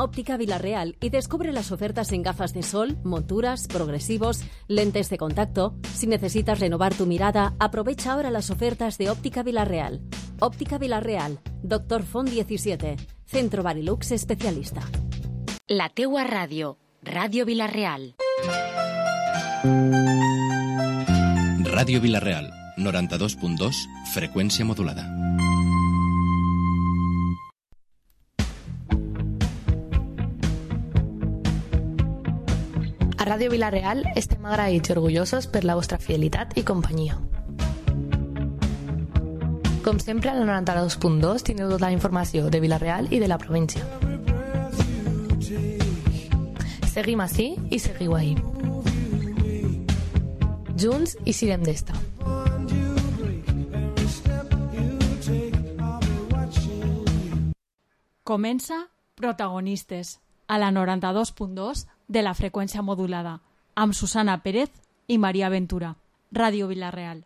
Óptica Vilarreal y descubre las ofertas en gafas de sol, monturas, progresivos, lentes de contacto. Si necesitas renovar tu mirada, aprovecha ahora las ofertas de Óptica Vilarreal. Óptica Vilarreal, Doctor Font 17, Centro Barilux especialista. La teua ràdio, Ràdio Vilarreal. Ràdio Vilarreal, 92.2, freqüència modulada. A Ràdio Vilarreal estem agraïts i orgullosos per la vostra fidelitat i companyia. Com sempre, al 92.2 tindreu tota la informació de Vilarreal i de la província. Seguim ací i seguiu ahí. Junts i sirem d'esta. Comença Protagonistes, a la 92.2 de la freqüència modulada, amb Susana Pérez i Maria Ventura. Ràdio Vilarreal.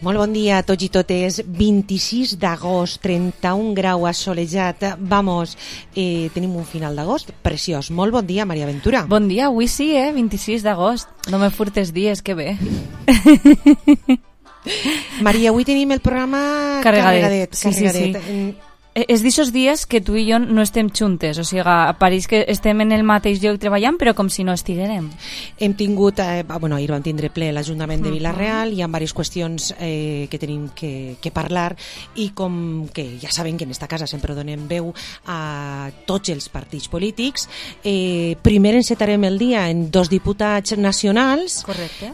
Molt bon dia a tots i totes. 26 d'agost, 31 grau assolejat. Vamos, tenim un final d'agost preciós. Molt bon dia, Maria Ventura. Bon dia, avui sí, 26 d'agost. No me furtes dies, que bé. Maria, avui tenim el programa carregadet. Sí. És d'aixòs dies que tu i jo no estem juntes, o sigui, pareix que estem en el mateix lloc treballant, però com si no estiguérem. Hem tingut, ahir vam tindre ple l'Ajuntament de Vilarreal, hi ha diverses qüestions que tenim que parlar, i com que ja saben que en esta casa sempre donem veu a tots els partits polítics, primer encetarem el dia en 2 diputats nacionals. Correcte.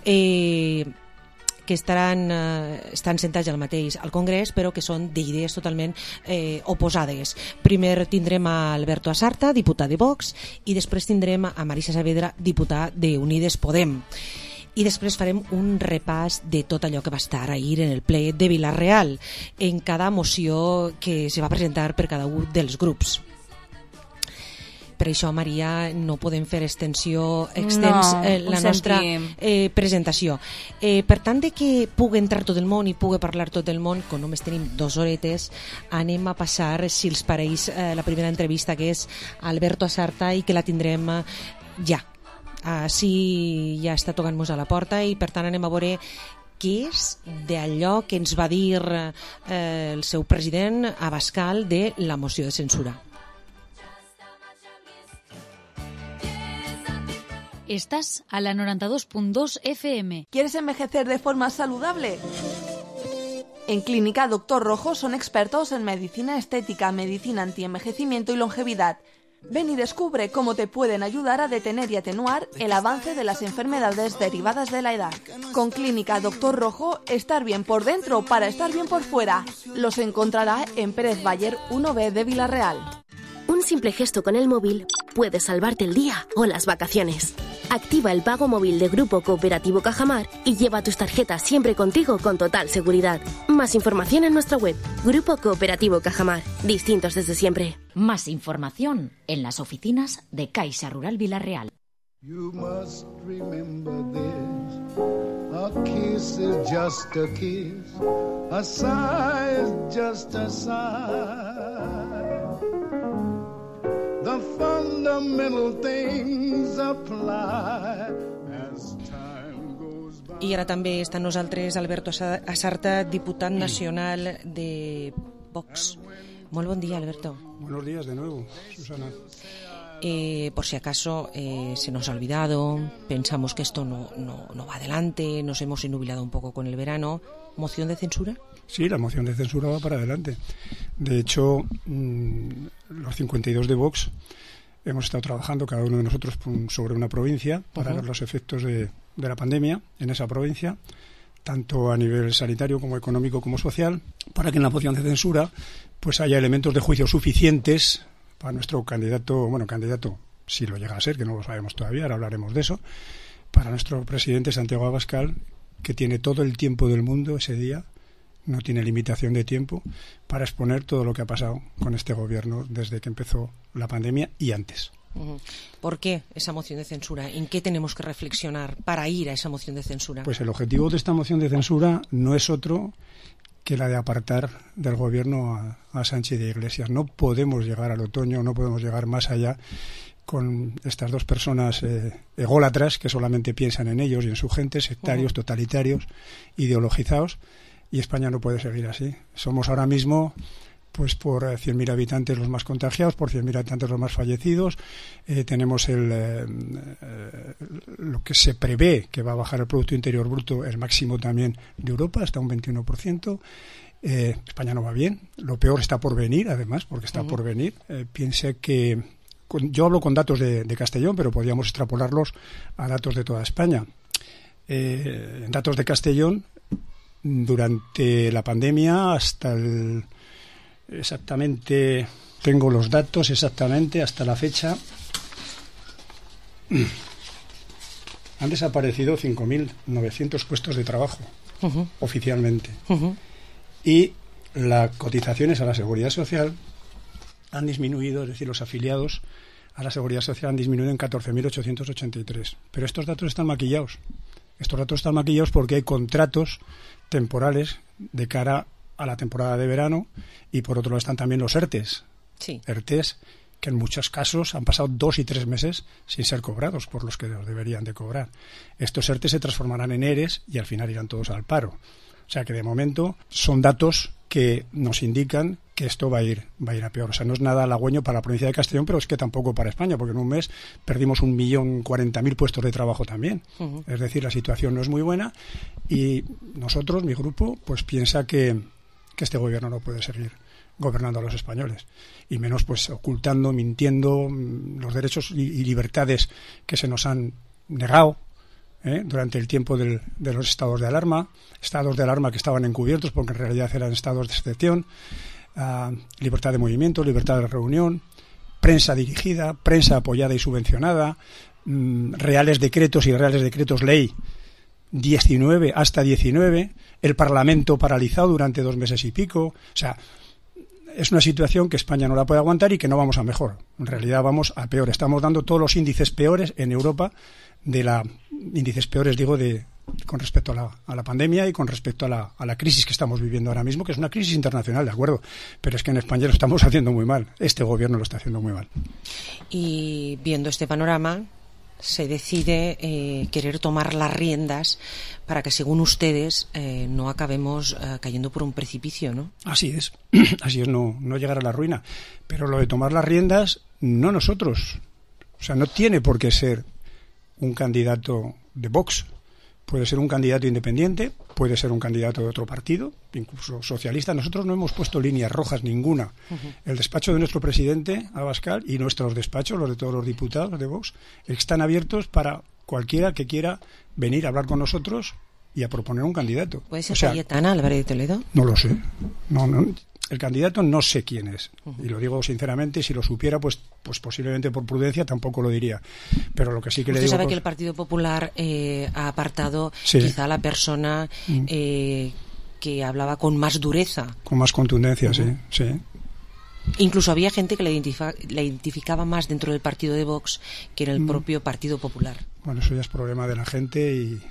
Que estan sentats al Congrés, però que són d'idees totalment oposades. Primer tindrem a Alberto Asarta, diputat de Vox, i després tindrem a Marisa Saavedra, diputat d'Unides Podem. I després farem un repàs de tot allò que va estar ahir en el ple de Vilarreal, en cada moció que se va presentar per cada un dels grups. Per això, Maria, no podem fer la nostra presentació. Per tant, de que pugui entrar tot el món i pugui parlar tot el món, com només tenim 2 horetes, anem a passar, si els pareix, la primera entrevista, que és Alberto Asarta, i que la tindrem ja. Sí, ja està tocant-nos a la porta, i per tant anem a veure què és d'allò que ens va dir el seu president Abascal de la moció de censura. Estás a la 92.2 FM. ¿Quieres envejecer de forma saludable? En Clínica Doctor Rojo son expertos en medicina estética, medicina antienvejecimiento y longevidad. Ven y descubre cómo te pueden ayudar a detener y atenuar el avance de las enfermedades derivadas de la edad. Con Clínica Doctor Rojo, estar bien por dentro para estar bien por fuera. Los encontrará en Pérez Bayer 1B de Vilarreal. Un simple gesto con el móvil puede salvarte el día o las vacaciones. Activa el pago móvil de Grupo Cooperativo Cajamar y lleva tus tarjetas siempre contigo con total seguridad. Más información en nuestra web, Grupo Cooperativo Cajamar. Distintos desde siempre. Más información en las oficinas de Caixa Rural Vilarreal. You must remember this. A kiss is just a kiss. A sigh is just a sigh. The fundamental things apply as time goes by. I ara també està amb nosaltres Alberto Asarta, diputat nacional de Vox. Molt bon dia, Alberto. Buenos días de nuevo, Susana. Por si acaso se nos ha olvidado, pensamos que esto no va adelante, nos hemos enubilado un poco con el verano. ¿Moción de censura? Sí, la moción de censura va para adelante. De hecho, los 52 de Vox hemos estado trabajando cada uno de nosotros sobre una provincia para ver los efectos de la pandemia en esa provincia. tanto a nivel sanitario como económico como social, para que en la moción de censura pues haya elementos de juicio suficientes para nuestro candidato, si lo llega a ser, que no lo sabemos todavía, ahora hablaremos de eso, para nuestro presidente Santiago Abascal, que tiene todo el tiempo del mundo ese día, no tiene limitación de tiempo, para exponer todo lo que ha pasado con este gobierno desde que empezó la pandemia y antes. ¿Por qué esa moción de censura? ¿En qué tenemos que reflexionar para ir a esa moción de censura? Pues el objetivo de esta moción de censura no es otro que la de apartar del gobierno a Sánchez y a Iglesias. No podemos llegar al otoño, no podemos llegar más allá con estas dos personas ególatras que solamente piensan en ellos y en su gente, sectarios, totalitarios, ideologizados, y España no puede seguir así. Somos ahora mismo, pues por 100.000 habitantes los más contagiados, por 100.000 habitantes los más fallecidos. Tenemos lo que se prevé que va a bajar el Producto Interior Bruto, el máximo también de Europa, hasta un 21%. España no va bien. Lo peor está por venir, además, porque está por venir. Piensa que... yo hablo con datos de Castellón, pero podríamos extrapolarlos a datos de toda España. En datos de Castellón, durante la pandemia hasta exactamente, tengo los datos exactamente hasta la fecha, han desaparecido 5.900 puestos de trabajo oficialmente, y las cotizaciones a la Seguridad Social han disminuido, es decir, los afiliados a la Seguridad Social han disminuido en 14.883. Pero estos datos están maquillados. Estos datos están maquillados porque hay contratos temporales de cara a la temporada de verano, y por otro lado están también los ERTEs. Sí. ERTEs que en muchos casos han pasado 2 y 3 meses sin ser cobrados por los que los deberían de cobrar. Estos ERTEs se transformarán en ERES y al final irán todos al paro. O sea que de momento son datos que nos indican que esto va a ir a peor. O sea, no es nada halagüeño para la provincia de Castellón, pero es que tampoco para España, porque en un mes perdimos 1.040.000 puestos de trabajo también. Es decir, la situación no es muy buena, y nosotros, mi grupo, pues piensa que este gobierno no puede seguir gobernando a los españoles, y menos pues ocultando, mintiendo los derechos y libertades que se nos han negado durante el tiempo de los estados de alarma que estaban encubiertos porque en realidad eran estados de excepción. Libertad de movimiento, libertad de reunión, prensa dirigida, prensa apoyada y subvencionada, reales decretos y reales decretos ley 19 hasta 19, el Parlamento paralizado durante 2 meses y pico. O sea, es una situación que España no la puede aguantar y que no vamos a mejor. En realidad vamos a peor. Estamos dando todos los índices peores en Europa, índices peores digo con respecto a la pandemia y con respecto a la crisis que estamos viviendo ahora mismo, que es una crisis internacional, de acuerdo, pero es que en España lo estamos haciendo muy mal. Este gobierno lo está haciendo muy mal. Y viendo este panorama, se decide querer tomar las riendas para que, según ustedes, no acabemos cayendo por un precipicio, ¿no? Así es, no llegar a la ruina. Pero lo de tomar las riendas, no nosotros. O sea, no tiene por qué ser un candidato de Vox. Puede ser un candidato independiente, puede ser un candidato de otro partido, incluso socialista. Nosotros no hemos puesto líneas rojas ninguna. El despacho de nuestro presidente, Abascal, y nuestros despachos, los de todos los diputados de Vox, están abiertos para cualquiera que quiera venir a hablar con nosotros y a proponer un candidato. ¿Puede ser Cayetana Álvarez de Toledo? No lo sé. No. El candidato no sé quién es, y lo digo sinceramente. Si lo supiera, pues posiblemente por prudencia tampoco lo diría. Pero lo que sí que le digo... Usted sabe que el Partido Popular ha apartado quizá a la persona que hablaba con más dureza. Con más contundencia, sí. Incluso había gente que la identificaba más dentro del partido de Vox que en el propio Partido Popular. Bueno, eso ya es problema de la gente y...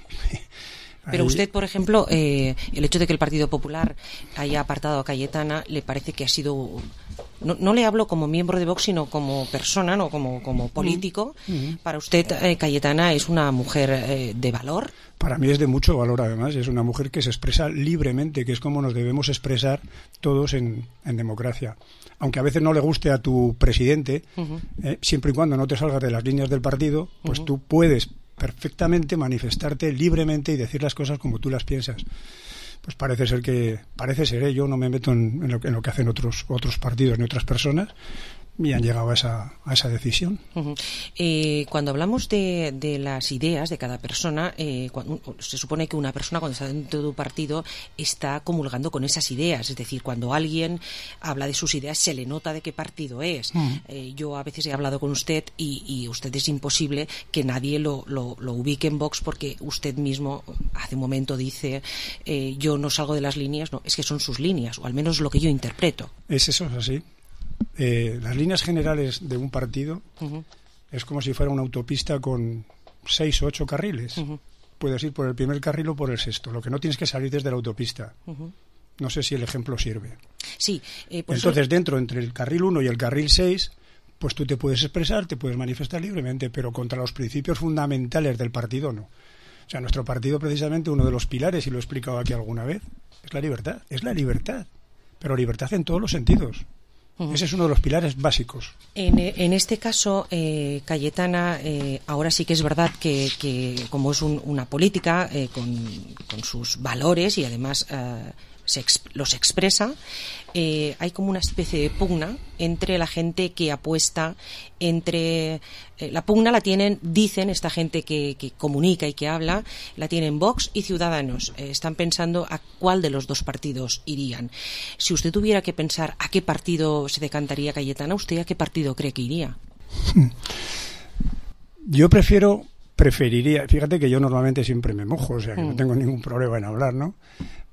Pero usted, por ejemplo, el hecho de que el Partido Popular haya apartado a Cayetana, ¿le parece que ha sido... No le hablo como miembro de Vox, sino como persona, no como político? ¿Para usted Cayetana es una mujer de valor? Para mí es de mucho valor, además. Es una mujer que se expresa libremente, que es como nos debemos expresar todos en democracia. Aunque a veces no le guste a tu presidente, siempre y cuando no te salgas de las líneas del partido, pues tú puedes perfectamente manifestarte libremente y decir las cosas como tú las piensas. Pues parece ser, yo no me meto en lo que hacen otros partidos ni otras personas. y han llegado a esa decisión. Cuando hablamos de las ideas de cada persona, se supone que una persona cuando está dentro de un partido está comulgando con esas ideas, es decir, cuando alguien habla de sus ideas se le nota de qué partido es. Yo a veces he hablado con usted y usted es imposible que nadie lo ubique en Vox, porque usted mismo hace un momento dice yo no salgo de las líneas. No, es que son sus líneas, o al menos lo que yo interpreto. Es así. Las líneas generales de un partido es como si fuera una autopista con 6 o 8 carriles. Puedes ir por el primer carril o por el sexto. Lo que no tienes que salir desde la autopista. No sé si el ejemplo sirve. Sí. Entonces, entre el carril 1 y el carril 6, pues tú te puedes expresar, te puedes manifestar libremente, pero contra los principios fundamentales del partido no. O sea, nuestro partido, precisamente, uno de los pilares, y lo he explicado aquí alguna vez, es la libertad. Es la libertad. Pero libertad en todos los sentidos. Ese es uno de los pilares básicos. En este caso, Cayetana, ahora sí que es verdad que como es una política con sus valores y además los expresa, hay como una especie de pugna entre la gente que apuesta, la pugna la dicen esta gente que comunica y que habla, la tienen Vox y Ciudadanos. Están pensando a cuál de los dos partidos irían. Si usted tuviera que pensar a qué partido se decantaría Cayetana, ¿usted a qué partido cree que iría? Yo preferiría, fíjate que yo normalmente siempre me mojo, o sea que no tengo ningún problema en hablar, ¿no?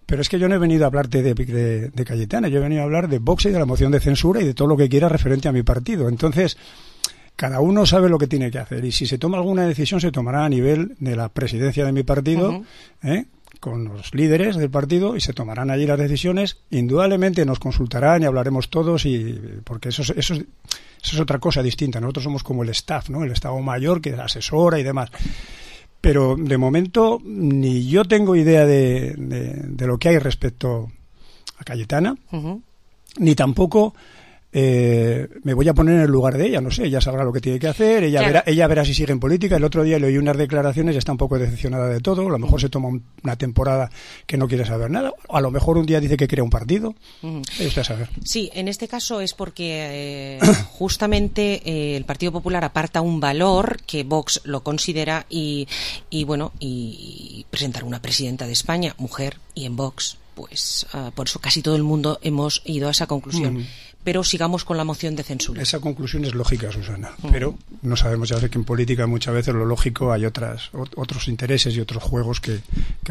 Pero es que yo no he venido a hablarte de Cayetana, yo he venido a hablar de Vox y de la moción de censura y de todo lo que quiera referente a mi partido. Entonces, cada uno sabe lo que tiene que hacer, y si se toma alguna decisión se tomará a nivel de la presidencia de mi partido, con los líderes del partido, y se tomarán allí las decisiones. Indudablemente nos consultarán y hablaremos todos, porque eso es otra cosa distinta. Nosotros somos como el staff, ¿no? El Estado Mayor que asesora y demás. Pero de momento ni yo tengo idea de lo que hay respecto a Cayetana, ni tampoco me voy a poner en el lugar de ella. No sé, ella sabrá lo que tiene que hacer, ella verá si sigue en política. El otro día le oí unas declaraciones y está un poco decepcionada de todo. A lo mejor se toma una temporada que no quiere saber nada. A lo mejor un día dice que crea un partido. Eso a saber. Sí, en este caso es porque justamente el Partido Popular aparta un valor que Vox lo considera y presentar una presidenta de España, mujer, y en Vox, pues por eso casi todo el mundo hemos ido a esa conclusión. Pero sigamos con la moción de censura. Esa conclusión es lógica, Susana, pero no sabemos, ya sé que en política muchas veces lo lógico hay otros intereses y otros juegos que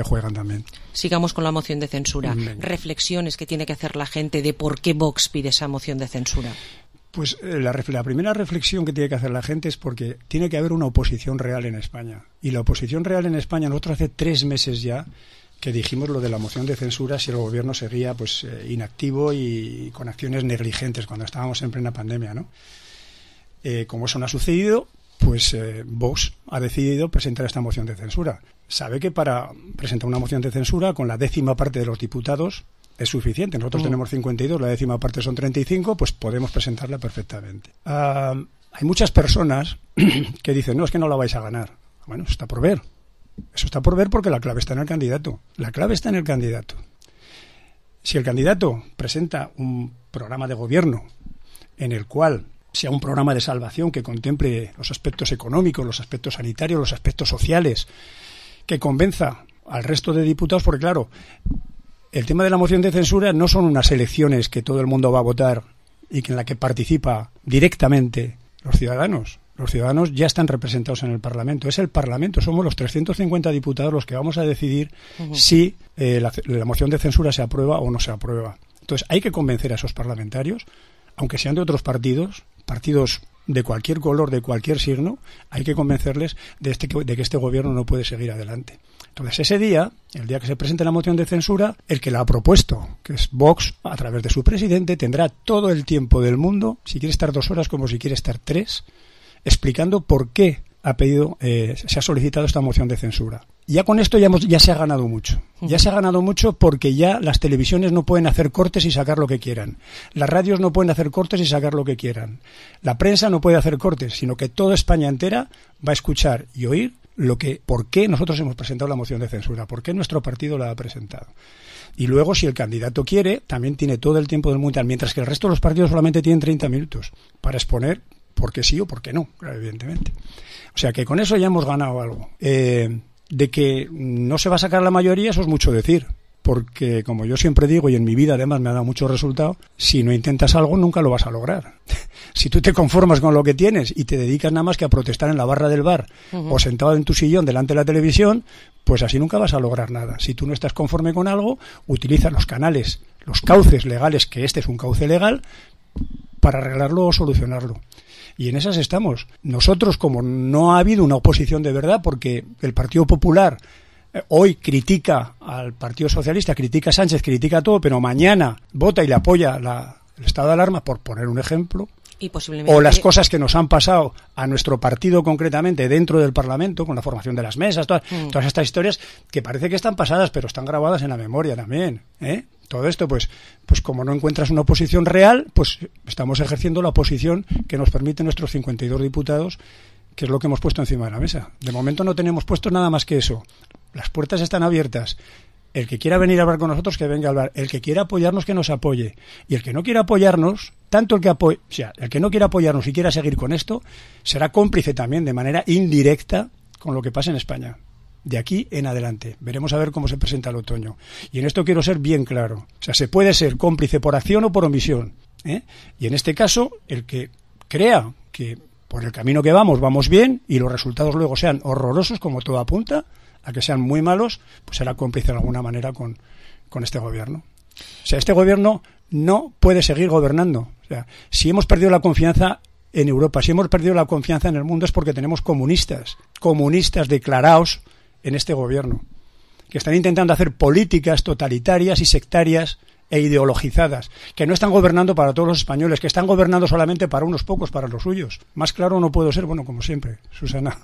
juegan también. Sigamos con la moción de censura. Reflexiones que tiene que hacer la gente de por qué Vox pide esa moción de censura. Pues la primera reflexión que tiene que hacer la gente es porque tiene que haber una oposición real en España. Y la oposición real en España, nosotros hace 3 meses ya que dijimos lo de la moción de censura si el gobierno seguía inactivo y con acciones negligentes cuando estábamos en plena pandemia, ¿no? Como eso no ha sucedido, pues Vox ha decidido presentar esta moción de censura. Sabe que para presentar una moción de censura con la 10ª parte de los diputados es suficiente. Nosotros tenemos 52, la 10ª parte son 35, pues podemos presentarla perfectamente. Hay muchas personas que dicen, no, es que no la vais a ganar. Bueno, eso está por ver. Eso está por ver porque la clave está en el candidato. La clave está en el candidato. Si el candidato presenta un programa de gobierno en el cual sea un programa de salvación que contemple los aspectos económicos, los aspectos sanitarios, los aspectos sociales, que convenza al resto de diputados, porque claro, el tema de la moción de censura no son unas elecciones que todo el mundo va a votar y en la que participa directamente los ciudadanos. Los ciudadanos ya están representados en el Parlamento. Es el Parlamento, somos los 350 diputados los que vamos a decidir si la moción de censura se aprueba o no se aprueba. Entonces hay que convencer a esos parlamentarios, aunque sean de otros partidos de cualquier color, de cualquier signo, hay que convencerles de que este gobierno no puede seguir adelante. Entonces ese día, el día que se presente la moción de censura, el que la ha propuesto, que es Vox, a través de su presidente, tendrá todo el tiempo del mundo, si quiere estar 2 horas como si quiere estar 3, explicando por qué se ha solicitado esta moción de censura. Ya con esto ya se ha ganado mucho. Ya se ha ganado mucho porque ya las televisiones no pueden hacer cortes y sacar lo que quieran. Las radios no pueden hacer cortes y sacar lo que quieran. La prensa no puede hacer cortes, sino que toda España entera va a escuchar y oír por qué nosotros hemos presentado la moción de censura, por qué nuestro partido la ha presentado. Y luego, si el candidato quiere, también tiene todo el tiempo del mundo, mientras que el resto de los partidos solamente tienen 30 minutos para exponer por qué sí o por qué no, evidentemente. O sea que con eso ya hemos ganado algo. De que no se va a sacar la mayoría, eso es mucho decir. Porque, como yo siempre digo, y en mi vida además me ha dado mucho resultado, si no intentas algo nunca lo vas a lograr. Si tú te conformas con lo que tienes y te dedicas nada más que a protestar en la barra del bar o sentado en tu sillón delante de la televisión, pues así nunca vas a lograr nada. Si tú no estás conforme con algo, utiliza los canales, los cauces legales, que este es un cauce legal, para arreglarlo o solucionarlo. Y en esas estamos. Nosotros, como no ha habido una oposición de verdad, porque el Partido Popular hoy critica al Partido Socialista, critica a Sánchez, critica todo, pero mañana vota y le apoya el estado de alarma, por poner un ejemplo, y posiblemente... o las cosas que nos han pasado a nuestro partido concretamente dentro del Parlamento, con la formación de las mesas, todas estas historias que parece que están pasadas, pero están grabadas en la memoria también, ¿eh? Todo esto, pues como no encuentras una oposición real, pues estamos ejerciendo la oposición que nos permite nuestros 52 diputados, que es lo que hemos puesto encima de la mesa. De momento no tenemos puesto nada más que eso. Las puertas están abiertas. El que quiera venir a hablar con nosotros, que venga a hablar. El que quiera apoyarnos, que nos apoye. Y el que no quiera apoyarnos, el que no quiera apoyarnos y quiera seguir con esto, será cómplice también de manera indirecta con lo que pasa en España. De aquí en adelante. Veremos a ver cómo se presenta el otoño. Y en esto quiero ser bien claro. O sea, se puede ser cómplice por acción o por omisión, ¿eh? Y en este caso, el que crea que por el camino que vamos bien, y los resultados luego sean horrorosos, como todo apunta a que sean muy malos, pues será cómplice de alguna manera con este gobierno. O sea, este gobierno no puede seguir gobernando. O sea, si hemos perdido la confianza en Europa, si hemos perdido la confianza en el mundo, es porque tenemos comunistas declarados en este gobierno, que están intentando hacer políticas totalitarias y sectarias e ideologizadas, que no están gobernando para todos los españoles, que están gobernando solamente para unos pocos, para los suyos. Más claro no puedo ser, bueno, como siempre, Susana.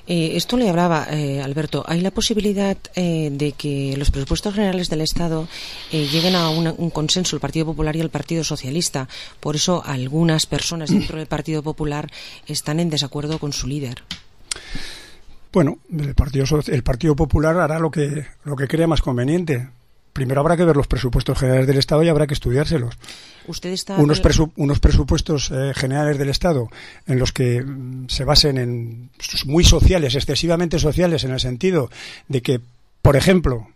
Esto le hablaba, Alberto, ¿hay la posibilidad de que los presupuestos generales del Estado lleguen a un consenso, el Partido Popular y el Partido Socialista? Por eso algunas personas dentro del Partido Popular están en desacuerdo con su líder. Bueno, el Partido Popular hará lo que crea más conveniente. Primero habrá que ver los presupuestos generales del Estado y habrá que estudiárselos. ¿Usted está unos presupuestos generales del Estado en los que se basen en muy sociales, excesivamente sociales, en el sentido de que, por ejemplo,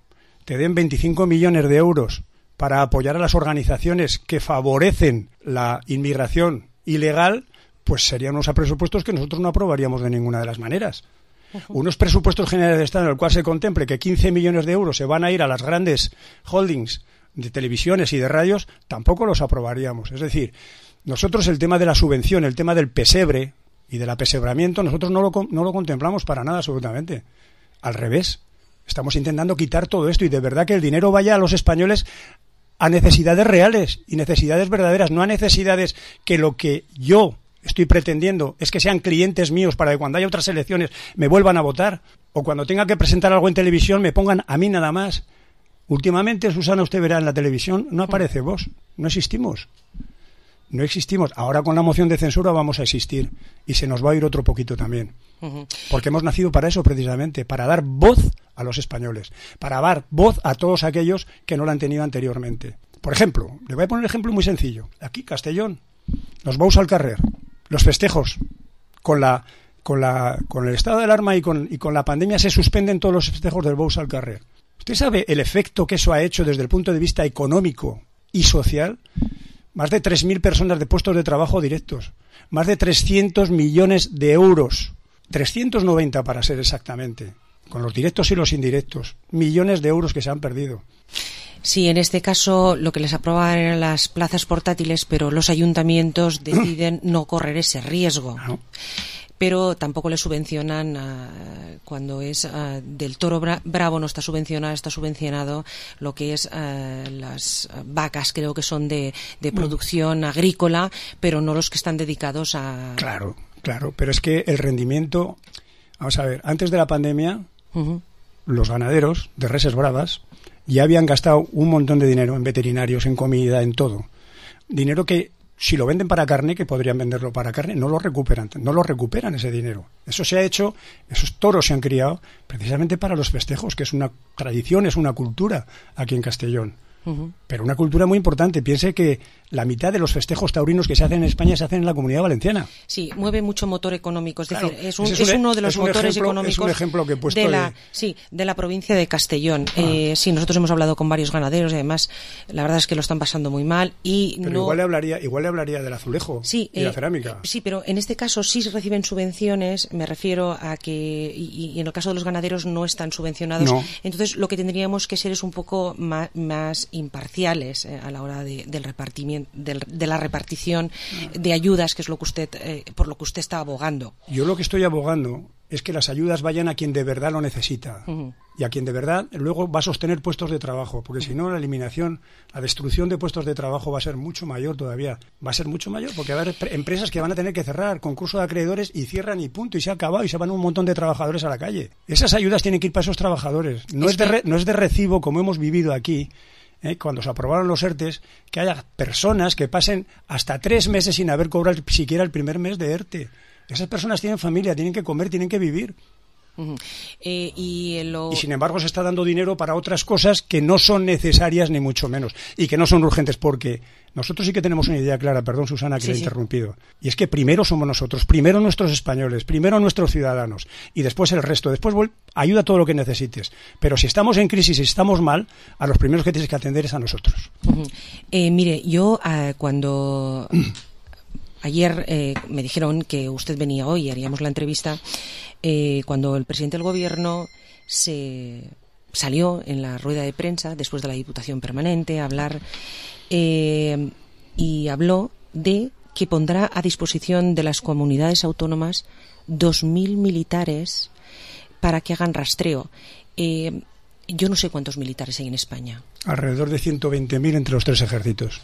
te den 25 millones de euros para apoyar a las organizaciones que favorecen la inmigración ilegal, pues serían unos presupuestos que nosotros no aprobaríamos de ninguna de las maneras. Unos presupuestos generales de Estado en el cual se contemple que 15 millones de euros se van a ir a las grandes holdings de televisiones y de radios, tampoco los aprobaríamos. Es decir, nosotros el tema de la subvención, el tema del pesebre y del apesebramiento, nosotros no lo contemplamos para nada absolutamente. Al revés, estamos intentando quitar todo esto y de verdad que el dinero vaya a los españoles a necesidades reales y necesidades verdaderas, no a necesidades que lo que yo estoy pretendiendo es que sean clientes míos para que cuando haya otras elecciones me vuelvan a votar, o cuando tenga que presentar algo en televisión me pongan a mí nada más. Últimamente, Susana, usted verá en la televisión, no aparece Vox, no existimos. Ahora con la moción de censura vamos a existir y se nos va a ir otro poquito también. Porque hemos nacido para eso precisamente, para dar voz a los españoles, para dar voz a todos aquellos que no la han tenido anteriormente. Por ejemplo, le voy a poner un ejemplo muy sencillo. Aquí, Castellón, los bous al carrer, los festejos, con el estado de alarma y con la pandemia se suspenden todos los festejos del bous al carrer. ¿Usted sabe el efecto que eso ha hecho desde el punto de vista económico y social? Más de 3.000 personas de puestos de trabajo directos, más de 300 millones de euros, 390 para ser exactamente, con los directos y los indirectos, millones de euros que se han perdido. Sí, en este caso lo que les aprobaban eran las plazas portátiles, pero los ayuntamientos deciden no correr ese riesgo. No. Pero tampoco le subvencionan cuando es del toro bravo, no está subvencionado, está subvencionado lo que es las vacas, creo que son de producción agrícola, pero no los que están dedicados a... Claro, pero es que el rendimiento... Vamos a ver, antes de la pandemia, los ganaderos de reses bravas ya habían gastado un montón de dinero en veterinarios, en comida, en todo. Dinero que si lo venden para carne, que podrían venderlo para carne, no lo recuperan ese dinero. Eso se ha hecho, esos toros se han criado precisamente para los festejos, que es una tradición, es una cultura aquí en Castellón. Pero una cultura muy importante. Piense que la mitad de los festejos taurinos que se hacen en España se hacen en la Comunidad Valenciana. Sí, mueve mucho motor económico. Es Claro, decir, es uno de los motores económicos es un ejemplo que he puesto de la provincia de Castellón. Sí, nosotros hemos hablado con varios ganaderos y además la verdad es que lo están pasando muy mal. Pero igual le hablaría del azulejo y la cerámica. Sí, pero en este caso sí reciben subvenciones. Me refiero a que, y en el caso de los ganaderos no están subvencionados. No. Entonces lo que tendríamos que ser es un poco más imparciales a la hora del repartimiento, de la repartición de ayudas, que es lo que usted por lo que usted está abogando. Yo lo que estoy abogando es que las ayudas vayan a quien de verdad lo necesita y a quien de verdad luego va a sostener puestos de trabajo, porque si no la destrucción de puestos de trabajo va a ser mucho mayor todavía. Va a ser mucho mayor porque va a haber empresas que van a tener que cerrar, concurso de acreedores y cierran y punto, y se ha acabado y se van un montón de trabajadores a la calle. Esas ayudas tienen que ir para esos trabajadores. No es de recibo, como hemos vivido aquí, cuando se aprobaron los ERTEs, que haya personas que pasen hasta 3 meses sin haber cobrado siquiera el primer mes de ERTE. Esas personas tienen familia, tienen que comer, tienen que vivir. Y sin embargo se está dando dinero para otras cosas que no son necesarias ni mucho menos y que no son urgentes, porque nosotros sí que tenemos una idea clara, perdón Susana que le he interrumpido, y es que primero somos nosotros, primero nuestros españoles, primero nuestros ciudadanos y después el resto, después ayuda todo lo que necesites, pero si estamos en crisis y estamos mal, a los primeros que tienes que atender es a nosotros. Mire, yo cuando ayer me dijeron que usted venía hoy y haríamos la entrevista, cuando el presidente del gobierno se salió en la rueda de prensa después de la Diputación Permanente a hablar y habló de que pondrá a disposición de las comunidades autónomas 2.000 militares para que hagan rastreo. Yo no sé cuántos militares hay en España. Alrededor de 120.000 entre los 3 ejércitos.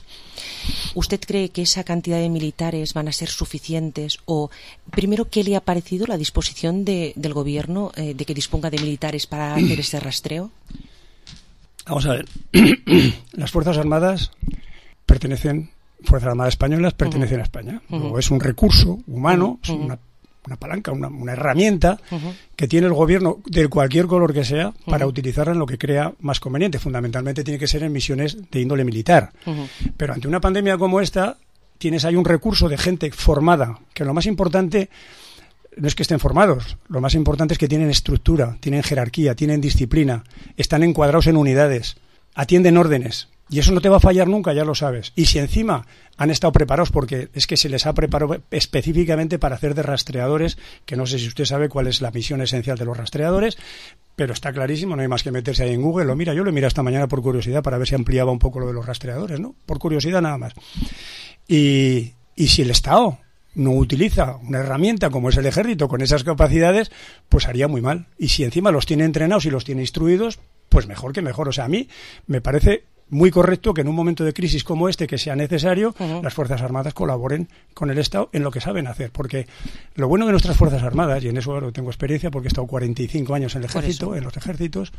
¿Usted cree que esa cantidad de militares van a ser suficientes? O, primero, ¿qué le ha parecido la disposición del gobierno de que disponga de militares para hacer ese rastreo? Vamos a ver. Las Fuerzas Armadas Fuerzas Armadas Españolas pertenecen a España. Luego es un recurso humano, es una palanca, una herramienta que tiene el gobierno de cualquier color que sea para utilizarla en lo que crea más conveniente. Fundamentalmente tiene que ser en misiones de índole militar. Pero ante una pandemia como esta, tienes ahí un recurso de gente formada, que lo más importante no es que estén formados, lo más importante es que tienen estructura, tienen jerarquía, tienen disciplina, están encuadrados en unidades, atienden órdenes. Y eso no te va a fallar nunca, ya lo sabes. Y si encima han estado preparados, porque es que se les ha preparado específicamente para hacer de rastreadores, que no sé si usted sabe cuál es la misión esencial de los rastreadores, pero está clarísimo, no hay más que meterse ahí en Google. Yo lo miré esta mañana por curiosidad para ver si ampliaba un poco lo de los rastreadores, ¿no? Por curiosidad nada más. Y si el Estado no utiliza una herramienta como es el ejército con esas capacidades, pues haría muy mal. Y si encima los tiene entrenados y los tiene instruidos, pues mejor que mejor. O sea, a mí me parece muy correcto que en un momento de crisis como este, que sea necesario, las Fuerzas Armadas colaboren con el Estado en lo que saben hacer. Porque lo bueno de nuestras Fuerzas Armadas, y en eso tengo experiencia porque he estado 45 años en el ejército, en los ejércitos,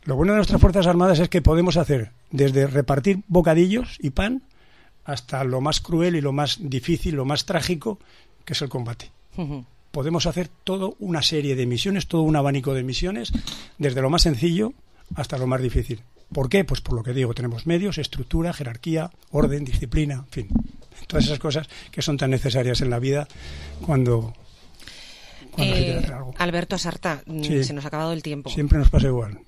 lo bueno de nuestras Fuerzas Armadas es que podemos hacer desde repartir bocadillos y pan hasta lo más cruel y lo más difícil, lo más trágico, que es el combate. Podemos hacer toda una serie de misiones, todo un abanico de misiones, desde lo más sencillo hasta lo más difícil. ¿Por qué? Pues por lo que digo, tenemos medios, estructura, jerarquía, orden, disciplina, en fin, todas esas cosas que son tan necesarias en la vida cuando se quiere hacer algo. Alberto Asarta, se nos ha acabado el tiempo. Siempre nos pasa igual.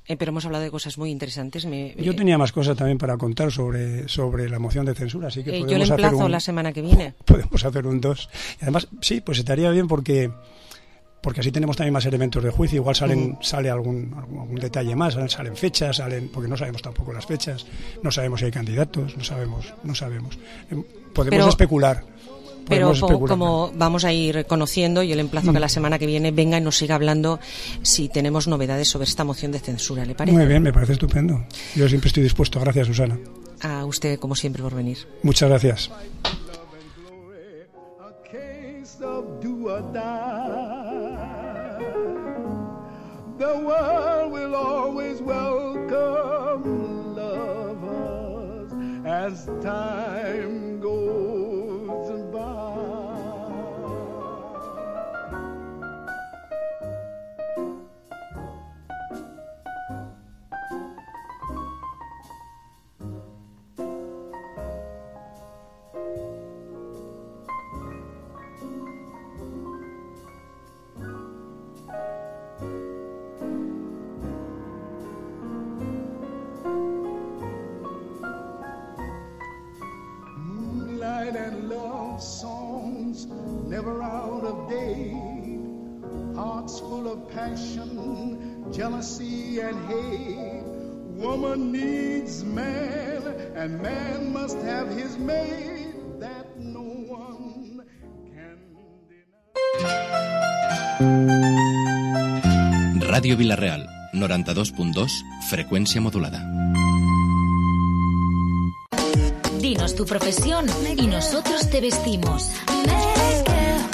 Pero hemos hablado de cosas muy interesantes. Yo tenía más cosas también para contar sobre la moción de censura, así que podemos yo le emplazo la semana que viene. Podemos hacer un 2. Y además, sí, pues estaría bien porque así tenemos también más elementos de juicio. Igual sale algún detalle más, salen fechas, porque no sabemos tampoco las fechas, no sabemos si hay candidatos, no sabemos. Podemos especular. Pero como vamos a ir conociendo, yo le emplazo que la semana que viene venga y nos siga hablando si tenemos novedades sobre esta moción de censura, ¿le parece? Muy bien, me parece estupendo. Yo siempre estoy dispuesto. Gracias, Susana. A usted, como siempre, por venir. Muchas gracias. The world will always welcome lovers as time goes pride and love songs never out of date. Hearts full of passion, jealousy and hate. Woman needs man, and man must have his mate. That no one can deny. Radio Vilareal, 92.2, frecuencia modulada. Dinos tu profesión y nosotros te vestimos.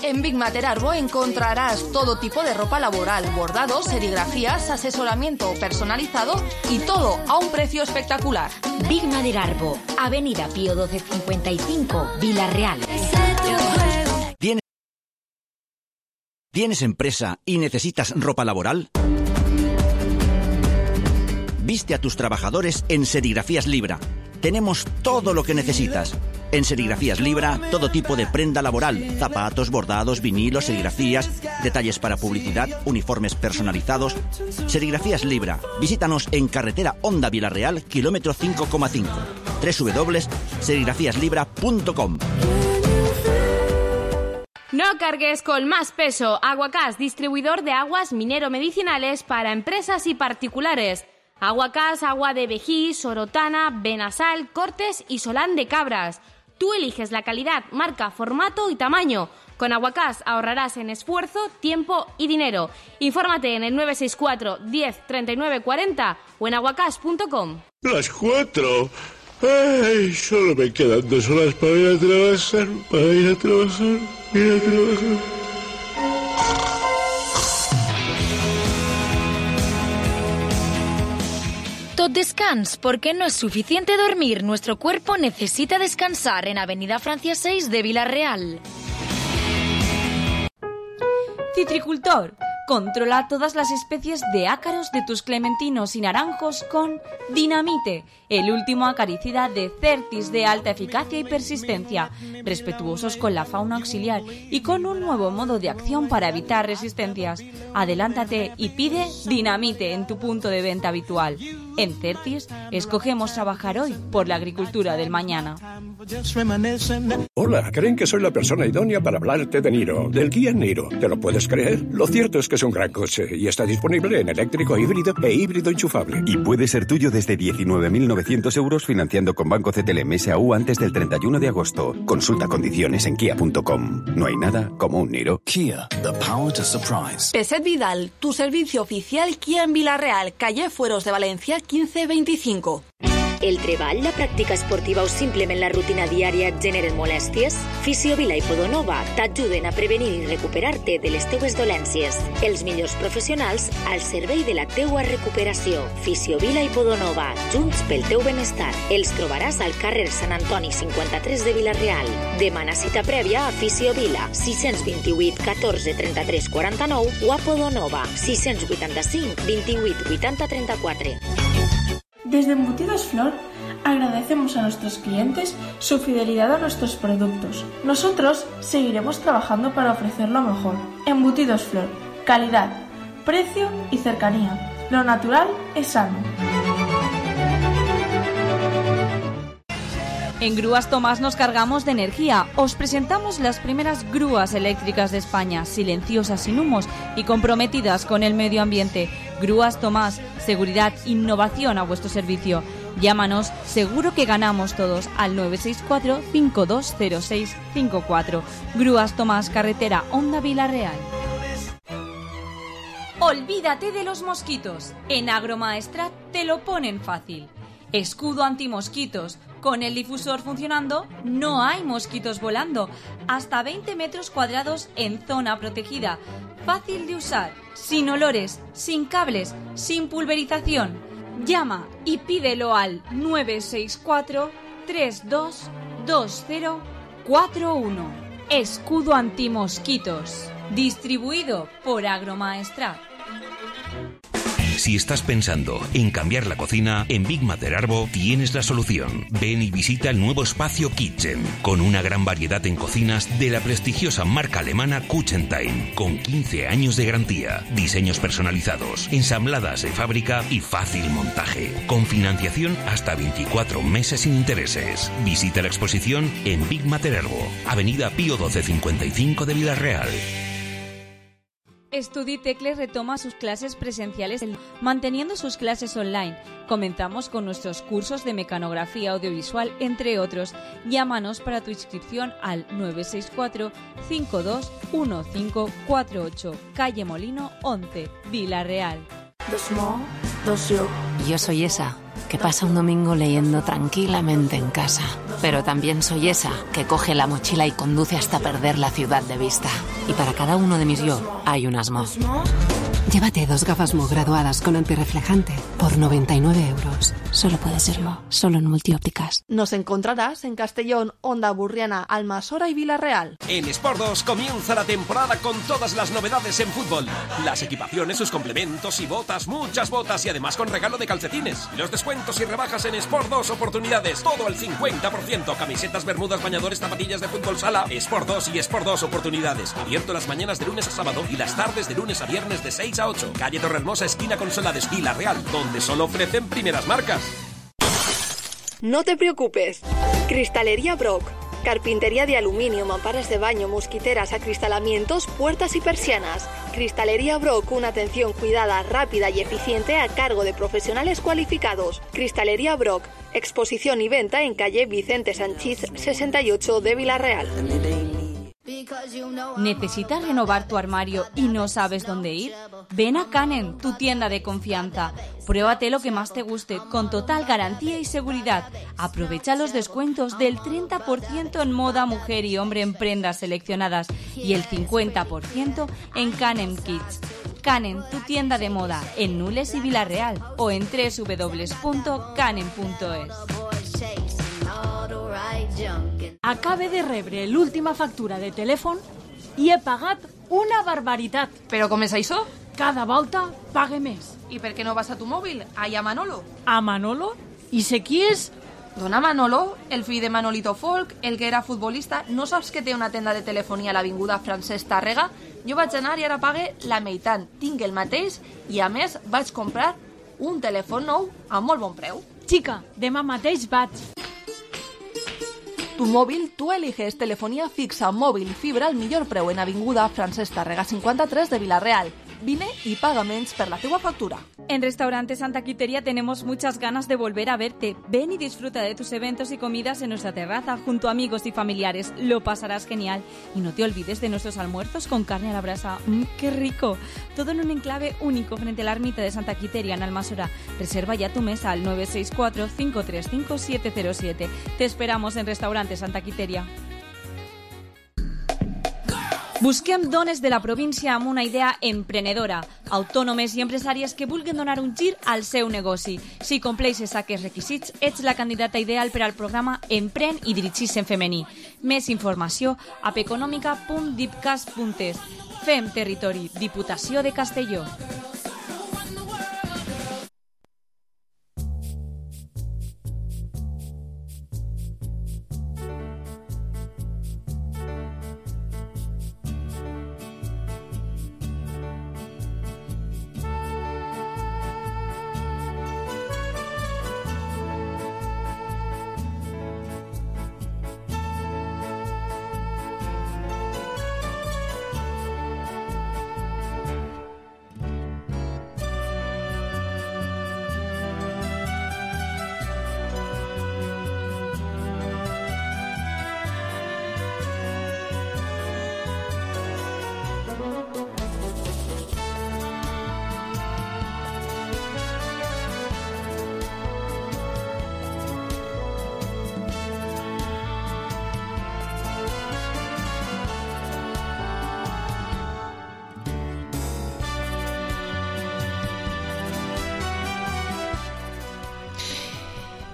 En Big Mater Arbo encontrarás todo tipo de ropa laboral, bordados, serigrafías, asesoramiento personalizado y todo a un precio espectacular. Big Mater Arbo, Avenida Pío 1255, Vilareal. ¿Tienes empresa y necesitas ropa laboral? Viste a tus trabajadores en Serigrafías Libra. Tenemos todo lo que necesitas. En Serigrafías Libra, todo tipo de prenda laboral, zapatos, bordados, vinilos, serigrafías, detalles para publicidad, uniformes personalizados. Serigrafías Libra. Visítanos en carretera Honda Vilareal, kilómetro 5,5. www.serigrafíaslibra.com. No cargues con más peso. Aguacás, distribuidor de aguas minero-medicinales para empresas y particulares. Aguacás, agua de Vejí, Sorotana, Benasal, Cortes y Solán de Cabras. Tú eliges la calidad, marca, formato y tamaño. Con Aguacás ahorrarás en esfuerzo, tiempo y dinero. Infórmate en el 964 10 39 40 o en aguacás.com. Las 4. Ay, solo me quedan 2 horas para ir a trabajar, Tot descans, porque no es suficiente dormir. Nuestro cuerpo necesita descansar en Avenida Francia 6 de Vilareal. Citricultor, controla todas las especies de ácaros de tus clementinos y naranjos con Dinamite, el último acaricida de Certis de alta eficacia y persistencia, respetuosos con la fauna auxiliar y con un nuevo modo de acción para evitar resistencias. Adelántate y pide Dinamite en tu punto de venta habitual. En Certis, escogemos trabajar hoy por la agricultura del mañana. Hola, creen que soy la persona idónea para hablarte de Niro, del Kia Niro. ¿Te lo puedes creer? Lo cierto es que es un gran coche y está disponible en eléctrico híbrido e híbrido enchufable. Y puede ser tuyo desde 19.900 euros financiando con Banco CTLM SAU antes del 31 de agosto. Consulta condiciones en kia.com. No hay nada como un Niro. Kia, the power to surprise. Peset Vidal, tu servicio oficial Kia en Vilareal, calle Fueros de Valencia 1525. El treball, la pràctica esportiva o simplement la rutina diària et generen molèsties? Fisiovila i Podonova t'ajuden a prevenir i recuperar-te de les teues dolències. Els millors professionals al servei de la teua recuperació. Fisiovila i Podonova, junts pel teu benestar. Els trobaràs al carrer Sant Antoni 53 de Vilareal. Demana cita prèvia a Fisiovila 628 14 33 49 o a Podonova 685 28 80 34. Desde Embutidos Flor agradecemos a nuestros clientes su fidelidad a nuestros productos. Nosotros seguiremos trabajando para ofrecer lo mejor. Embutidos Flor, calidad, precio y cercanía. Lo natural es sano. En Grúas Tomás nos cargamos de energía. Os presentamos las primeras grúas eléctricas de España, silenciosas, sin humos y comprometidas con el medio ambiente. Grúas Tomás, seguridad, innovación a vuestro servicio. Llámanos, seguro que ganamos todos, al 964-520654. Grúas Tomás, carretera Honda Vilareal. Olvídate de los mosquitos. En Agromaestrat te lo ponen fácil. Escudo antimosquitos. Con el difusor funcionando, no hay mosquitos volando. Hasta 20 metros cuadrados en zona protegida. Fácil de usar, sin olores, sin cables, sin pulverización. Llama y pídelo al 964-322041. Escudo antimosquitos. Distribuido por Agromaestrat. Si estás pensando en cambiar la cocina, en Big Mater Arbo tienes la solución. Ven y visita el nuevo espacio Kitchen, con una gran variedad en cocinas de la prestigiosa marca alemana Kuchentime, con 15 años de garantía, diseños personalizados, ensambladas de fábrica y fácil montaje, con financiación hasta 24 meses sin intereses. Visita la exposición en Big Mater Arbo, Avenida Pío 1255 de Villarreal. Studitecle retoma sus clases presenciales manteniendo sus clases online. Comenzamos con nuestros cursos de mecanografía audiovisual, entre otros. Llámanos para tu inscripción al 964-521548, calle Molino 11, Villarreal. Yo soy esa que pasa un domingo leyendo tranquilamente en casa. Pero también soy esa que coge la mochila y conduce hasta perder la ciudad de vista. Y para cada uno de mis yo hay un Asmo. Llévate 2 gafas Mo graduadas con antirreflejante por 99 euros. Solo puede serlo, solo en Multiópticas. Nos encontrarás en Castellón, Onda Burriana, Almasora y Villarreal. En Sport 2 comienza la temporada con todas las novedades en fútbol. Las equipaciones, sus complementos y botas, muchas botas y además con regalo de calcetines. Los descuentos y rebajas en Sport 2 oportunidades, todo al 50%. Camisetas, bermudas, bañadores, zapatillas de fútbol sala. Sport 2 y Sport 2 oportunidades. Abierto las mañanas de lunes a sábado y las tardes de lunes a viernes de 6 a 8. Calle Torrehermosa, esquina Consolades, Villarreal, donde solo ofrecen primeras marcas. No te preocupes. Cristalería Brock. Carpintería de aluminio, mamparas de baño, mosquiteras, acristalamientos, puertas y persianas. Cristalería Brock, una atención cuidada, rápida y eficiente a cargo de profesionales cualificados. Cristalería Brock, exposición y venta en calle Vicente Sanchís 68 de Villarreal. ¿Necesitas renovar tu armario y no sabes dónde ir? Ven a Canem, tu tienda de confianza. Pruébate lo que más te guste, con total garantía y seguridad. Aprovecha los descuentos del 30% en moda, mujer y hombre en prendas seleccionadas y el 50% en Canem Kids. Canem, tu tienda de moda, en Nules y Villarreal o en www.canem.es. Acabe de rebre l'última factura de telèfon i he pagat una barbaritat. ¿Pero com és això? Cada volta pague més. ¿Y per qué no vas a tu móvil? Ahí a Manolo. A Manolo? I sé qui és? Dona Manolo, el fill de Manolito Folk, el que era futbolista. No saps que té una tenda de telefonia a l'avinguda Francesc Tàrrega? Jo vaig anar i ara pague la meitat. Tinc el mateix i a més vaig comprar un telèfon nou a molt bon preu. Xica, demà mateix vaig. Tu móvil, tú eliges telefonía fixa, móvil y fibra al millor preu en avinguda Francesc Tàrrega 53 de Villarreal. Vine y paga menys per la teua factura. En Restaurante Santa Quiteria tenemos muchas ganas de volver a verte. Ven y disfruta de tus eventos y comidas en nuestra terraza junto a amigos y familiares. Lo pasarás genial. Y no te olvides de nuestros almuerzos con carne a la brasa. ¡Qué rico! Todo en un enclave único frente a la ermita de Santa Quiteria en Almasora. Reserva ya tu mesa al 964-535-707. Te esperamos en Restaurante Santa Quiteria. Busquem dones de la província amb una idea emprenedora, autònomes i empresàries que vulguin donar un gir al seu negoci. Si compleixes aquests requisits, ets la candidata ideal per al programa Empren i dirigis en femení. Més informació a peconomica.dipcas.es. Fem territori, Diputació de Castelló.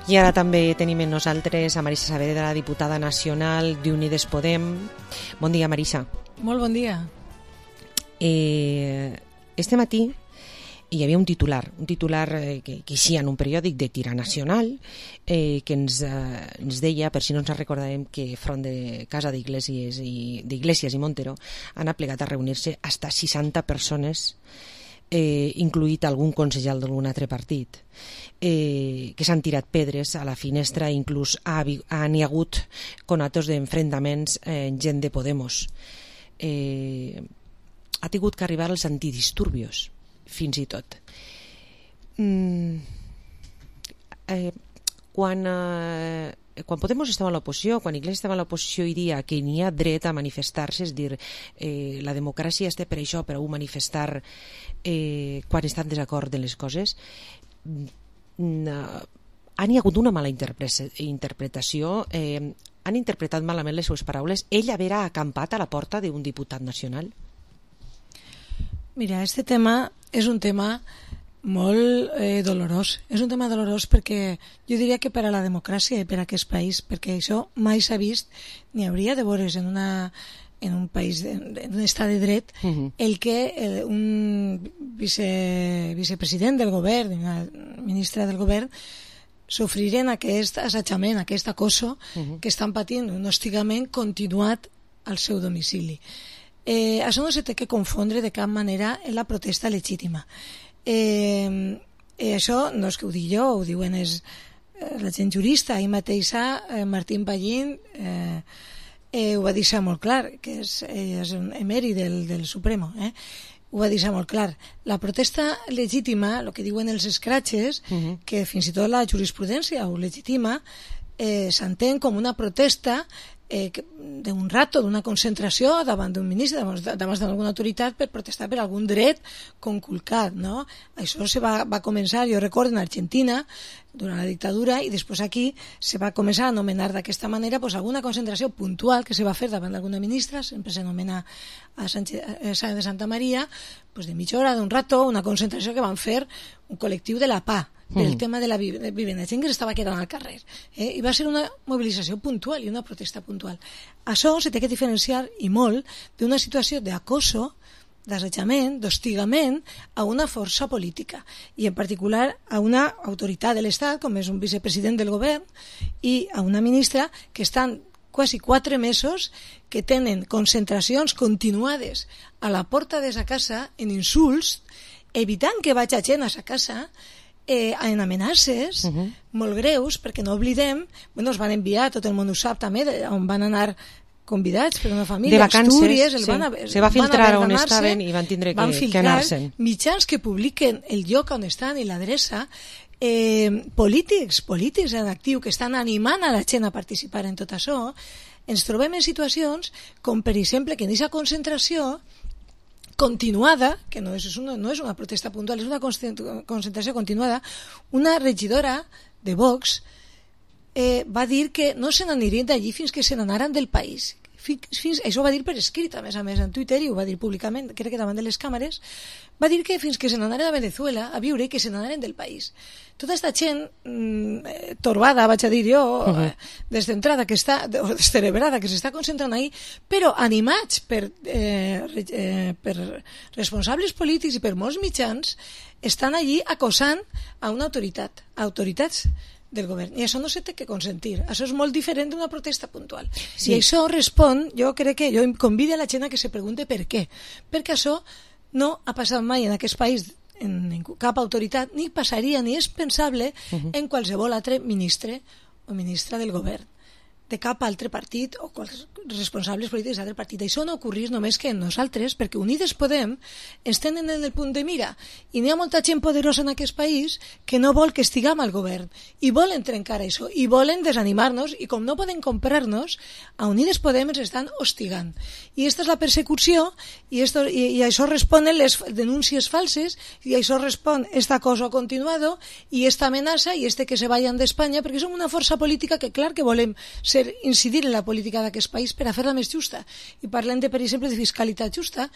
I ara també tenim amb nosaltres a Marisa Saavedra, diputada nacional d'Unides Podem. Bon dia, Marisa. Molt bon dia. Este matí hi havia un titular que eixia en un periòdic de tira nacional que ens deia, per si no ens recordàvem, que front de casa d'Iglesias i Montero han aplegat a reunir-se hasta 60 persones, incluït algun consellal d'algun altre partit, que s'han tirat pedres a la finestra, inclús hi ha hagut conatos d'enfrontaments gent de Podemos. Ha tingut que arribar als antidisturbios, fins i tot. Quan Podemos estava a l'oposició, quan Iglesias estava a l'oposició, i dia que n'hi ha dret a manifestar-se, és dir, la democràcia està per això, per a manifestar quan estan en desacord de les coses, han hi hagut una mala interpretació, han interpretat malament les seves paraules. Ell haver acampat a la porta d'un diputat nacional? Mira, este tema és un tema molt dolorós. És un tema dolorós perquè jo diria que per a la democràcia i per a aquest país, perquè això mai s'ha vist ni hauria de veure's en un país, en un estat de dret, el que un vicepresident del govern, una ministra del govern, sofriren aquest assetjament, aquest acoso que estan patint, un hostigament continuat al seu domicili. Això no se té que confondre de cap manera en la protesta legítima. Això no és que ho dic jo, ho diuen la gent jurista. Ahir mateixa Martín Pallín ho va deixar molt clar, que és un emèrit del Supremo, ho va deixar molt clar. La protesta legítima, el que diuen els escratxes, que fins i tot la jurisprudència ho legitima, s'entén com una protesta d'un rato, d'una concentració davant d'un ministre, davant d'alguna autoritat, per protestar per algun dret conculcat, no? Això se va començar, jo recordo, en Argentina durant la dictadura, i després aquí se va començar a anomenar d'aquesta manera alguna concentració puntual que se va fer davant d'alguna ministra, sempre s'anomena a Sáenz de Santa Maria, de mitja hora, d'un rato, una concentració que van fer un col·lectiu de la PA, del tema de la vivenda, gent que s'estava quedant al carrer, i va ser una mobilització puntual i una protesta puntual. Això se té que diferenciar, i molt, d'una situació d'acoso, d'assetjament, d'hostigament a una força política, i en particular a una autoritat de l'Estat, com és un vicepresident del govern, i a una ministra que estan quasi 4 mesos, que tenen concentracions continuades a la porta de sa casa en insults, evitant que vagi gent a sa casa, en amenaces molt greus, perquè no oblidem, es van enviar, tot el món ho sap també, on van anar convidats per una família, de vacances, Astúries, se va filtrar on estaven i van tindre que anar-se'n. Mitjans que publiquen el lloc on estan i l'adreça, polítics en actiu que estan animant a la gent a participar en tot això. Ens trobem en situacions com, per exemple, que en aquesta concentració continuada, que no és una protesta puntual, és una concentració continuada, una regidora de Vox va dir que no se n'anirien d'allí fins que se n'anaran del país. Això ho va dir per escrit, a més en Twitter, i ho va dir públicament, crec que davant de les càmeres, va dir que fins que se n'anaren a Venezuela a viure i que se n'anaren del país. Tota aquesta gent torbada, vaig a dir jo, descentrada, descerebrada, que s'està concentrant ahí, però animats per responsables polítics i per molts mitjans, estan allí acosant a una autoritat, a autoritats del govern, i això no se té que consentir. Això és molt diferent d'una protesta puntual. I això respon, jo crec que jo convido a la gent a que se pregunte per què, perquè això no ha passat mai en aquest país en cap autoritat, ni passaria, ni és pensable en qualsevol altre ministre o ministra del govern, de cap altre partit o responsables polítics d'altre partit. Això no ocorrís només que en nosaltres, perquè Unides Podem ens tenen en el punt de mira, i n'hi ha molta gent poderosa en aquest país que no vol que estiguem al govern, i volen trencar això, i volen desanimar-nos, i com no poden comprar-nos, a Unides Podem ens estan hostigant. I aquesta és la persecució, i això responen les denúncies falses, i això respon esta cosa continuado, i esta amenaça, i que se vayan d'Espanya, perquè som una força política que, clar, que volem incidir en la política d'aquest país per a fer-la més justa, i parlem per exemple de fiscalitat justa,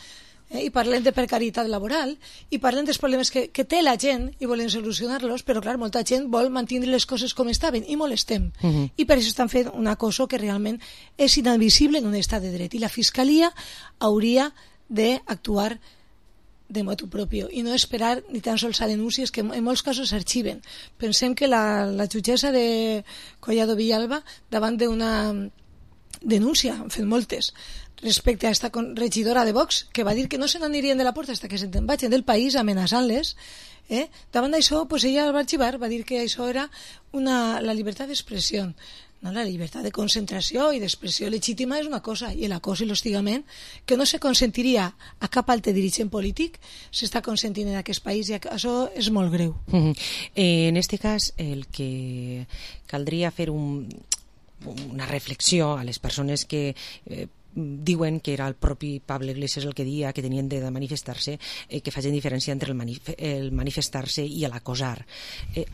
i parlem de precarietat laboral, i parlem dels problemes que té la gent i volen solucionar-los, però clar, molta gent vol mantenir les coses com estaven i molestem, i per això estan fent una cosa que realment és inadmissible en un estat de dret, i la Fiscalia hauria d'actuar de motu propio i no esperar ni tan sols a denúncies que en molts casos s'arxiven. Pensem que la jutgessa de Collado Villalba, davant d'una denúncia, han fet moltes, respecte a aquesta regidora de Vox, que va dir que no se n'anirien de la porta fins que se'n vagin del país, amenaçant-les, davant d'això, ella el va arxivar, va dir que això era la llibertat d'expressió. No, la llibertat de concentració i d'expressió legítima és una cosa, i l'acòs i l'hostigament, que no se consentiria a cap altre dirigent polític, s'està consentint en aquest país, i això és molt greu. En aquest cas, el que caldria fer una reflexió a les persones que diuen que era el propi Pablo Iglesias el que dia que tenien de manifestar-se, que facin diferència entre el manifestar-se i l'acosar.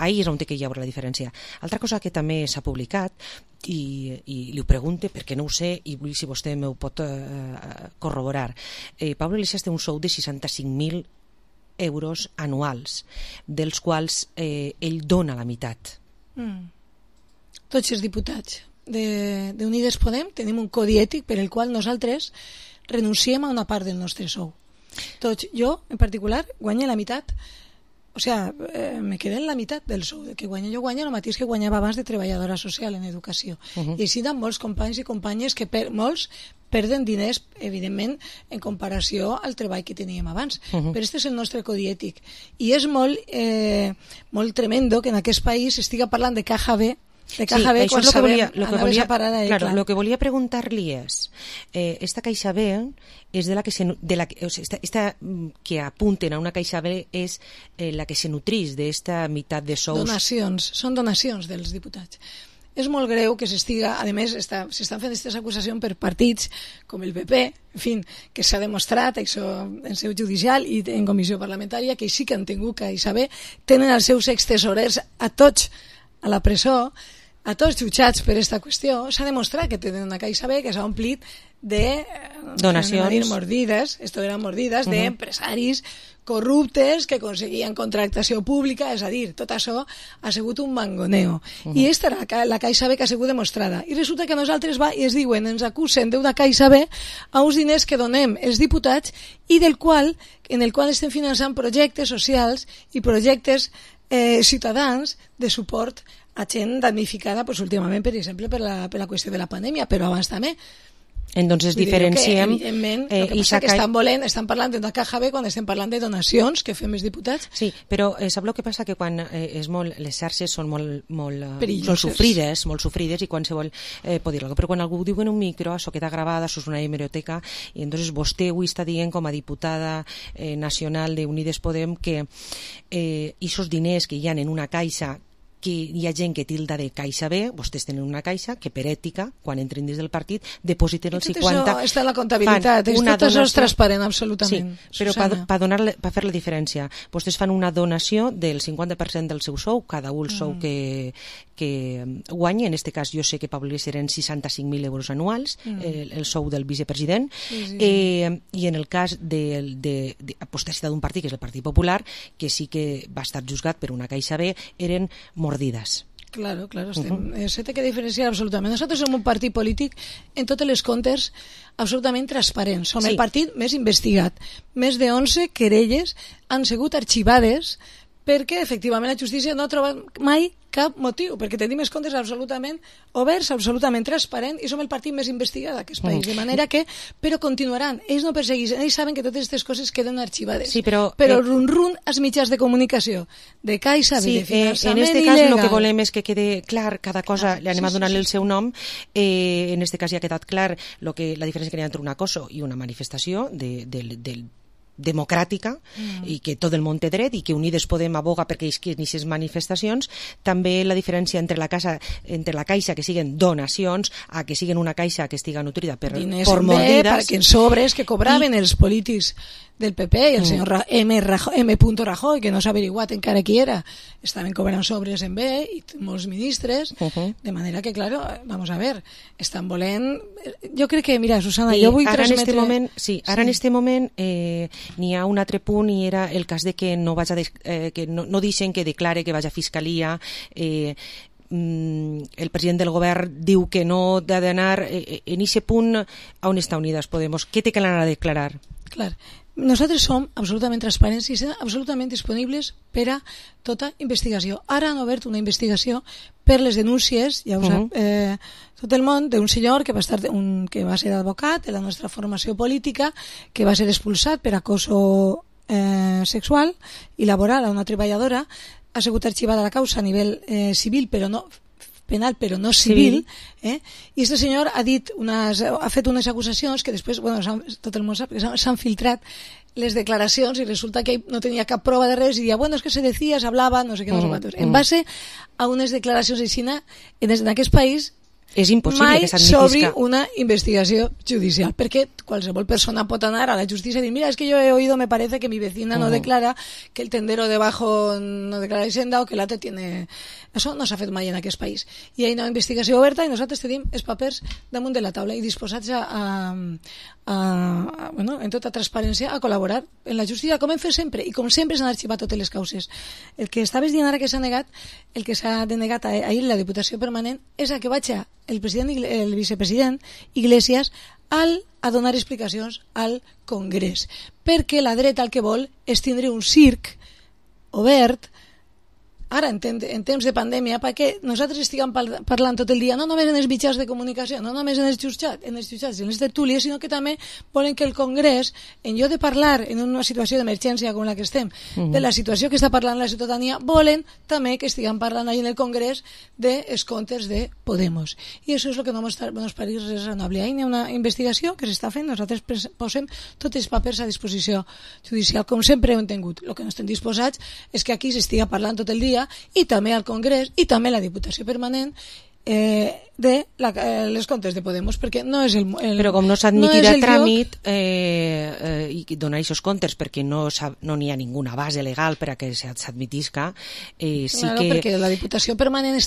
Ahí és on hi ha la diferència. Altra cosa que també s'ha publicat, i li ho pregunte perquè no ho sé i vull si vostè m'ho pot corroborar. Pablo Iglesias té un sou de 65.000 euros anuals, dels quals ell dona la meitat. Tots els diputats d'Unides Podem tenim un codi ètic per el qual nosaltres renunciem a una part del nostre sou. Tots, jo en particular guanyo la meitat, o sea, me quedé en la meitat del sou que guanyo. Jo guanyo el mateix que guanyava abans de treballadora social en educació. I així hi ha molts companys i companyes que molts perden diners, evidentment, en comparació al treball que teníem abans. Però aquest és el nostre codi ètic. I és molt tremendo que en aquest país estigui parlant de caja B, això és el que volia preguntar-li és esta caixa B és de la que esta que apunten a una caixa B és la que se nutrís d'esta meitat de sous. Són donacions dels diputats. És molt greu que s'estiga, a més s'estan fent aquestes acusacions per partits com el PP, en fi, que s'ha demostrat això en seu judicial i en comissió parlamentària que sí que han tingut caixa B, tenen els seus extesorers a tots a la presó, a tots jutjats per aquesta qüestió. S'ha demostrat que tenen una caixa B que s'ha omplit de donacions mordides, d'empresaris corruptes que aconseguien contractació pública, és a dir, tot això ha sigut un mangoneo. I aquesta era la caixa B que ha sigut demostrada. I resulta que nosaltres ens diuen, ens acusen d'una caixa B a uns diners que donem els diputats i en el qual estem finançant projectes socials i projectes ciutadans de suport a gent damnificada últimament, per exemple, per la qüestió de la pandèmia, però abans també. Entonces diferenciem evidentment, el que passa que estan parlant d'una caja B quan estem parlant de donacions que fem els diputats. Sí, però sap el que passa? Que quan les xarxes són molt sofrides i qualsevol pot dir-ho, però quan algú diu en un micro això queda gravada, això és una hemeroteca i entonces vostè avui està dient com a diputada nacional d'Unides Podem que aquests diners que hi ha en una caixa que hi ha gent que tilda de caixa B, vostès tenen una caixa que per ètica, quan entrin dins del partit, depositen el 50... Tot això està en la comptabilitat, tot això és transparent absolutament. Sí, però per fer la diferència, vostès fan una donació del 50% del seu sou, cada un el sou que guanya, en aquest cas jo sé que Pablo Iglesias eren 65.000 euros anuals, el sou del vicepresident, i en el cas de vostè ha citat un partit, que és el Partit Popular, que sí que va estar juzgat per una caixa B, eren mordides. Claro, se té que diferenciar absolutament. Nosaltres som un partit polític en totes les comptes absolutament transparents. Som el partit més investigat. Més de 11 querelles han sigut arxivades perquè efectivament la justícia no ha trobat mai cap motiu, perquè tenim els comptes absolutament oberts, absolutament transparents, i som el partit més investigat d'aquest país, de manera que, però continuaran, ells no persegueixen, ells saben que totes aquestes coses queden arxivades, però run als mitjans de comunicació, de caixa, de finançament il·legal. En aquest cas el que volem és que quede clar cada cosa, li anem a donar-li el seu nom, en aquest cas ja ha quedat clar la diferència que hi ha entre un acoso i una manifestació democràtica i que tot el món té dret i que Unides Podem aboga perquè hi aquestes manifestacions. També la diferència entre la caixa que siguen donacions a que siguen una caixa que estiga nutrida per mordides, perquè en sobres que cobraven els polítics del PP i el senyor M. Rajoy, que no s'ha averiguat encara qui era, estaven cobrant sobres en B i molts ministres, de manera que, claro, vamos a ver, estan volent... Jo crec que, mira, Susana, jo vull transmetre... Ara en este moment n'hi ha un altre punt i era el cas de que no deixen que declare que vaig a Fiscalia, el president del govern diu que no ha d'anar en aquest punt. On està Unides Podemos? Què té que anar a declarar? Clar, nosaltres som absolutament transparents i estem absolutament disponibles per a tota investigació. Ara han obert una investigació per les denúncies, ja ho sap tot el món, d'un senyor que va ser advocat de la nostra formació política, que va ser expulsat per acoso sexual i laboral a una treballadora. Ha sigut arxivada la causa a nivell civil, però no penal, però no civil, i este senyor ha fet unes acusacions que després, tot el món sap que s'han filtrat les declaracions i resulta que no tenia cap prova de res i dia, es que se decía, se hablaba, no sé què, no sé quantos. En base a unes declaracions de Xina, en aquest país és impossible mai que s'admetisca. s'obri una investigació judicial, perquè qualsevol persona pot anar a la justícia i dir, mira, es que yo he oído, me parece que mi vecina no declara, que el tendero debajo no declara Hisenda o que l'altre tiene... Això no s'ha fet mai en aquest país. I hi ha una investigació oberta i nosaltres tenim els papers damunt de la taula i disposats en tota transparència a col·laborar en la justícia, com hem fet sempre, i com sempre s'han arxivat totes les causes. El que estaves dient ara que s'ha negat, el que s'ha denegat ahir la Diputació Permanent, és a que vaig el vicepresident Iglesias a donar explicacions al Congrés, perquè la dreta el que vol és tindre un circ obert ara en temps de pandèmia, perquè nosaltres estiguem parlant tot el dia, no només en els mitjans de comunicació, no només en els jutjats i en les tertúlies, sinó que també volen que el Congrés, en lloc de parlar en una situació d'emergència com la que estem, de la situació que està parlant la ciutadania, volen també que estiguem parlant ahí en el Congrés dels comptes de Podemos. I això és el que no ens pareix raonable. Hi ha una investigació que s'està fent, nosaltres posem tots els papers a disposició judicial, com sempre hem tingut. El que no estem disposats és que aquí s'estiga parlant tot el dia i també al Congrés i també a la Diputació Permanent de les comptes de Podemos, perquè no és el però com no s'admitirà tràmit i donar aquests comptes perquè no n'hi ha ninguna base legal per a que s'admitisca, perquè la Diputació Permanent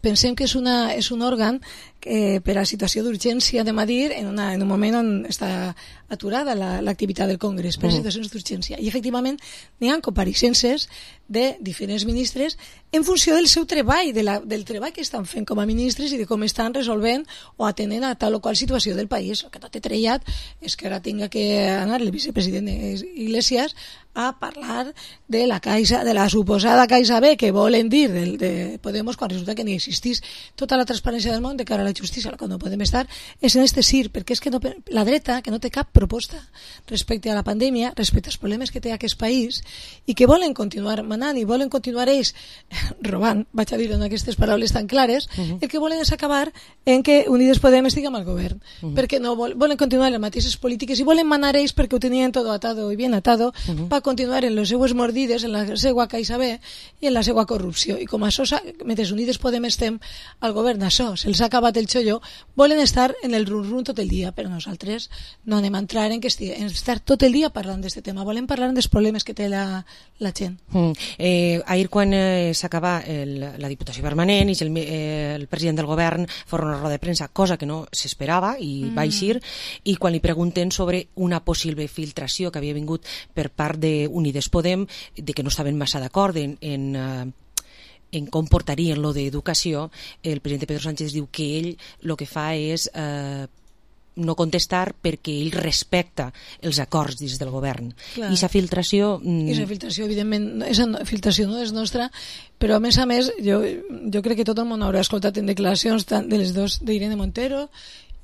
pensem que és un òrgan per a situació d'urgència de Madrid en un moment on està aturada l'activitat del Congrés per a situacions d'urgència, i efectivament n'hi ha compareixences de diferents ministres en funció del seu treball, del treball que estan fent com a ministres i de com estan resolvent o atenent a tal o qual situació del país. El que no té trellat és que ara tinga que anar el vicepresident Iglesias a parlar de la Caixa, de la suposada Caixa B, que volen dir de Podemos, quan resulta que ni existís tota la transparència del món de cara a la justícia. El que no podem estar és en este circ, perquè és que la dreta, que no té cap proposta respecte a la pandèmia, respecte als problemes que té aquest país, i que volen continuar manant i volen continuar ells robant, vaig a dir-ho en aquestes paraules tan clares, el que volen és acabar en que Unides Podem estigui amb el govern, perquè no volen continuar les mateixes polítiques i volen manar ells perquè ho tenien tot atado i bien atado per continuar en les seues mordides, en la seva Caixa B i en la seva corrupció. I com això, mentre Unides Podem estem al govern, això se'ls ha acabat el xollo, volen estar en el rum-rum tot el dia, però nosaltres no anem a entrar en estar tot el dia parlant d'aquest tema, volem parlar dels problemes que té la gent. Ahir quan s'acaba la Diputació Permanent i el president del govern fa una roda de premsa, cosa que no s'esperava i va eixir, i quan li pregunten sobre una possible filtració que havia vingut per part d'Unides Podem, de que no estaven massa d'acord en com portarien lo d'educació, el president Pedro Sánchez diu que ell el que fa és no contestar perquè ell respecta els acords dins del govern. I aquesta filtració... Aquesta filtració, evidentment, aquesta filtració no és nostra, però a més, jo crec que tot el món haurà escoltat en declaracions tant de les dues, d'Irene Montero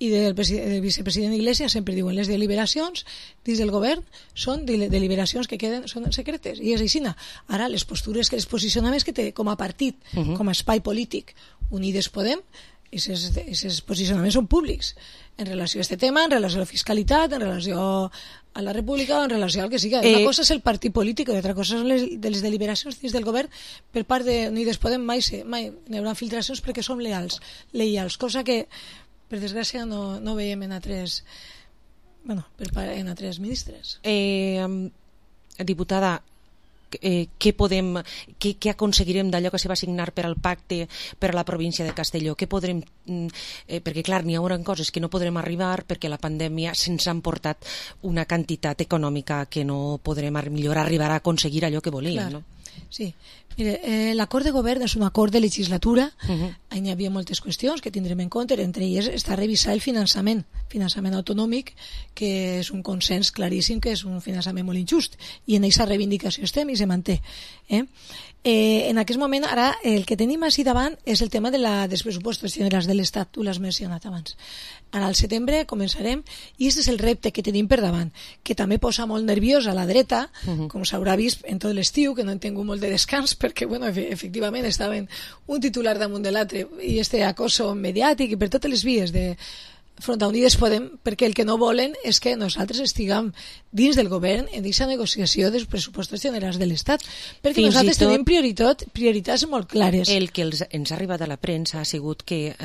i del vicepresident Iglesias, sempre diuen les deliberacions dins del govern són deliberacions que són secretes, i és així. Ara, les postures, els posicionaments que té com a partit, com a espai polític Unides Podem, aquests posicionaments són públics en relació a aquest tema, en relació a la fiscalitat, en relació a la república o en relació al que sigui. Una cosa és el partit polític i altra cosa són les deliberacions dins del govern per part d'Unides Podem. Mai n'hi haurà filtracions perquè som lleials, cosa que per desgràcia no veiem en altres ministres. Diputada, què aconseguirem d'allò que se va signar per al pacte per a la província de Castelló? Què podrem, perquè clar, n'hi haurà coses que no podrem arribar perquè la pandèmia se'ns ha emportat una quantitat econòmica que no podrem millor arribar a aconseguir allò que volíem, no? Sí. Mire, l'acord de govern és un acord de legislatura. Hi havia moltes qüestions que tindrem en compte, entre elles està revisar el finançament autonòmic, que és un consens claríssim que és un finançament molt injust, i en aquesta reivindicació estem i se manté. En aquest moment, ara, el que tenim així davant és el tema dels pressupostos generals de l'Estat, tu l'has mencionat abans. Ara, al setembre, començarem, i aquest és el repte que tenim per davant, que també posa molt nerviosa la dreta, com s'haurà vist en tot l'estiu, que no han tingut molt de descans, perquè, bueno, efectivament, estaven un titular damunt de l'altre, i este acoso mediàtic, i per totes les vies de front a Unides Podem, perquè el que no volen és que nosaltres estiguem dins del govern en aquesta negociació dels pressupostos generals de l'Estat, perquè nosaltres tenim prioritats molt clares. El que ens ha arribat a la premsa ha sigut que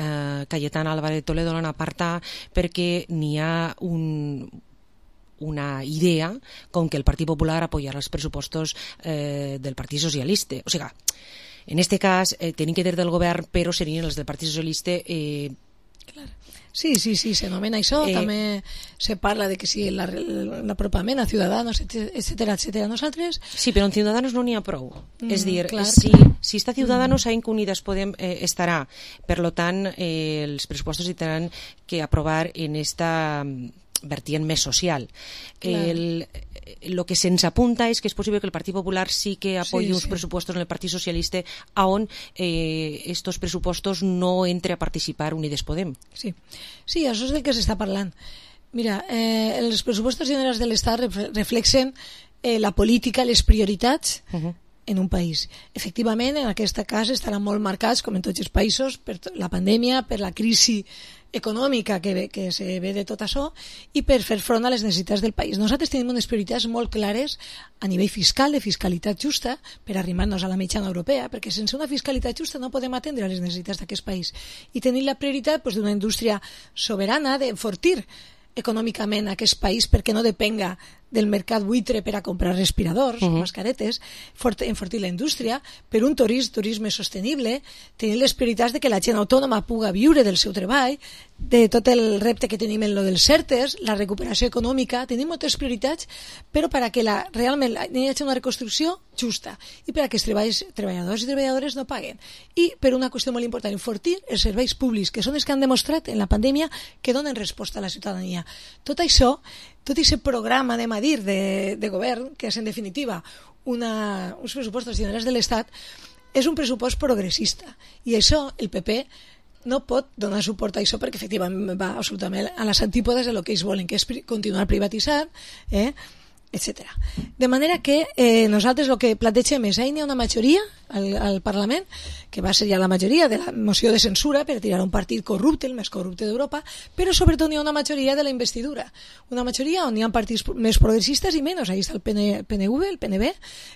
Cayetana Álvarez Toledo l'han apartat perquè n'hi ha una idea com que el Partit Popular apoyarà els pressupostos del Partit Socialista. O sigui, en aquest cas, tenim que dir del govern, però serien els del Partit Socialista. Sí, s'anomena això, també se parla de que si l'apropament a Ciudadanos, etcètera. Nosaltres... Sí, però en Ciudadanos no n'hi ha prou. És dir, si està Ciudadanos, sabem que Unides Podem estarà. Per tant, els pressupostos hi tenen que aprovar en esta vertiente més social. Lo que se'ns apunta és que és possible que el Partit Popular sí que apoyi uns pressupostos en el Partit Socialista on estos pressupostos no entre a participar Unides Podem. Sí, això és del que s'està parlant. Mira, els pressupostos generals de l'Estat reflexen la política, les prioritats en un país. Efectivament, en aquest cas estaran molt marcats, com en tots els països, per la pandèmia, per la crisi econòmica que se ve de tot això i per fer front a les necessitats del país. Nosaltres tenim unes prioritats molt clares a nivell fiscal, de fiscalitat justa, per arrimar-nos a la mitjana europea, perquè sense una fiscalitat justa no podem atendre les necessitats d'aquest país. I tenim la prioritat d'una indústria soberana, d'enfortir econòmicament aquest país perquè no depenga del mercat buitre per a comprar respiradors, mascaretes, enfortir la indústria, per un turisme sostenible, tenir les prioritats de que la gent autònoma puga viure del seu treball, de tot el repte que tenim en lo dels CERTES, la recuperació econòmica, tenim moltes prioritats, però perquè realment hi hagi una reconstrucció justa i per a que els treballadors i treballadores no paguen. I per una qüestió molt important, enfortir els serveis públics, que són els que han demostrat en la pandèmia que donen resposta a la ciutadania. Tot això, tot aquest programa, anem a dir, de govern, que és en definitiva uns pressupostos generals de l'Estat, és un pressupost progressista. I això el PP no pot donar suport a això perquè efectivament va absolutament a les antípodes de lo que ells volen, que és continuar privatitzant, etc. De manera que nosaltres el que plantegem és, hi ha una majoria al Parlament, que va ser ja la majoria de la moció de censura per tirar un partit corrupte, el més corrupte d'Europa, però sobretot hi ha una majoria de la investidura, una majoria on hi ha partits més progressistes i menys. Ahí està el PNV, el PNB,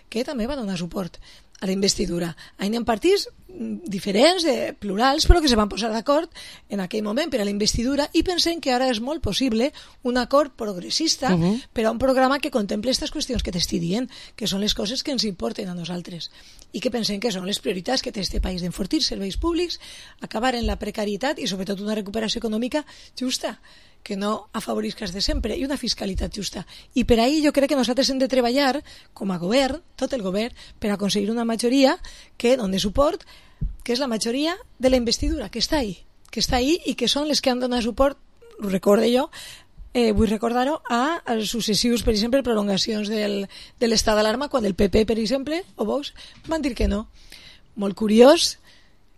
que també va donar suport a la investidura. Hi ha partits diferents, plurals, però que se van posar d'acord en aquell moment per a la investidura i pensem que ara és molt possible un acord progressista per a un programa que contemple aquestes qüestions que t'estic dient, que són les coses que ens importen a nosaltres i que pensem que són les prioritats que té este país, d'enfortir serveis públics, acabar en la precarietat i sobretot una recuperació econòmica justa, que no afavorisca els de sempre, i una fiscalitat justa. I per ahí jo crec que nosaltres hem de treballar com a govern, tot el govern, per aconseguir una majoria que doni suport, que és la majoria de la investidura, que està ahí i que són les que han donat suport, ho recordo jo, vull recordar-ho, a successius, per exemple, prolongacions de l'estat d'alarma, quan el PP, per exemple, o Vox, van dir que no. Molt curiós,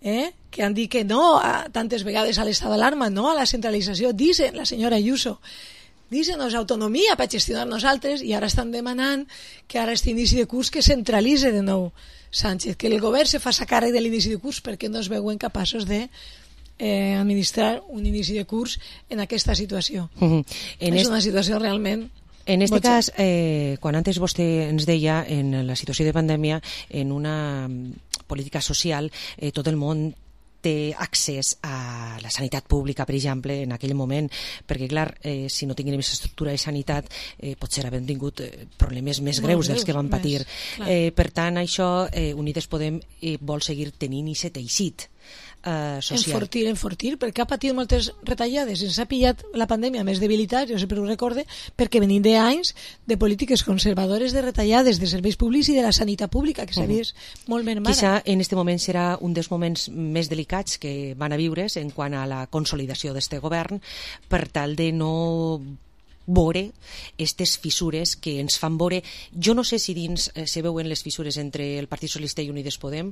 que han dit que no tantes vegades a l'estat d'alarma, no a la centralització, dicen la senyora Ayuso, dicen-nos autonomia per gestionar nosaltres, i ara estan demanant que ara aquest inici de curs que centralitze de nou Sánchez, que el govern se faci càrrec de l'inici de curs perquè no es veuen capaços de administrar un inici de curs en aquesta situació. És una situació realment... En aquest cas, quan antes vostè ens deia, en la situació de pandèmia, en una política social, tot el món té accés a la sanitat pública, per exemple, en aquell moment, perquè, clar, si no tinguem aquesta estructura de sanitat, potser havíem tingut problemes més greus dels que vam patir. Per tant, això, Unides Podem vol seguir tenint aquest teixit. social. Enfortir, perquè ha patit moltes retallades, ens ha pillat la pandèmia més debilitat, jo sempre ho recorde, perquè venim d'anys de polítiques conservadores, de retallades de serveis públics i de la sanitat pública, que s'ha vist molt mermada. Quizà en aquest moment serà un dels moments més delicats que van a viure's en quant a la consolidació d'este govern, per tal de no veure aquestes fissures que ens fan veure. Jo no sé si dins se veuen les fissures entre el Partit Socialista i Unides Podem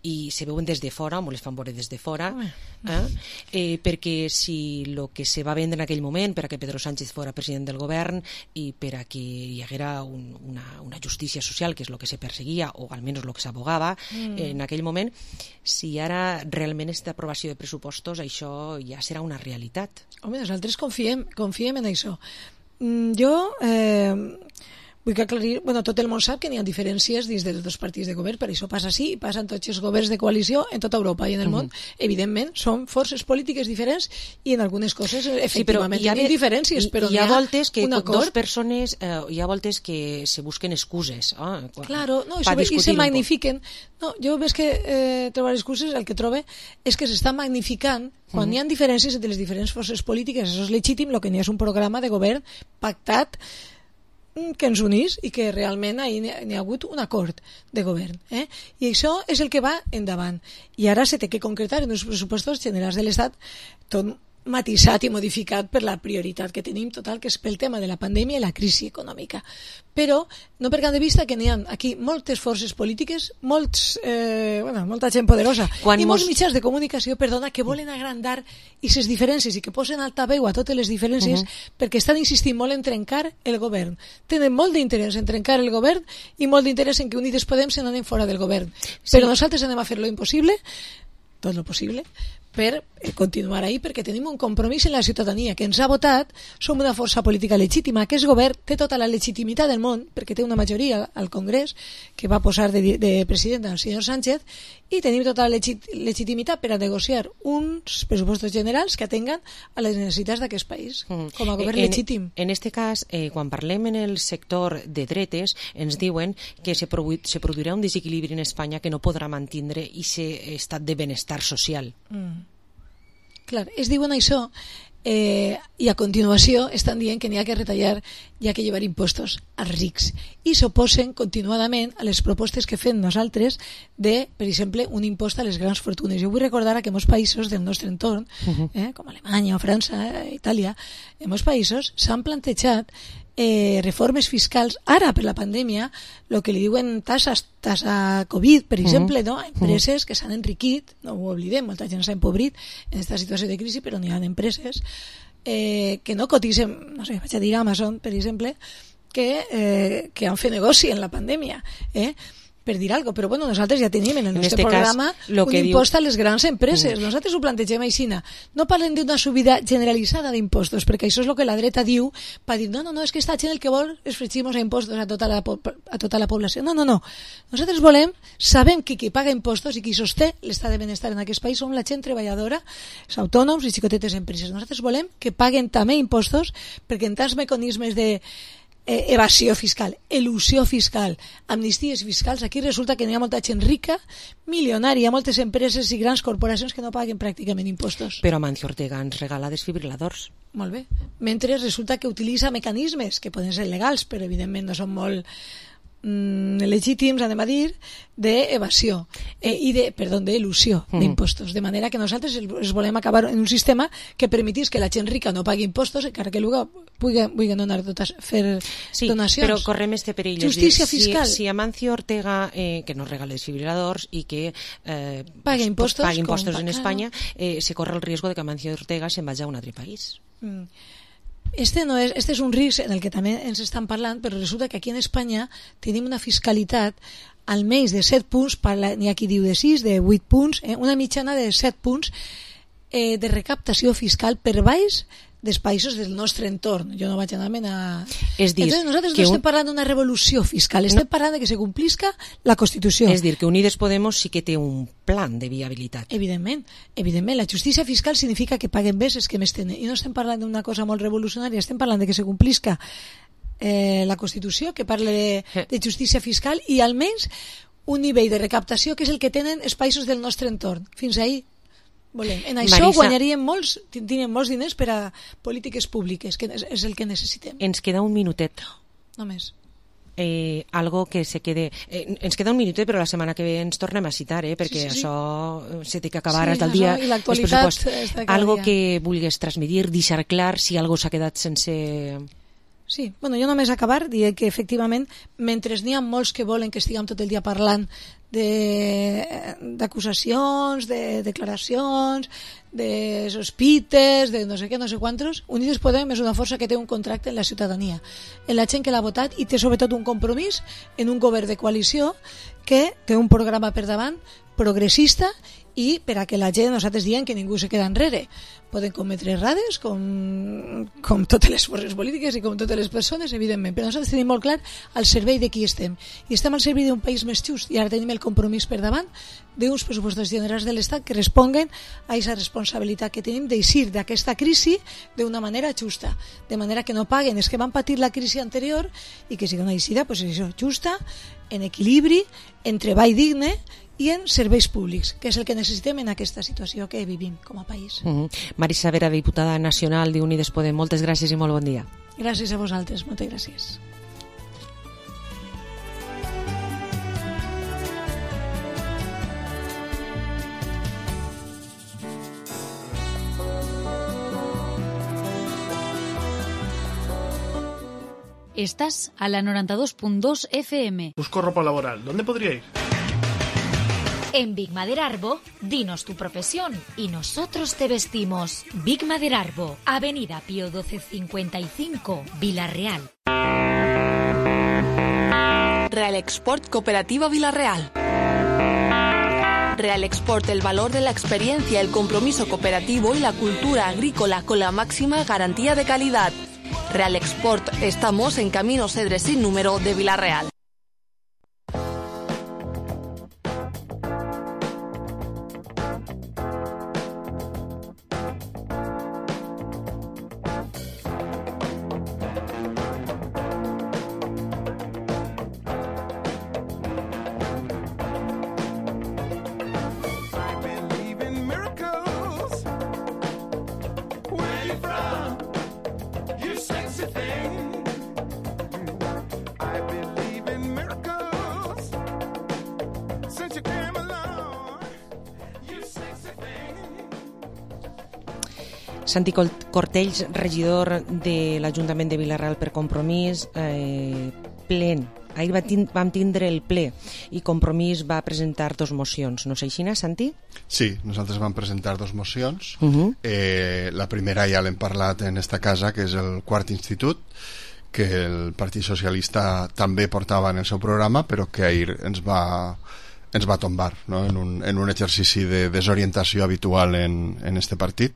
i se veuen des de fora, o les fan veure des de fora, perquè si el que se va vendre en aquell moment per a que Pedro Sánchez fora president del govern i per a que hi haguera una justícia social, que és el que se perseguia, o almenys el que s'abogava en aquell moment, si ara realment aquesta aprovació de pressupostos, això ja serà una realitat. Home, nosaltres confiem en això. Jo vull que aclarir, tot el món sap que n'hi ha diferències dins dels dos partits de govern, per això passa així, i passa en tots els governs de coalició en tota Europa i en el món. Evidentment, són forces polítiques diferents i en algunes coses efectivament hi ha diferències, però hi ha voltes que dos persones, hi ha voltes que se busquen excuses. Claro, i se magnifiquen. No, jo ves que trobar excuses, el que trobe és que s'està magnificant quan hi ha diferències entre les diferents forces polítiques. Això és legítim, el que n'hi ha és un programa de govern pactat que ens unís i que realment n'hi ha hagut un acord de govern. I això és el que va endavant. I ara se té que concretar en els pressupostos generals de l'Estat, tot matisat i modificat per la prioritat que tenim total, que és pel tema de la pandèmia i la crisi econòmica. Però no perdem de vista que n'hi ha aquí moltes forces polítiques, molta gent poderosa i molts mitjans de comunicació, que volen agrandar aquestes diferències i que posen altaveu a totes les diferències perquè estan insistint molt en trencar el govern. Tenen molt d'interès en trencar el govern i molt d'interès en que Unides Podem se n'anem fora del govern. Però nosaltres anem a fer lo impossible, tot lo possible, per continuar ahí, perquè tenim un compromís en la ciutadania que ens ha votat, som una força política legítima, aquest govern té tota la legitimitat del món, perquè té una majoria al Congrés que va posar de president el senyor Sánchez, i tenim tota la legitimitat per a negociar uns pressupostos generals que atenguen a les necessitats d'aquest país, com a govern legítim. En aquest cas, quan parlem en el sector de dretes, ens diuen que se produirà un desequilibri en Espanya que no podrà mantindre aquest estat de benestar social. Clar, es diuen això i a continuació estan dient que n'hi ha que retallar, hi ha que llevar impostos als rics i s'oposen continuadament a les propostes que fem nosaltres de, per exemple, un impost a les grans fortunes. Jo vull recordar que en molts països del nostre entorn, com Alemanya o França, Itàlia, en molts països s'han plantejat reformes fiscals ara per la pandèmia, el que li diuen tassa Covid, per exemple, no? Empreses que s'han enriquit, no ho oblidem, molta gent s'ha empobrit en aquesta situació de crisi, però n'hi ha empreses que no cotitzen, no sé, vaig a dir Amazon, per exemple, que han fet negoci en la pandèmia, per dir alguna cosa, però bueno, nosaltres ja tenim en el nostre programa un impost a les grans empreses. Nosaltres ho plantegem així. No parlem d'una subida generalitzada d'impostos, perquè això és el que la dreta diu, per dir, no, és que esta gent el que vol és fregir-nos a impostos a tota la població. No. Nosaltres volem, sabem que qui paga impostos i qui sosté l'estat de benestar en aquest país som la gent treballadora, els autònoms i xicotetes empreses. Nosaltres volem que paguen també impostos, perquè en tants mecanismes de evasió fiscal, elusió fiscal, amnisties fiscals, aquí resulta que n'hi ha molta gent rica, milionària, moltes empreses i grans corporacions que no paguen pràcticament impostos. Però Amancio Ortega ens regala desfibriladors. Molt bé. Mentre resulta que utilitza mecanismes que poden ser legals, però evidentment no són molt legítims, anem a dir, d'evasió d'elusió d'impostos, de manera que nosaltres els volem acabar en un sistema que permetís que la gent rica no pagui impostos, encara que luego puguin fer donacions. Sí, però correm este perill. Justícia fiscal. Si Amancio Ortega, que nos regala desfibriladors i que paga impostos en Espanya, se corre el riesgo de que Amancio Ortega se'n vagi a un altre país. Este és un risc en el que també ens estan parlant, però resulta que aquí en Espanya tenim una fiscalitat almenys de 7 punts, n'hi ha qui diu de 6, de 8 punts, una mitjana de 7 punts de recaptació fiscal per baix dels països del nostre entorn. Jo no vaig anar a... Entonces nosaltres no estem parlant d'una revolució fiscal, estem parlant de que se complisca la Constitució. És dir, que Unides Podemos sí que té un plan de viabilitat. Evidentment, la justícia fiscal significa que paguen més els que més tenen, i no estem parlant d'una cosa molt revolucionària, estem parlant de que se complisca la Constitució, que parla de justícia fiscal, i almenys un nivell de recaptació que és el que tenen els països del nostre entorn. Fins ahí volem. En això Marisa, guanyaríem molts, tindríem molts diners per a polítiques públiques, que és el que necessitem. Ens queda un minutet. Només. Algo que se quede... ens queda un minutet, però la setmana que ve ens tornem a citar, perquè Sí. això se té que acabar Sí, hasta el dia això, i l'actualitat dels pressupostos. està cada Algo dia. que vulguis transmitir, deixar clar si algo s'ha quedat sense... Sí, bueno, jo només acabar diré que efectivament, mentre n'hi ha molts que volen que estiguem tot el dia parlant d'acusacions, de declaracions, de sospites, de no sé què, no sé quantos, Unides Podem és una força que té un contracte en la ciutadania, en la gent que l'ha votat, i té sobretot un compromís en un govern de coalició que té un programa per davant progressista, i per a que la gent, nosaltres diem que ningú se queda enrere. Poden cometre errades com totes les forces polítiques i com totes les persones, evidentment, però nosaltres tenim molt clar al servei de qui estem, i estem al servei d'un país més just, i ara tenim el compromís per davant d'uns pressupostos generals de l'Estat que responguen a aquesta responsabilitat que tenim d'eixir d'aquesta crisi d'una manera justa, de manera que no paguen els que van patir la crisi anterior, i que sigui una eixida, pues això, justa, en equilibri, en treball digne i en serveis públics, que és el que necessitem en aquesta situació que vivim com a país. Marisa Vera, diputada nacional d'Unides Podem, moltes gràcies i molt bon dia. Gràcies a vosaltres, moltes gràcies. Estás a la 92.2 FM. Busco ropa laboral. ¿Dónde podría ir? En Big Maderarbo, dinos tu profesión y nosotros te vestimos. Big Maderarbo, Avenida Pío 1255, Villarreal. Real Export Cooperativa Villarreal. Real Export, el valor de la experiencia, el compromiso cooperativo y la cultura agrícola con la máxima garantía de calidad. Real Export, estamos en Camino Cedres sin número de Villarreal. Santi Cortells, regidor de l'Ajuntament de Vilareal per Compromís, plen. Ahir vam tindre el ple i Compromís va presentar dos mocions. No sé, Xina, Santi? Sí, nosaltres vam presentar dos mocions. La primera ja l'hem parlat en esta casa, que és el quart institut, que el Partit Socialista també portava en el seu programa, però que ahir ens va tombar, no? en un exercici de desorientació habitual en este partit.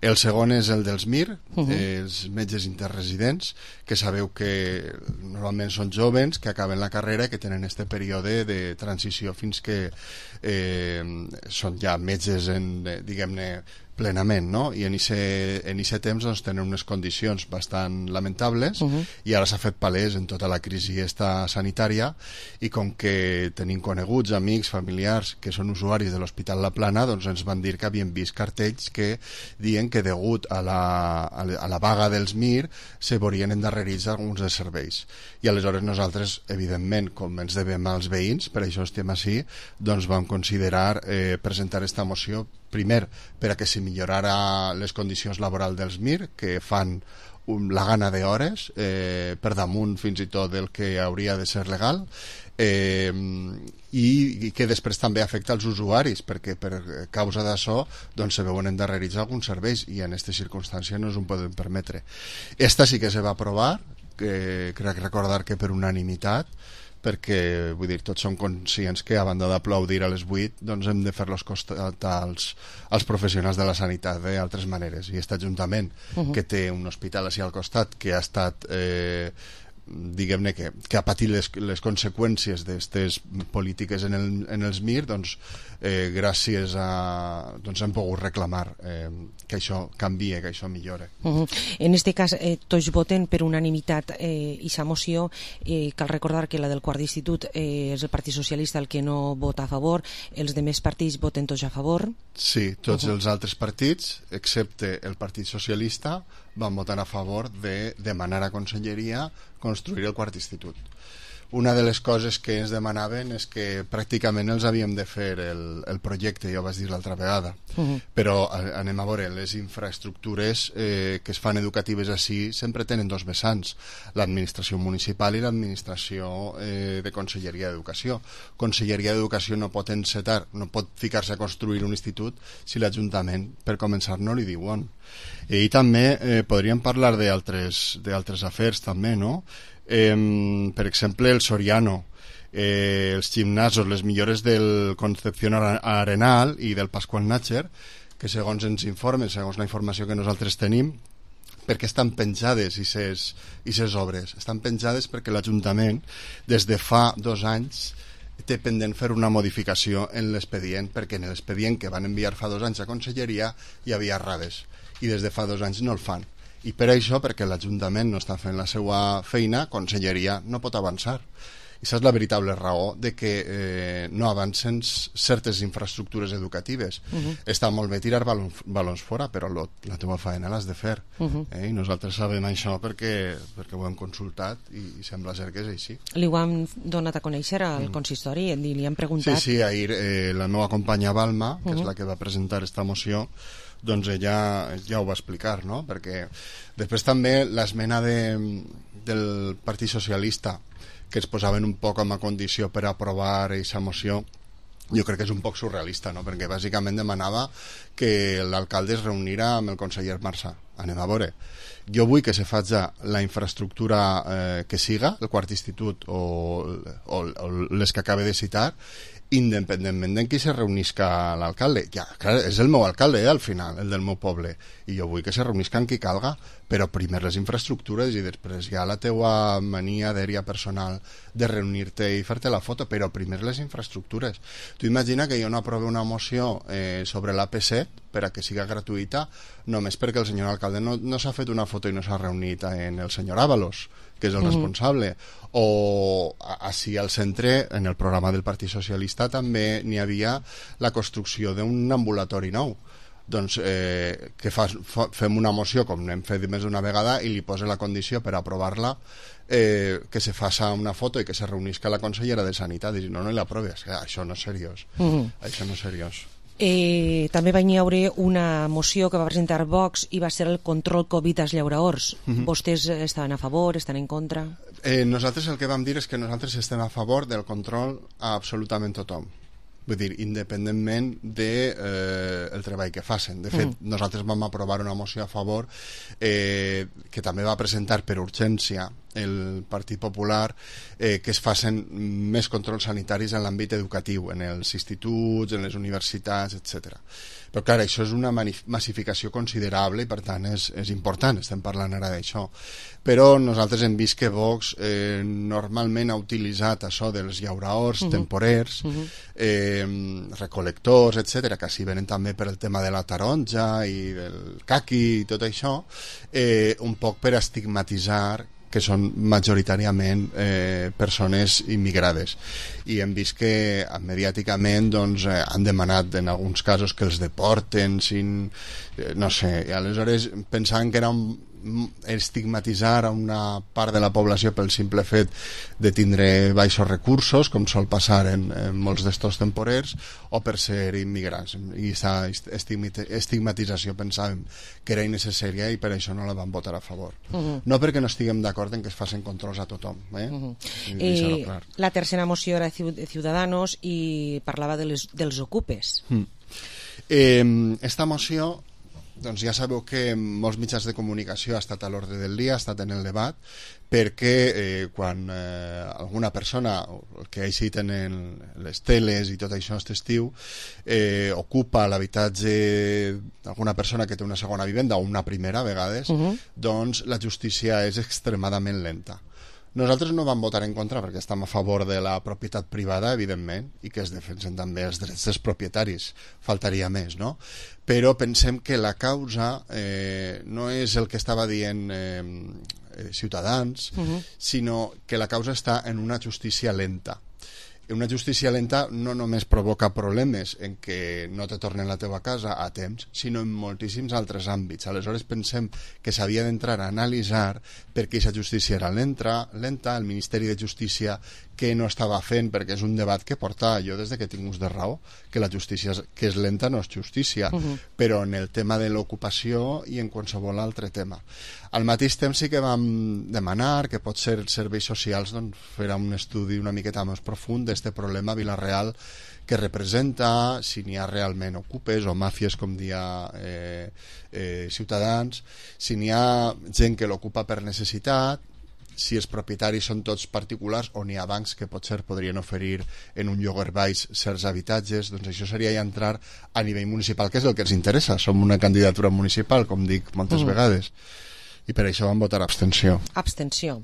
El segon és el dels MIR, els metges interresidents, que sabeu que normalment són joves que acaben la carrera i que tenen este període de transició fins que són ja metges, diguem-ne, plenament, no? I en aquest temps doncs, tenen unes condicions bastant lamentables i ara s'ha fet palès en tota la crisi sanitària, i com que tenim coneguts, amics, familiars que són usuaris de l'Hospital La Plana, doncs ens van dir que havien vist cartells que diuen que degut a la vaga dels MIR se veurien endarrerits alguns dels serveis. I aleshores nosaltres, evidentment, com ens devem als veïns, per això estem així, doncs vam considerar presentar esta moció, primer, per a que se millorara les condicions laborals dels MIR, que fan la gana d'hores, per damunt fins i tot del que hauria de ser legal, i que després també afecta els usuaris, perquè per causa d'això doncs se veuen endarrerits alguns serveis, i en aquestes circumstàncies no ens ho podem permetre. Esta sí que se va aprovar, crec recordar que per unanimitat, perquè vull dir, tots som conscients que a banda d'aplaudir a les 8 doncs hem de fer-los costat als professionals de la sanitat d'altres maneres, i aquest Ajuntament que té un hospital així al costat que ha estat diguem-ne que ha patit les conseqüències d'aquestes polítiques en els MIR, doncs gràcies a hem pogut reclamar que això canvie, que això millore. En este cas tots voten per unanimitat aquesta moció. Cal recordar que la del quart d'institut és el Partit Socialista el que no vota a favor, els demés partits voten tots a favor. Sí, tots els altres partits, excepte el Partit Socialista, van votar a favor de demanar a Conselleria construir el quart institut. Una de les coses que ens demanaven és que pràcticament els havíem de fer el projecte, ja ho vaig dir l'altra vegada, però anem a veure, les infraestructures que es fan educatives així sempre tenen dos vessants, l'administració municipal i l'administració de Conselleria d'Educació. Conselleria d'Educació no pot encetar, no pot ficar-se a construir un institut si l'Ajuntament, per començar, no li diuen. I també podríem parlar d'altres afers també, no? Per exemple, el Soriano, els gimnasos, les millores del Concepción Arenal i del Pascual Nácher, que segons ens informen, segons la informació que nosaltres tenim, perquè estan penjades aquestes obres. Estan penjades perquè l'Ajuntament, des de fa 2 anys, té pendent fer una modificació en l'expedient, perquè en l'expedient que van enviar fa 2 anys a Conselleria hi havia errades, i des de fa 2 anys no el fan. I per això, perquè l'Ajuntament no està fent la seva feina, Conselleria no pot avançar. I això és la veritable raó de que no avancen certes infraestructures educatives. Està molt bé tirar balons fora, però la teva feina l'has de fer. I nosaltres sabem això perquè ho hem consultat i sembla ser que és així. Li ho han donat a conèixer al consistori i li han preguntat... Sí, ahir la meva companya Balma, que és la que va presentar esta moció, doncs ella ja ho va explicar, no? Perquè després també l'esmena del Partit Socialista, que es posaven un poc amb a condició per aprovar aquesta moció, jo crec que és un poc surrealista, no? Perquè bàsicament demanava que l'alcalde es reunirà amb el conseller Marsà. Anem a veure. Jo vull que se faci la infraestructura que siga, el quart institut o les que acabe de citar, independentment de qui se reunisca l'alcalde. Ja, clar, és el meu alcalde, al final, el del meu poble, i jo vull que se reunisca amb qui calga, però primer les infraestructures i després ja la teua mania d'èria personal de reunir-te i fer-te la foto, però primer les infraestructures. Tu imagina que jo no aprove una moció sobre l'AP7 per a que siga gratuïta només perquè el senyor alcalde no s'ha fet una foto i no s'ha reunit amb el senyor Ábalos, que és el responsable, o així al centre, en el programa del Partit Socialista també n'hi havia la construcció d'un ambulatori nou. Doncs que fem una moció, com n'hem fet més d'una vegada, i li posa la condició per aprovar-la que se faça una foto i que se reunisca la consellera de Sanitat i no l'aproves. Això no és seriós. Això no és seriós. També va haver una moció que va presentar Vox i va ser el control Covid als llauraors. Vostès estaven a favor, estan en contra? Nosaltres el que vam dir és que nosaltres estem a favor del control a absolutament tothom. Vull dir, independentment del treball que facin. De fet, nosaltres vam aprovar una moció a favor que també va presentar per urgència el Partit Popular, que es facin més controls sanitaris en l'àmbit educatiu, en els instituts, en les universitats, etc. Però clar, això és una massificació considerable i per tant és important, estem parlant ara d'això. Però nosaltres hem vist que Vox normalment ha utilitzat això dels llauraors temporers, recolectors, etc., que així venen també per el tema de la taronja i del caqui i tot això, un poc per estigmatitzar que són majoritàriament persones immigrades, i hem vist que mediàticament han demanat en alguns casos que els deporten no sé, i aleshores pensaven que era estigmatitzar a una part de la població pel simple fet de tindre baixos recursos, com sol passar en molts d'estos temporers, o per ser immigrants, i aquesta estigmatització pensàvem que era innecessària i per això no la vam votar a favor. No perquè no estiguem d'acord en que es facin controls a tothom, La tercera moció era de Ciudadanos i parlava dels ocupes. Esta moció, doncs ja sabeu que molts mitjans de comunicació ha estat a l'ordre del dia, ha estat en el debat, perquè quan alguna persona, el que ha eixit en les teles i tot això aquest estiu, ocupa l'habitatge d'alguna persona que té una segona vivenda o una primera a vegades, doncs la justícia és extremadament lenta. Nosaltres no vam votar en contra perquè estem a favor de la propietat privada, evidentment, i que es defensen també els drets dels propietaris, faltaria més, no? Però pensem que la causa no és el que estava dient Ciutadans, sinó que la causa està en una justícia lenta. Una justícia lenta no només provoca problemes en què no te tornen la teva casa a temps, sinó en moltíssims altres àmbits. Aleshores pensem que s'havia d'entrar a analitzar per què aquesta justícia era lenta, el Ministeri de Justícia què no estava fent, perquè és un debat que porta jo des que tinc ús de raó, que la justícia que és lenta no és justícia, però en el tema de l'ocupació i en qualsevol altre tema. Al mateix temps sí que vam demanar que potser els serveis socials farà un estudi una miqueta més profund d'este problema a Vila-real que representa, si n'hi ha realment ocupes o màfies, com dia Ciutadans, si n'hi ha gent que l'ocupa per necessitat, si els propietaris són tots particulars o n'hi ha bancs que potser podrien oferir en un lloguer baix certs habitatges. Doncs això seria ja entrar a nivell municipal, que és el que ens interessa. Som una candidatura municipal, com dic moltes vegades, i per això vam votar abstenció. Abstenció.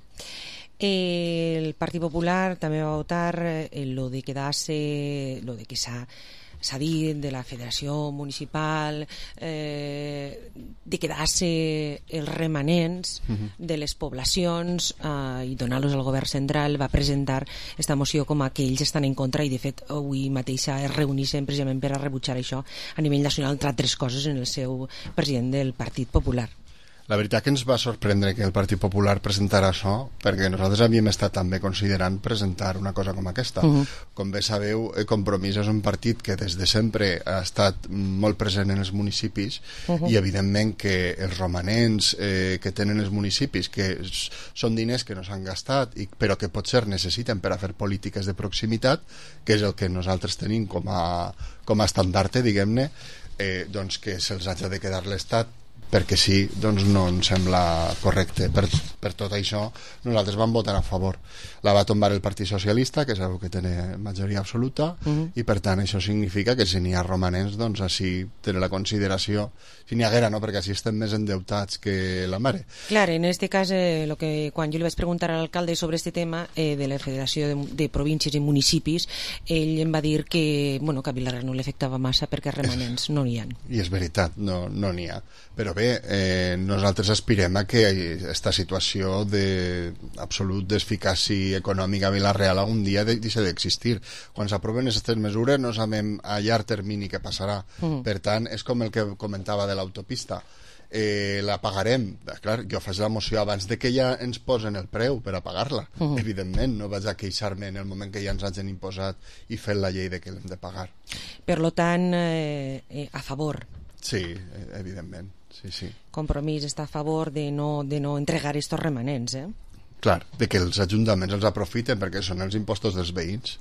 El Partit Popular també va votar lo de quedarse, lo de que s'ha dit de la Federació Municipal, de quedar-se els remanents de les poblacions i donar-los al govern central. Va presentar esta moció com a que ells estan en contra, i de fet avui mateix es reuneixen precisament per a rebutjar això a nivell nacional, entre altres coses, en el seu president del Partit Popular. La veritat que ens va sorprendre que el Partit Popular presentara això, perquè nosaltres havíem estat també considerant presentar una cosa com aquesta. Com bé sabeu, Compromís és un partit que des de sempre ha estat molt present en els municipis, i evidentment que els romanents que tenen els municipis, que són diners que no s'han gastat, però que potser necessiten per a fer polítiques de proximitat, que és el que nosaltres tenim com a estandarte, diguem-ne, doncs que se'ls hagi de quedar l'Estat perquè sí, doncs no ens sembla correcte. Per tot això nosaltres vam votar a favor. La va tombar el Partit Socialista, que sabeu que té majoria absoluta, i per tant això significa que si n'hi ha romanents, doncs així té la consideració, si n'hi haguera, no? Perquè així estem més endeutats que la mare. Clar, en este cas, quan jo li vaig preguntar a l'alcalde sobre este tema de la Federació de Províncies i Municipis, ell em va dir que a Vila-real no l'afectava massa perquè remanents no n'hi ha. I és veritat, no n'hi ha. Però bé, nosaltres aspirem a que aquesta situació d'absolut d'eficàcia econòmica a Vila-real algun dia deixi d'existir. Quan s'aproven aquestes mesures no sabem a llarg termini què passarà. Per tant, és com el que comentava de l'autopista. La pagarem. Clar, jo faig la moció abans de que ja ens posen el preu per a pagar-la. Evidentment, no vaig a queixar-me en el moment que ja ens hagin imposat i fet la llei de que l'hem de pagar. Per tant, a favor. Sí, evidentment. Sí. Compromís està a favor de no entregar estos remanents, Clar, de que els ajuntaments els aprofiten perquè són els impostos dels veïns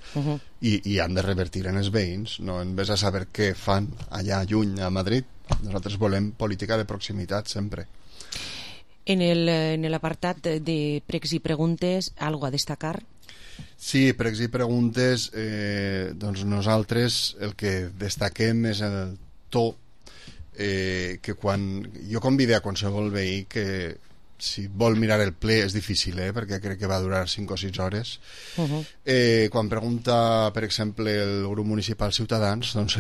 i han de revertir en els veïns, no en vez a saber què fan allà lluny a Madrid. Nosaltres volem política de proximitat sempre. En l'apartat de pregs i preguntes, algo a destacar? Sí, pregs i preguntes, doncs nosaltres el que destaquem és el to que quan jo convide a qualsevol veí que si vol mirar el ple és difícil, perquè crec que va durar 5 o 6 hores. Quan pregunta, per exemple, el grup municipal Ciutadans, doncs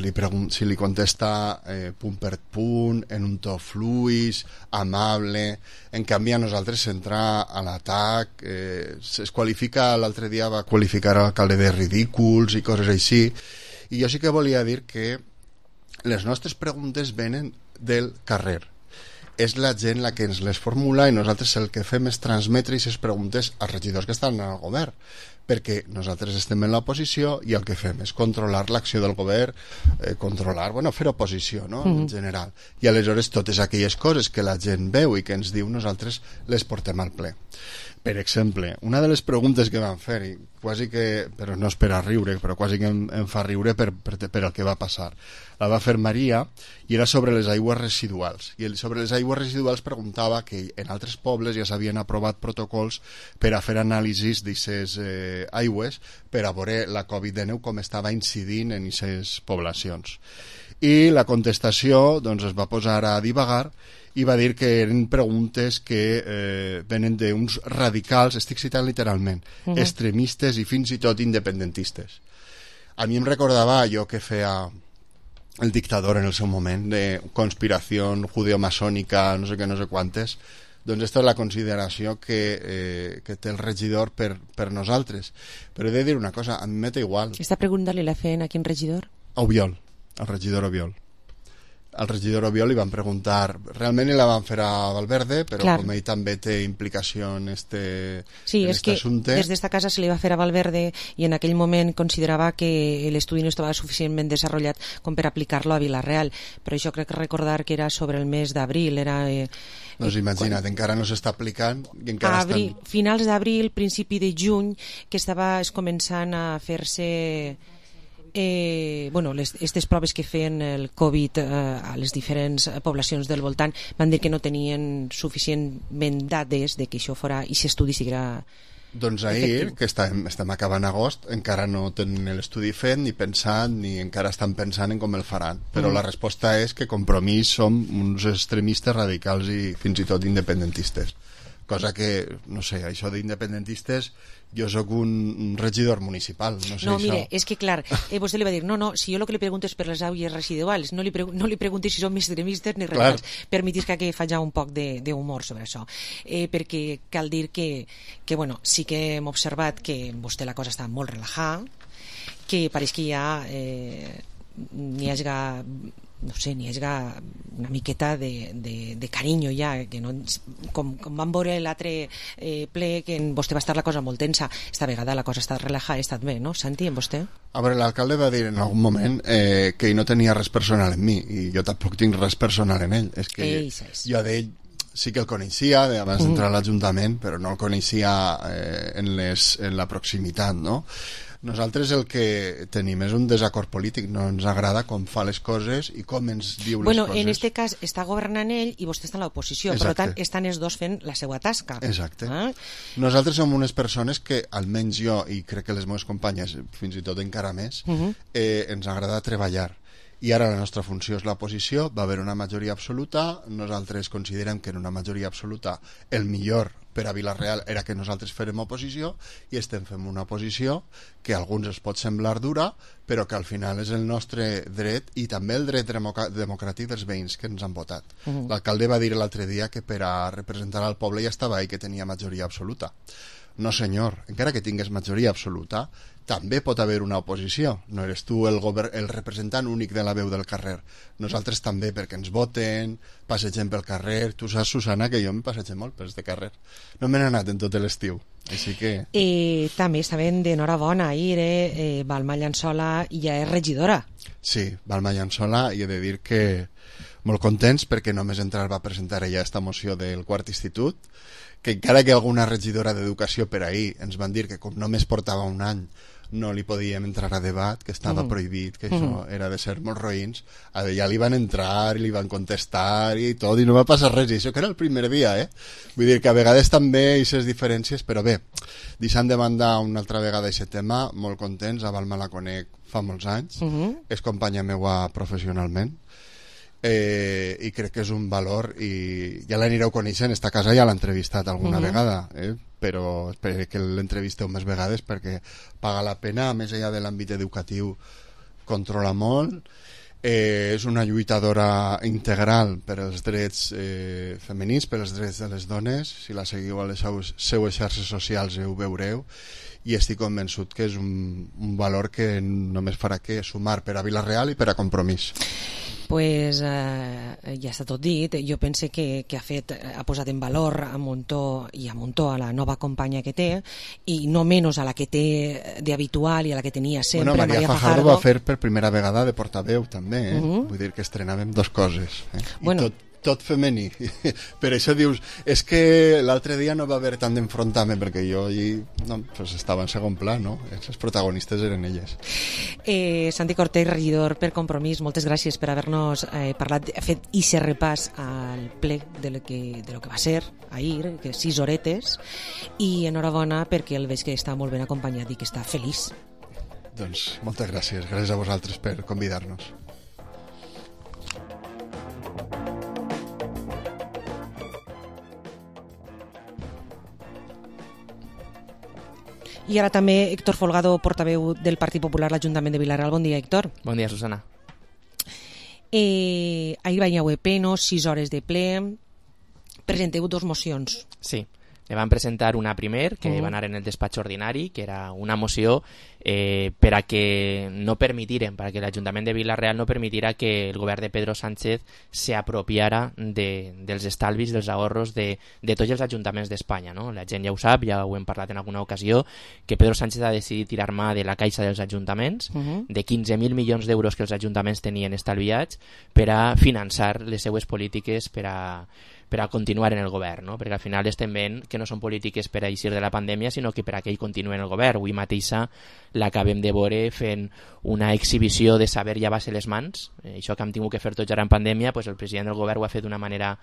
si li contesta punt per punt, en un to fluix, amable. En canvi, a nosaltres s'entra a l'atac, es qualifica, l'altre dia va qualificar l'alcalde de ridículs i coses així, i jo sí que volia dir que les nostres preguntes venen del carrer. És la gent la que ens les formula i nosaltres el que fem és transmetre aquestes preguntes als regidors que estan al govern, perquè nosaltres estem en l'oposició i el que fem és controlar l'acció del govern, fer oposició, no? En general. I aleshores totes aquelles coses que la gent veu i que ens diu, nosaltres les portem al ple. Per exemple, una de les preguntes que van fer, i quasi que, però no és per a riure, però quasi que em fa riure per el que va passar, la va fer Maria, i era sobre les aigües residuals. I sobre les aigües residuals preguntava que en altres pobles ja s'havien aprovat protocols per a fer anàlisis d'aquestes aigües per a veure la Covid-19 com estava incidint en aquestes poblacions. i la contestació doncs, es va posar a divagar i va dir que eren preguntes que venen d'uns radicals, estic citant literalment, extremistes i fins i tot independentistes. A mi em recordava allò que feia el dictador en el seu moment, de conspiració judeomasònica, no sé què, no sé quantes. Doncs aquesta és la consideració que té el regidor per nosaltres. Però he de dir una cosa, a mi m'és igual. Esta pregunta li la feien a quin regidor? A Obiol, al regidor Obiol. Al regidor Obiol li van preguntar, realment la van fer a Valverde, però com ell també té implicació en este sí, en és que assumpte. Des d'esta casa se li va fer a Valverde i en aquell moment considerava que l'estudi no estava suficientment desenvolupat com per aplicar-lo a Vila-real, però això crec que recordar que era sobre el mes d'abril, era... Doncs imagina't, encara no s'està aplicant i encara estan... Finals d'abril, principi de juny, que estava començant a fer-se... aquestes proves que feien el Covid a les diferents poblacions del voltant van dir que no tenien suficientment dades de que això fora, i s'estudi siguera doncs ahir, que estem acabant agost, encara no tenen l'estudi fet ni pensat, ni encara estan pensant en com el faran, però la resposta és que Compromís som uns extremistes radicals i fins i tot independentistes, cosa que, no sé, això d'independentistes, jo sóc un regidor municipal, no sé. No, mire, és que clar, vostè li va dir, no, si jo el que li pregunto és per les aigües residuals, no li pregunti si som extremistes ni radicals, permetis que faci un poc d'humor sobre això, perquè cal dir que bueno, sí que hem observat que amb vostè la cosa està molt relajada, que pareix que ja n'hi hagi no sé, n'hi hagi una miqueta de carinyo ja, que no, com vam veure l'altre ple que en vostè va estar la cosa molt tensa, esta vegada la cosa està relajada, ha estat bé, no? Santi, en vostè? A veure, l'alcalde va dir en algun moment que ell no tenia res personal en mi, i jo tampoc tinc res personal en ell, és que jo d'ell sí que el coneixia abans d'entrar a l'Ajuntament, però no el coneixia en la proximitat, no? Nosaltres el que tenim és un desacord polític, no ens agrada com fa les coses i com ens diu les coses. En aquest cas està governant ell i vostè està a l'oposició, per tant estan els dos fent la seva tasca. Exacte. Nosaltres som unes persones que, almenys jo, i crec que les meves companyes, fins i tot encara més, ens agrada treballar. I ara la nostra funció és l'oposició, va haver una majoria absoluta, nosaltres considerem que en una majoria absoluta el millor per a Vila-real era que nosaltres fèrem oposició i estem fent una oposició que a alguns es pot semblar dura, però que al final és el nostre dret i també el dret democràtic dels veïns que ens han votat. L'alcalde va dir l'altre dia que per a representar al poble ja estava ahí, que tenia majoria absoluta. No senyor, encara que tingués majoria absoluta, també pot haver una oposició. No eres tu el representant únic de la veu del carrer. Nosaltres també, perquè ens voten, passegem pel carrer. Tu saps, Susana, que jo em passegem molt per este carrer. No me n'he anat en tot l'estiu. Així que... també estaven d'enhorabona ahir, Balma Llançola ja és regidora. Sí, Balma Llançola, i he de dir que molt contents perquè només entrar va presentar ella esta moció del quart institut, que encara que alguna regidora d'educació per ahir ens van dir que com només portava un any no li podíem entrar a debat, que estava prohibit, que això era de ser molt roïns, ja li van entrar i li van contestar i tot, i no va passar res, i això que era el primer dia, Vull dir que a vegades també hi ha diferències, però bé, deixant de banda una altra vegada aquest tema, molt contents, a Balma la conec fa molts anys, és companya meua professionalment, i crec que és un valor, i ja l'anireu coneixent, esta casa ja l'ha entrevistat alguna vegada, però espero que l'entrevisteu més vegades perquè paga la pena, a més allà de l'àmbit educatiu controla molt, és una lluitadora integral per als drets femenins, per als drets de les dones, si la seguiu a les seues xarxes socials ho veureu, i estic convençut que és un valor que només farà que sumar per a Vila-real i per a Compromís. Pues ja està tot dit. Jo pense que ha posat en valor a Montó i a Montó a la nova companya que té, i no menys a la que té d'habitual i a la que tenia sempre, Maria Fajardo va fer per primera vegada de portaveu també, vull dir que estrenàvem dos coses, i tot femení. Per això dius, és que l'altre dia no va haver tant d'enfrontament, perquè jo estava en segon pla, no? Els protagonistes eren elles. Santi Cortés, regidor per Compromís, moltes gràcies per haver-nos parlat, fet aquest repàs al ple de lo que va ser ahir, que 6 horetes, i enhorabona perquè el veig que està molt ben acompanyat i que està feliç. Doncs moltes gràcies a vosaltres per convidar-nos. I ara també Héctor Folgado, portaveu del Partit Popular a l'Ajuntament de Vila-real. Bon dia, Héctor. Bon dia, Susana. Ahir va haver pleno, 6 hores de ple. Presenteu 2 mocions. Sí, le van presentar una primer, que va anar en el despatx ordinari, que era una moció per a que no permitiren, perquè l'Ajuntament de Vila-real no permetirà que el govern de Pedro Sánchez s'apropiara dels estalvis, dels ahorros de tots els ajuntaments d'Espanya, no? La gent ja ho sap, ja ho hem parlat en alguna ocasió, que Pedro Sánchez ha decidit tirar mà de la caixa dels ajuntaments, de 15.000 milions d'euros que els ajuntaments tenien estalviats, per a finançar les seues polítiques per a continuar en el govern, no? Perquè al final estem veient que no són polítiques per a eixir de la pandèmia, sinó que per a que ell continuï en el govern. Avui mateixa l'acabem de veure fent una exhibició de saber llevar-se les mans. Això que hem tingut que fer tots ara en pandèmia, pues el president del govern ho ha fet d'una manera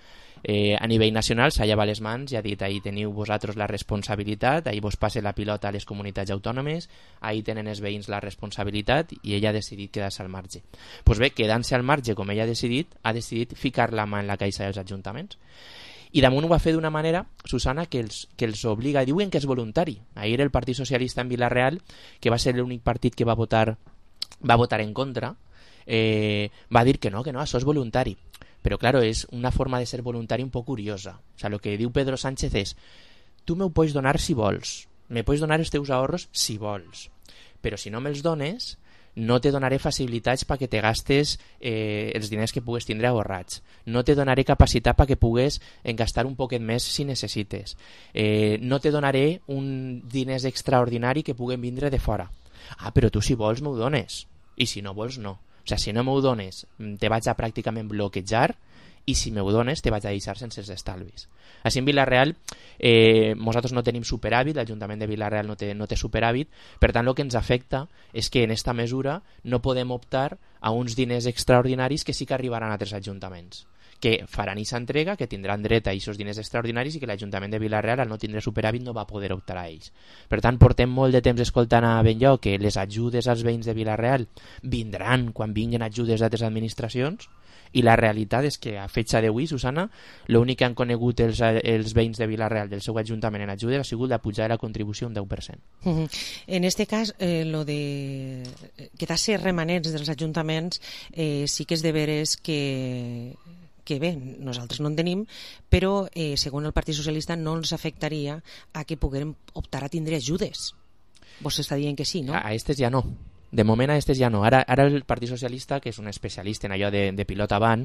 a nivell nacional, s'ha llevat les mans i ha dit: ahí teniu vosaltres la responsabilitat, ahí vos passe la pilota a les comunitats autònomes, ahí tenen els veïns la responsabilitat, i ella ha decidit quedar-se al marge. Pues bé, quedant-se al marge com ella ha decidit ficar la mà en la caixa dels ajuntaments. I damunt ho va fer d'una manera, Susana, que els obliga, diuen que és voluntari. Ahir el Partit Socialista en Vila-real, que va ser l'únic partit que va votar en contra, va dir que no, això és voluntari. Però, claro, és una forma de ser voluntari un poc curiosa. O sea, lo que diu Pedro Sánchez és: tu m'ho pots donar si vols, me pots donar els teus ahorros si vols, però si no me'ls dones, no te donaré facilitats perquè te gastes els diners que pugues tindre ahorrats, no te donaré capacitat perquè pugues gastar un poquet més si necessites, no te donaré un diners extraordinari que puguen vindre de fora. Ah, però tu si vols m'ho dones, i si no vols no. O sigui, si no m'ho dones te vaig a pràcticament bloquejar, i si m'ho dones te vaig a deixar sense els estalvis. Així en Vila-real nosaltres no tenim superàvit, l'Ajuntament de Vila-real no té superàvit, per tant el que ens afecta és que en esta mesura no podem optar a uns diners extraordinaris que sí que arribaran a altres ajuntaments, que faran aquesta entrega, que tindran dret a aquests diners extraordinaris, i que l'Ajuntament de Vila-real, al no tindre superàvit, no va poder optar a ells. Per tant, portem molt de temps escoltant a Benlloc que les ajudes als veïns de Vila-real vindran quan vinguin ajudes d'altres administracions, i la realitat és que a fetge d'avui, Susana, l'únic que han conegut els veïns de Vila-real del seu ajuntament en ajudes ha sigut la pujada de la contribució un 10%. En este cas, lo de quedar-se remanents dels ajuntaments sí que és de veres que bé, nosaltres no en tenim, però segons el Partit Socialista no ens afectaria a que puguem optar a tindre ajudes. Vos està dient que sí, no? A estes ja no. De moment a estes ja no. Ara el Partit Socialista, que és un especialista en allò de pilota avant,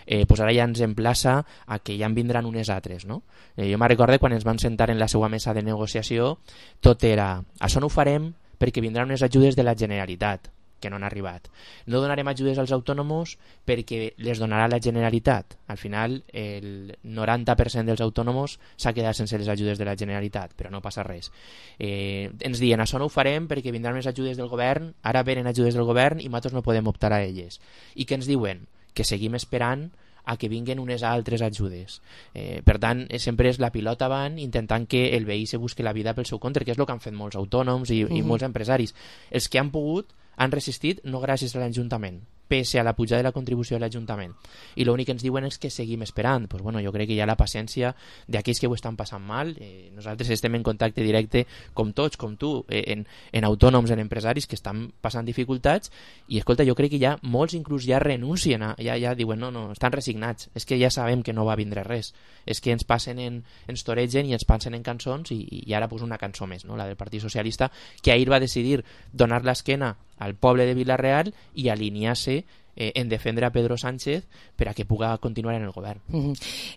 pues ara ja ens emplaça a que ja en vindran unes altres, no? Jo me'n recordo quan ens van sentar en la seva mesa de negociació, tot era: això no ho farem perquè vindran unes ajudes de la Generalitat, que no han arribat. No donarem ajudes als autònoms perquè les donarà la Generalitat. Al final, el 90% dels autònoms s'ha quedat sense les ajudes de la Generalitat, però no passa res. Ens diuen: això no ho farem perquè vindran unes ajudes del govern, ara venen ajudes del govern i nosaltres no podem optar a elles. I què ens diuen? Que seguim esperant a que vinguen unes altres ajudes. Per tant, sempre és la pilota avant, intentant que el veí se busqui la vida pel seu compte, que és el que han fet molts autònoms i molts empresaris. Els que han pogut han resistit no gràcies a l'Ajuntament, pese a la pujada de la contribució de l'Ajuntament. I l'únic que ens diuen és que seguim esperant. Pues bueno, jo crec que hi ha la paciència d'aquells que ho estan passant mal. Nosaltres estem en contacte directe, com tots, com tu, en autònoms, en empresaris que estan passant dificultats, i escolta, jo crec que ja molts inclús ja renuncien, ja diuen no, estan resignats, és que ja sabem que no va vindre res, és que ens passen ens toregen i ens passen en cançons, i ara pues una cançó més, no? La del Partit Socialista, que ahir va decidir donar l'esquena al poble de Vila-real i alinear-se en defendre a Pedro Sánchez per a que puga continuar en el govern.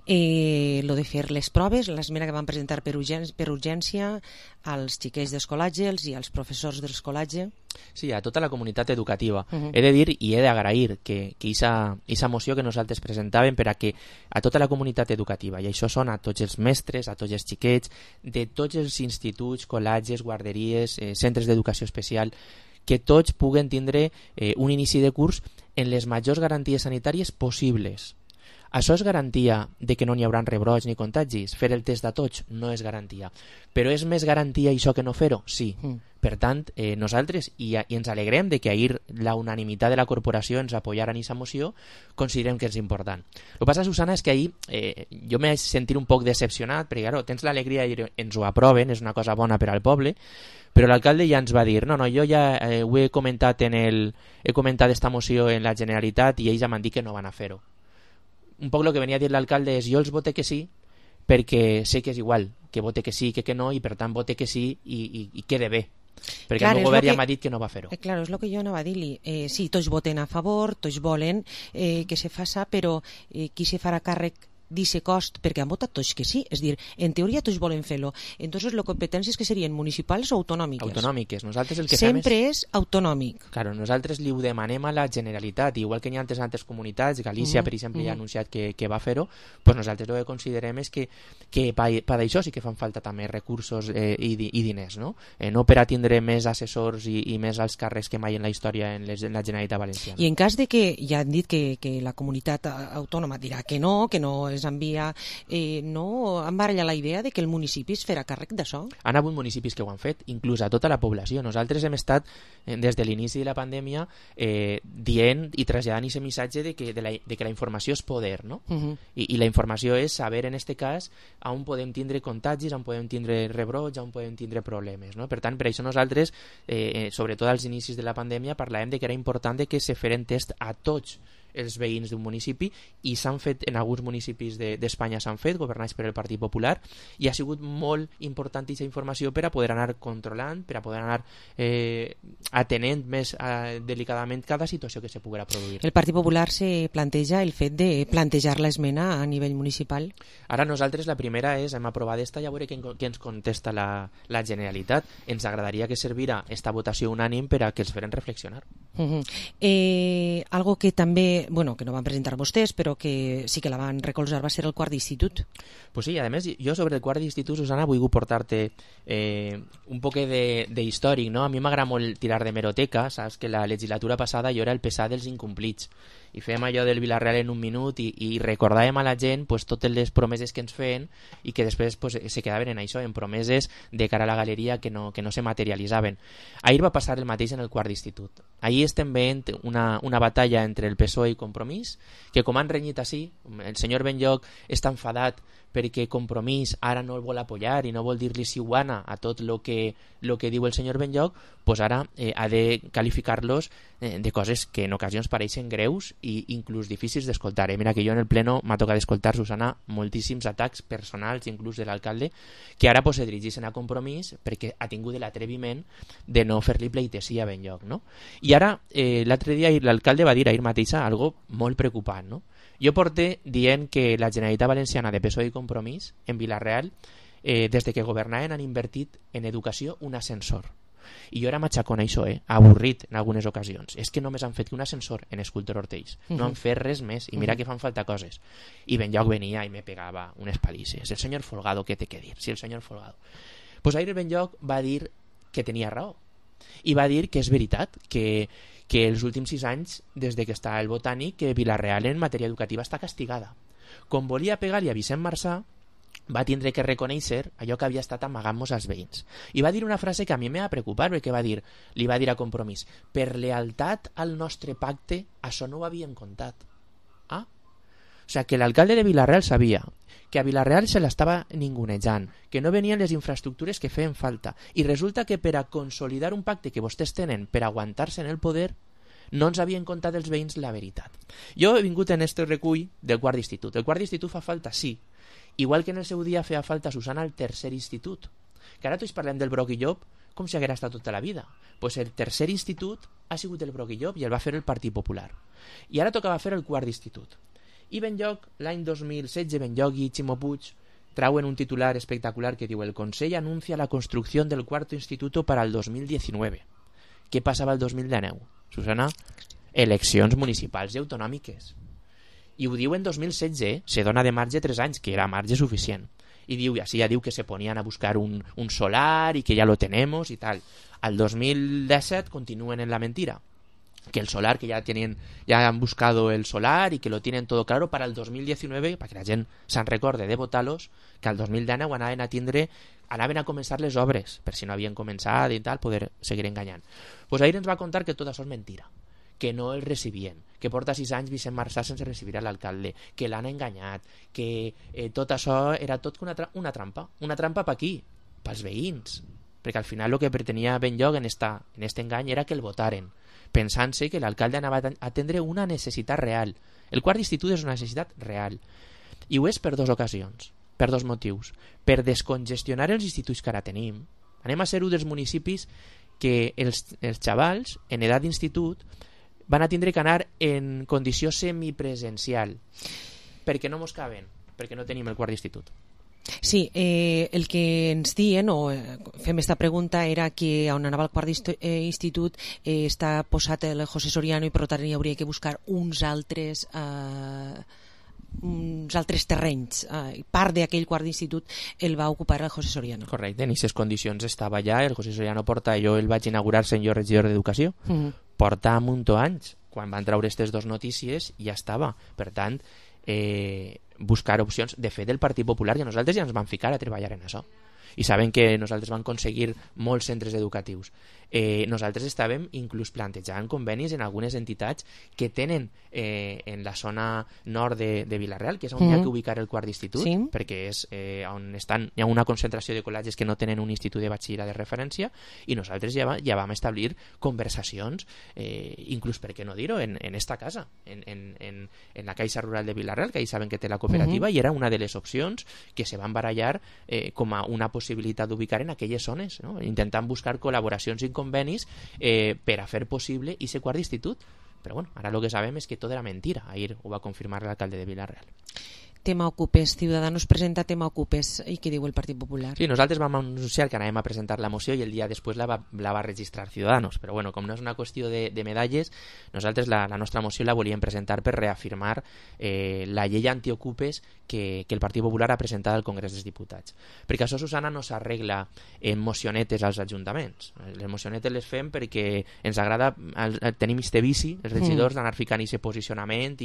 Lo de fer les proves, l'esmena que van presentar per urgència als xiquets d'escolatge i als professors d'escolatge. Sí, a tota la comunitat educativa. He de dir i he d'agrair que aquesta moció que nosaltres presentàvem per a que a tota la comunitat educativa, i això són a tots els mestres, a tots els xiquets, de tots els instituts, col·legis, guarderies, centres d'educació especial, que tots puguen tindre un inici de curs en les majors garanties sanitàries possibles. Això és garantia de que no n'hi haurà rebrots ni contagis? Fer el test de tots no és garantia. Però és més garantia això que no fer-ho? Sí. Per tant, nosaltres, i ens alegrem de que ahir la unanimitat de la corporació ens apoyara en aquesta moció, considerem que és important. El que passa, Susana, és que ahir jo m'he sentit un poc decepcionat, perquè claro, tens l'alegria i ens ho aproven, és una cosa bona per al poble, però l'alcalde ja ens va dir, no, jo ja ho he comentat esta moció en la Generalitat i ells ja m'han dit que no van a fer-ho. Un poc el que venia a dir l'alcalde és jo els vote que sí perquè sé que és igual, que vote que sí que no, i per tant vote que sí i quede bé. Perquè clar, el govern ja m'ha dit que no va fer-ho. Claro, és el que jo anava a dir-li. Sí, tots voten a favor, tots volen que se faça, però qui se farà càrrec d'aquest cost, perquè han votat tots que sí, és dir, en teoria tots volen fer-lo. Entonces, les competències que serien municipals o autonòmiques? Autonòmiques. Nosaltres el que sempre és autonòmic. Claro, nosaltres li ho demanem a la Generalitat, igual que hi ha altres comunitats, Galícia, per exemple, ja ha anunciat que va fer-ho, pues nosaltres el que considerem és que per això sí que fan falta també recursos i diners, no? No per a tindre més assessors i més alts càrrecs que mai en la història en la Generalitat Valenciana. I en cas de que ja han dit que la comunitat autònoma dirà que no es envia, no embaralla la idea de que el municipi es farà càrrec d'això? Han hagut municipis que ho han fet, inclús a tota la població. Nosaltres hem estat, des de l'inici de la pandèmia, dient i traslladant aquest missatge de que la informació és poder, no? I la informació és saber, en aquest cas, on podem tindre contagis, on podem tindre rebrots, on podem tindre problemes, no? Per tant, per això nosaltres, sobretot als inicis de la pandèmia, parlàvem de que era important que se feren test a tots els veïns d'un municipi, i s'han fet en alguns municipis d'Espanya, s'han fet, governats per el Partit Popular, i ha sigut molt important aquesta informació per a poder anar controlant, per a poder anar atenent més delicadament cada situació que se poguera produir. El Partit Popular se planteja el fet de plantejar l'esmena a nivell municipal? Ara nosaltres la primera és, hem aprovat esta, ja veure què ens contesta la Generalitat. Ens agradaria que servira esta votació unànim per a que els feren reflexionar. Algo que també, bueno, que no van presentar vostès, però que sí que la van recolzar, va ser el quart d'institut. Pues sí, a més, jo sobre el quart d'institut, Susana, vull portar-te un poc d'històric, no? A mi m'agrada molt tirar de meroteca, saps que la legislatura passada jo era el pesat dels incomplits, i fèiem allò del Vilarreal en un minut i recordàvem a la gent pues, totes les promeses que ens feien i que després pues, se quedaven en això, en promeses de cara a la galeria que no se materialitzaven. Ahir va passar el mateix en el quart d'institut. Ahir estem veient una batalla entre el PSOE i Compromís, que com han renyit així, el senyor Benlloch està enfadat perquè Compromís ara no el vol apoyar i no vol dir-li siuana a tot el que diu el senyor Benlloch, pues ara ha de qualificar-los de coses que en ocasions pareixen greus i inclús difícils d'escoltar. Mira que jo en el pleno m'ha tocat escoltar, Susana, moltíssims atacs personals, inclús de l'alcalde, que ara pues, se dirigeixen a Compromís perquè ha tingut l'atreviment de no fer-li pleitesía a Benlloch, no? I ara, l'altre dia l'alcalde va dir ahir mateixa algo molt preocupant, no? Jo porté dient que la Generalitat Valenciana de PSOE i Compromís en Vilarreal, des de que governaven, han invertit en educació un ascensor. I jo era matxacón a això, avorrit en algunes ocasions. És que només han fet un ascensor en Escultor Ortells. No han fet res més. I mira que fan falta coses. I Benlloch venia i me pegava unes palisses. El senyor Folgado, què té que dir? Sí, el senyor Folgado. Pues ahir Benlloch va dir que tenia raó. I va dir que és veritat, que els últims 6 anys, des de que està el Botànic, que Vilarreal en matèria educativa està castigada. Com volia pegar-li a Vicent Marsà, va tindre que reconèixer allò que havia estat amagant-nos als veïns. I va dir una frase que a mi m'ha preocupat, perquè li va dir a Compromís: per lealtat al nostre pacte, això no ho havien comptat. O sigui, que l'alcalde de Vilarreal sabia que a Vilarreal se l'estava ningunejant, que no venien les infraestructures que feien falta, i resulta que per a consolidar un pacte que vostès tenen per aguantar-se en el poder, no ens havien contat els veïns la veritat. Jo he vingut en este recull del quart d'institut. El quart d'institut fa falta, sí. Igual que en el seu dia feia falta, Susana, el tercer institut. Que ara tots parlem del Broc i Llop com si haguera estat tota la vida. Pues el tercer institut ha sigut el Broc i Llop i el va fer el Partit Popular. I ara tocava fer el quart d'institut. I Benlloch, l'any 2016, Benlloch i Ximo Puig trauen un titular espectacular que diu: el Consell anuncia la construcció del cuarto instituto para el 2019. Què passava el 2019? Susana, eleccions municipals i autonòmiques. I ho diu en 2016, se dona de marge 3 anys, que era marge suficient. I diu, així ja diu que se ponien a buscar un solar i que ja lo tenemos i tal. Al 2017 continuen en la mentira. que el solar, que ya han buscado el solar y que lo tienen todo claro para el 2019, para que la gent se'n recorde de votar-los, que al 2019 anaven a començar les obres, per si no havien començat i tal, poder seguir enganyant. Pues ahir ens va contar que tot això és mentira, que no el recibien, que porta 6 anys Vicent Marçà sense recibir a l'alcalde, que l'han enganyat, que tot això era tot una trampa per aquí, pels veïns, perquè al final el que pretenia Benlloc en este engany era que el votaren, pensant-se que l'alcalde anava a atendre una necessitat real. El quart d'institut és una necessitat real. I ho és per 2 ocasions, per 2 motius. Per descongestionar els instituts que ara tenim. Anem a ser un dels municipis que els xavals en edat d'institut van a tindre que anar en condició semipresencial perquè no mos caben, perquè no tenim el quart d'institut. Sí, el que ens diuen, o fem esta pregunta, era que on anava el quart institut està posat el José Soriano i per tant hi hauria que buscar uns altres terrenys. Part d'aquell quart d'institut el va ocupar el José Soriano. Correcte, en aquestes condicions estava allà. El José Soriano porta, jo el vaig inaugurar sent jo regidor d'Educació, porta un munt d'anys. Quan van treure aquestes 2 notícies ja estava. Per tant, buscar opcions. De fet, el Partit Popular, que nosaltres ja ens vam ficar a treballar en això i saben que nosaltres vam aconseguir molts centres educatius. Nosaltres estàvem inclús plantejant convenis en algunes entitats que tenen en la zona nord de Vila-real, que és on hi ha que ubicar el quart d'institut, perquè és on hi ha una concentració de col·legis que no tenen un institut de batxillerat de referència, i nosaltres ja vam establir conversacions, inclús, per què no dir-ho, en esta casa, en la Caixa Rural de Vila-real, que ahí saben que té la cooperativa, i era una de les opcions que se van barallar com a una possibilitat d'ubicar en aquelles zones, no? Intentant buscar col·laboracions i convenis per a fer possible i ser quart d'institut. Però bueno, ara el que sabem és que tot era mentira. Ahir ho va confirmar l'alcalde de Vila-real. Tema Ocupes, Ciudadanos presenta tema Ocupes, i què diu el Partit Popular? Sí, nosaltres vam anunciar que anàvem a presentar la moció i el dia després la va registrar Ciudadanos, però bueno, com no és una qüestió de medalles, nosaltres la nostra moció la volíem presentar per reafirmar la llei antiocupes que el Partit Popular ha presentat al Congrés dels Diputats. Perquè això, Susana, no s'arregla en mocionetes als ajuntaments. Les mocionetes les fem perquè ens agrada, tenim este vici, els regidors, d'anar ficant aquest posicionament,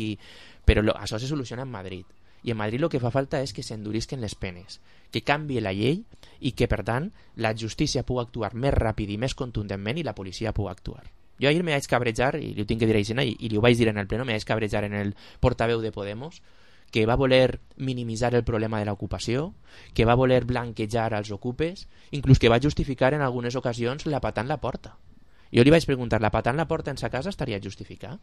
però això se soluciona en Madrid. I en Madrid el que fa falta és que s'endurisquen les penes, que canvie la llei i que, per tant, la justícia pugui actuar més ràpid i més contundentment i la policia pugui actuar. Jo ahir me vaig cabrejar, i li ho tinc que dir així, i li ho vaig dir en el pleno, me vaig cabrejar en el portaveu de Podemos, que va voler minimitzar el problema de l'ocupació, que va voler blanquejar als ocupes, inclús que va justificar en algunes ocasions la patada en la porta. Jo li vaig preguntar, la patada en la porta en sa casa estaria justificat?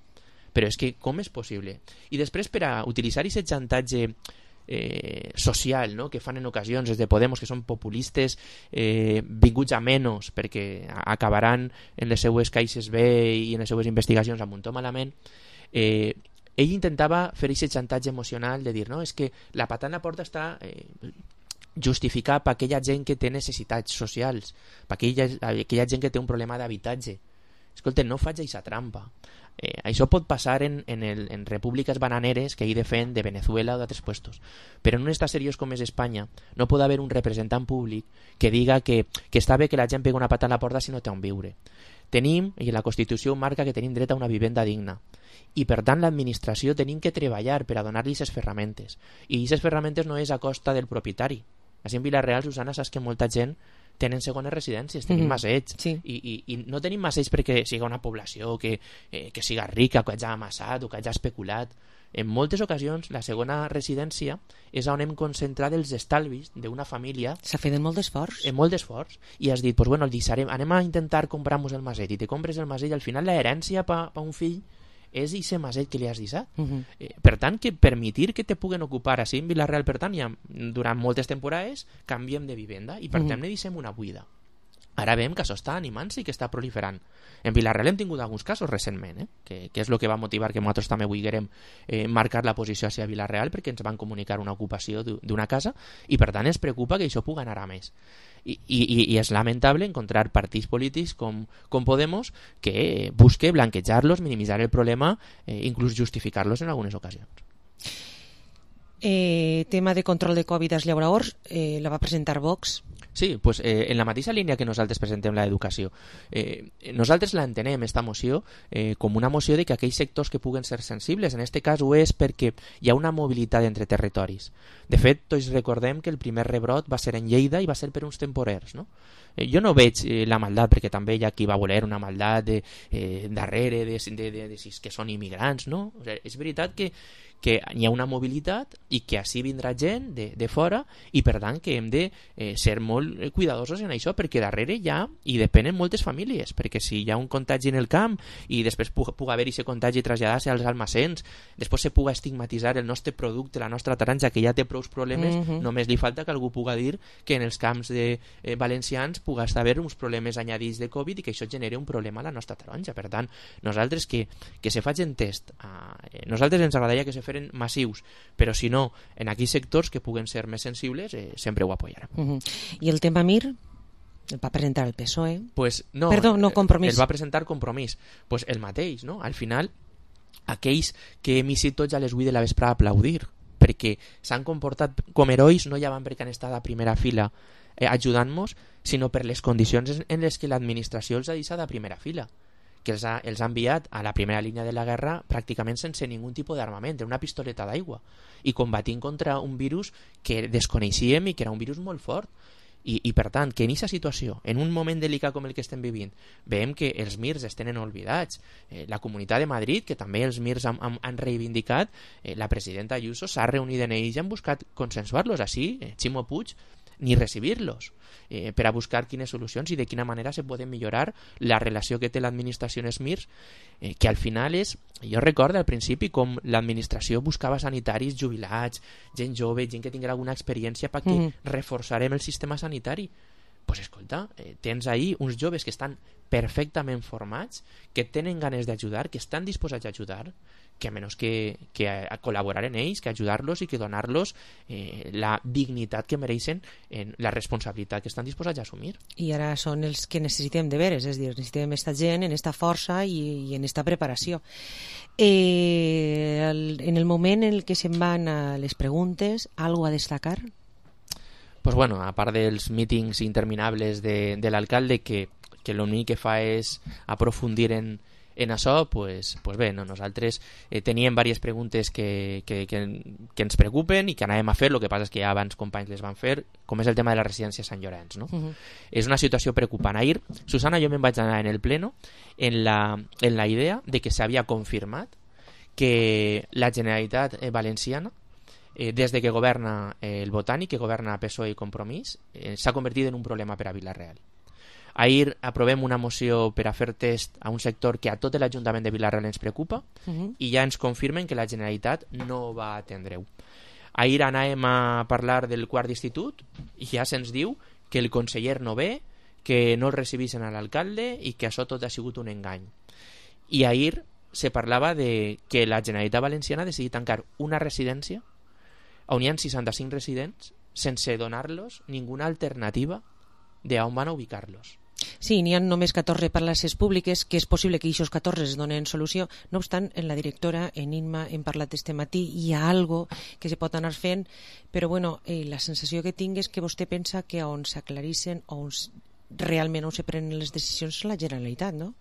Però és que com és possible? I després, per a utilitzar aquest xantatge social, no?, que fan en ocasions des de Podemos, que són populistes vinguts a menys perquè acabaran en les seues caixes B i en les seues investigacions amb un to malament, ell intentava fer aquest xantatge emocional de dir, no, és que la patada en la porta està justificat per aquella gent que té necessitats socials, per aquella gent que té un problema d'habitatge. Escolta, no faig aquesta trampa. Això pot passar en repúbliques bananeres que hi defen de Venezuela o d'altres puestos, però en un estat seriós com és Espanya no pot haver un representant públic que diga que està bé que la gent pegui una pata a la porta si no té on viure. Tenim, i la Constitució marca que tenim dret a una vivenda digna, i per tant l'administració tenim que treballar per a donar-li aquestes ferramentes, i aquestes ferramentes no és a costa del propietari. Així en Vila-real, Susana, saps que molta gent tenen segones residències, tenim masseig, i no tenim masseig perquè siga una població que siga rica, que hagi amassat o que hagi especulat. En moltes ocasions la segona residència és on hem concentrat els estalvis d'una família. S'ha fet molt d'esforç. Molt d'esforç, i has dit, pues bueno, el deixarem, anem a intentar comprar-nos el masseig, i te compres el masseig, al final l'herència per un fill és aquest masseig que li has deixat. Per tant, que permetir que te puguen ocupar així en Vila-real, per tant, ja durant moltes temporades canviem de vivenda i per tant ne deixem una buida. Ara veiem que això està animant-se i que està proliferant. En Vila-real hem tingut alguns casos recentment, que és el que va motivar que nosaltres també vulguérem marcar la posició hacia Vila-real, perquè ens van comunicar una ocupació d'una casa i per tant ens preocupa que això pugui anar a més. I és lamentable encontrar partits polítics com Podemos que busque blanquejar-los, minimitzar el problema, inclús justificar-los en algunes ocasions. Tema de control de Covid als llauradors, la va presentar Vox. Sí, pues en la mateixa línia que nosaltres presentem l'educació. Nosaltres l'entenem, esta moció, com una moció de que aquells sectors que puguen ser sensibles, en aquest cas ho és perquè hi ha una mobilitat entre territoris. De fet, tots recordem que el primer rebrot va ser en Lleida i va ser per uns temporers, no? Jo no veig la maldat, perquè també hi ha qui va voler una maldat darrere de si que són immigrants, no? O sigui, és veritat que hi ha una mobilitat i que així vindrà gent de fora i per tant que hem de ser molt cuidadosos en això, perquè darrere hi ha i depenen moltes famílies, perquè si hi ha un contagi en el camp i després puga haver-hi aquest contagi i traslladar-se als almacens, després se puga estigmatitzar el nostre producte, la nostra taronja, que ja té prou problemes, només li falta que algú puga dir que en els camps valencians puga haver uns problemes añadits de Covid i que això generi un problema a la nostra taronja. Per tant, nosaltres que se facin test, nosaltres ens agradaria que se feren massius, però si no, en aquells sectors que puguen ser més sensibles, sempre ho apoyarem. I el tema Mir? El va presentar el PSOE? Pues no, perdó, no Compromís. El va presentar Compromís. Pues el mateix, no? Al final, aquells que hem eixit tots a les 8 de la vesprada a aplaudir, perquè s'han comportat com herois, no ja van perquè han estat a primera fila ajudant-nos, sinó per les condicions en les que l'administració els ha deixat a primera fila, que els ha enviat a la primera línia de la guerra pràcticament sense ningú tipus d'armament, una pistoleta d'aigua, i combatint contra un virus que desconeixíem i que era un virus molt fort. I per tant, que en aquesta situació, en un moment delicat com el que estem vivint, veiem que els MIRs es tenen oblidats, la Comunitat de Madrid, que també els MIRs han reivindicat, la presidenta Ayuso s'ha reunit en ells i han buscat consensuar-los, així Ximo Puig ni recibir-los, per a buscar quines solucions i de quina manera se pot millorar la relació que té l'administració en els MIRs, que al final és, jo recordo al principi com l'administració buscava sanitaris jubilats, gent jove, gent que tinguera alguna experiència perquè reforçarem el sistema sanitari. Pues escolta, tens ahí uns joves que estan perfectament formats, que tenen ganes d'ajudar, que estan disposats a ajudar, que a menys que a col·laborar en ells, que ajudar-los i que donar-los la dignitat que mereixen, la responsabilitat que estan disposats a assumir. I ara són els que necessitem de veres, és a dir, necessitem aquesta gent en esta força i en esta preparació. En el moment en què se'n van a les preguntes, algo a destacar? Pues bueno, a part dels mítings interminables de l'alcalde, que l'únic que fa és aprofundir en això, pues bé, no, nosaltres teníem diverses preguntes que ens preocupen i que anàvem a fer, el que passa és que ja abans companys les van fer, com és el tema de la residència Sant Llorenç, no? És una situació preocupant. Ahir, Susana, jo me'n vaig anar en el pleno en la idea de que s'havia confirmat que la Generalitat Valenciana, des de que governa el Botànic, que governa PSOE i Compromís, s'ha convertit en un problema per a Vila-real. Ahir aprovem una moció per a fer test a un sector que a tot l'Ajuntament de Vila-real ens preocupa i ja ens confirmen que la Generalitat no va atendre-ho. Ahir anàvem a parlar del quart d'institut i ja se'ns diu que el conseller no ve, que no el recibeixen a l'alcalde i que això tot ha sigut un engany. I ahir se parlava de que la Generalitat Valenciana ha decidit tancar una residència on hi ha 65 residents sense donar-los ninguna alternativa d'on van a ubicar-los. Sí, n'hi ha només 14 places públiques, que és possible que aquests 14 es donen solució. No obstant, en la directora, en Inma, hem parlat este matí, hi ha algo que se pot anar fent, però bueno, la sensació que tinc és que vostè pensa que on s'aclareixen, realment on se prenen les decisions és la Generalitat, no?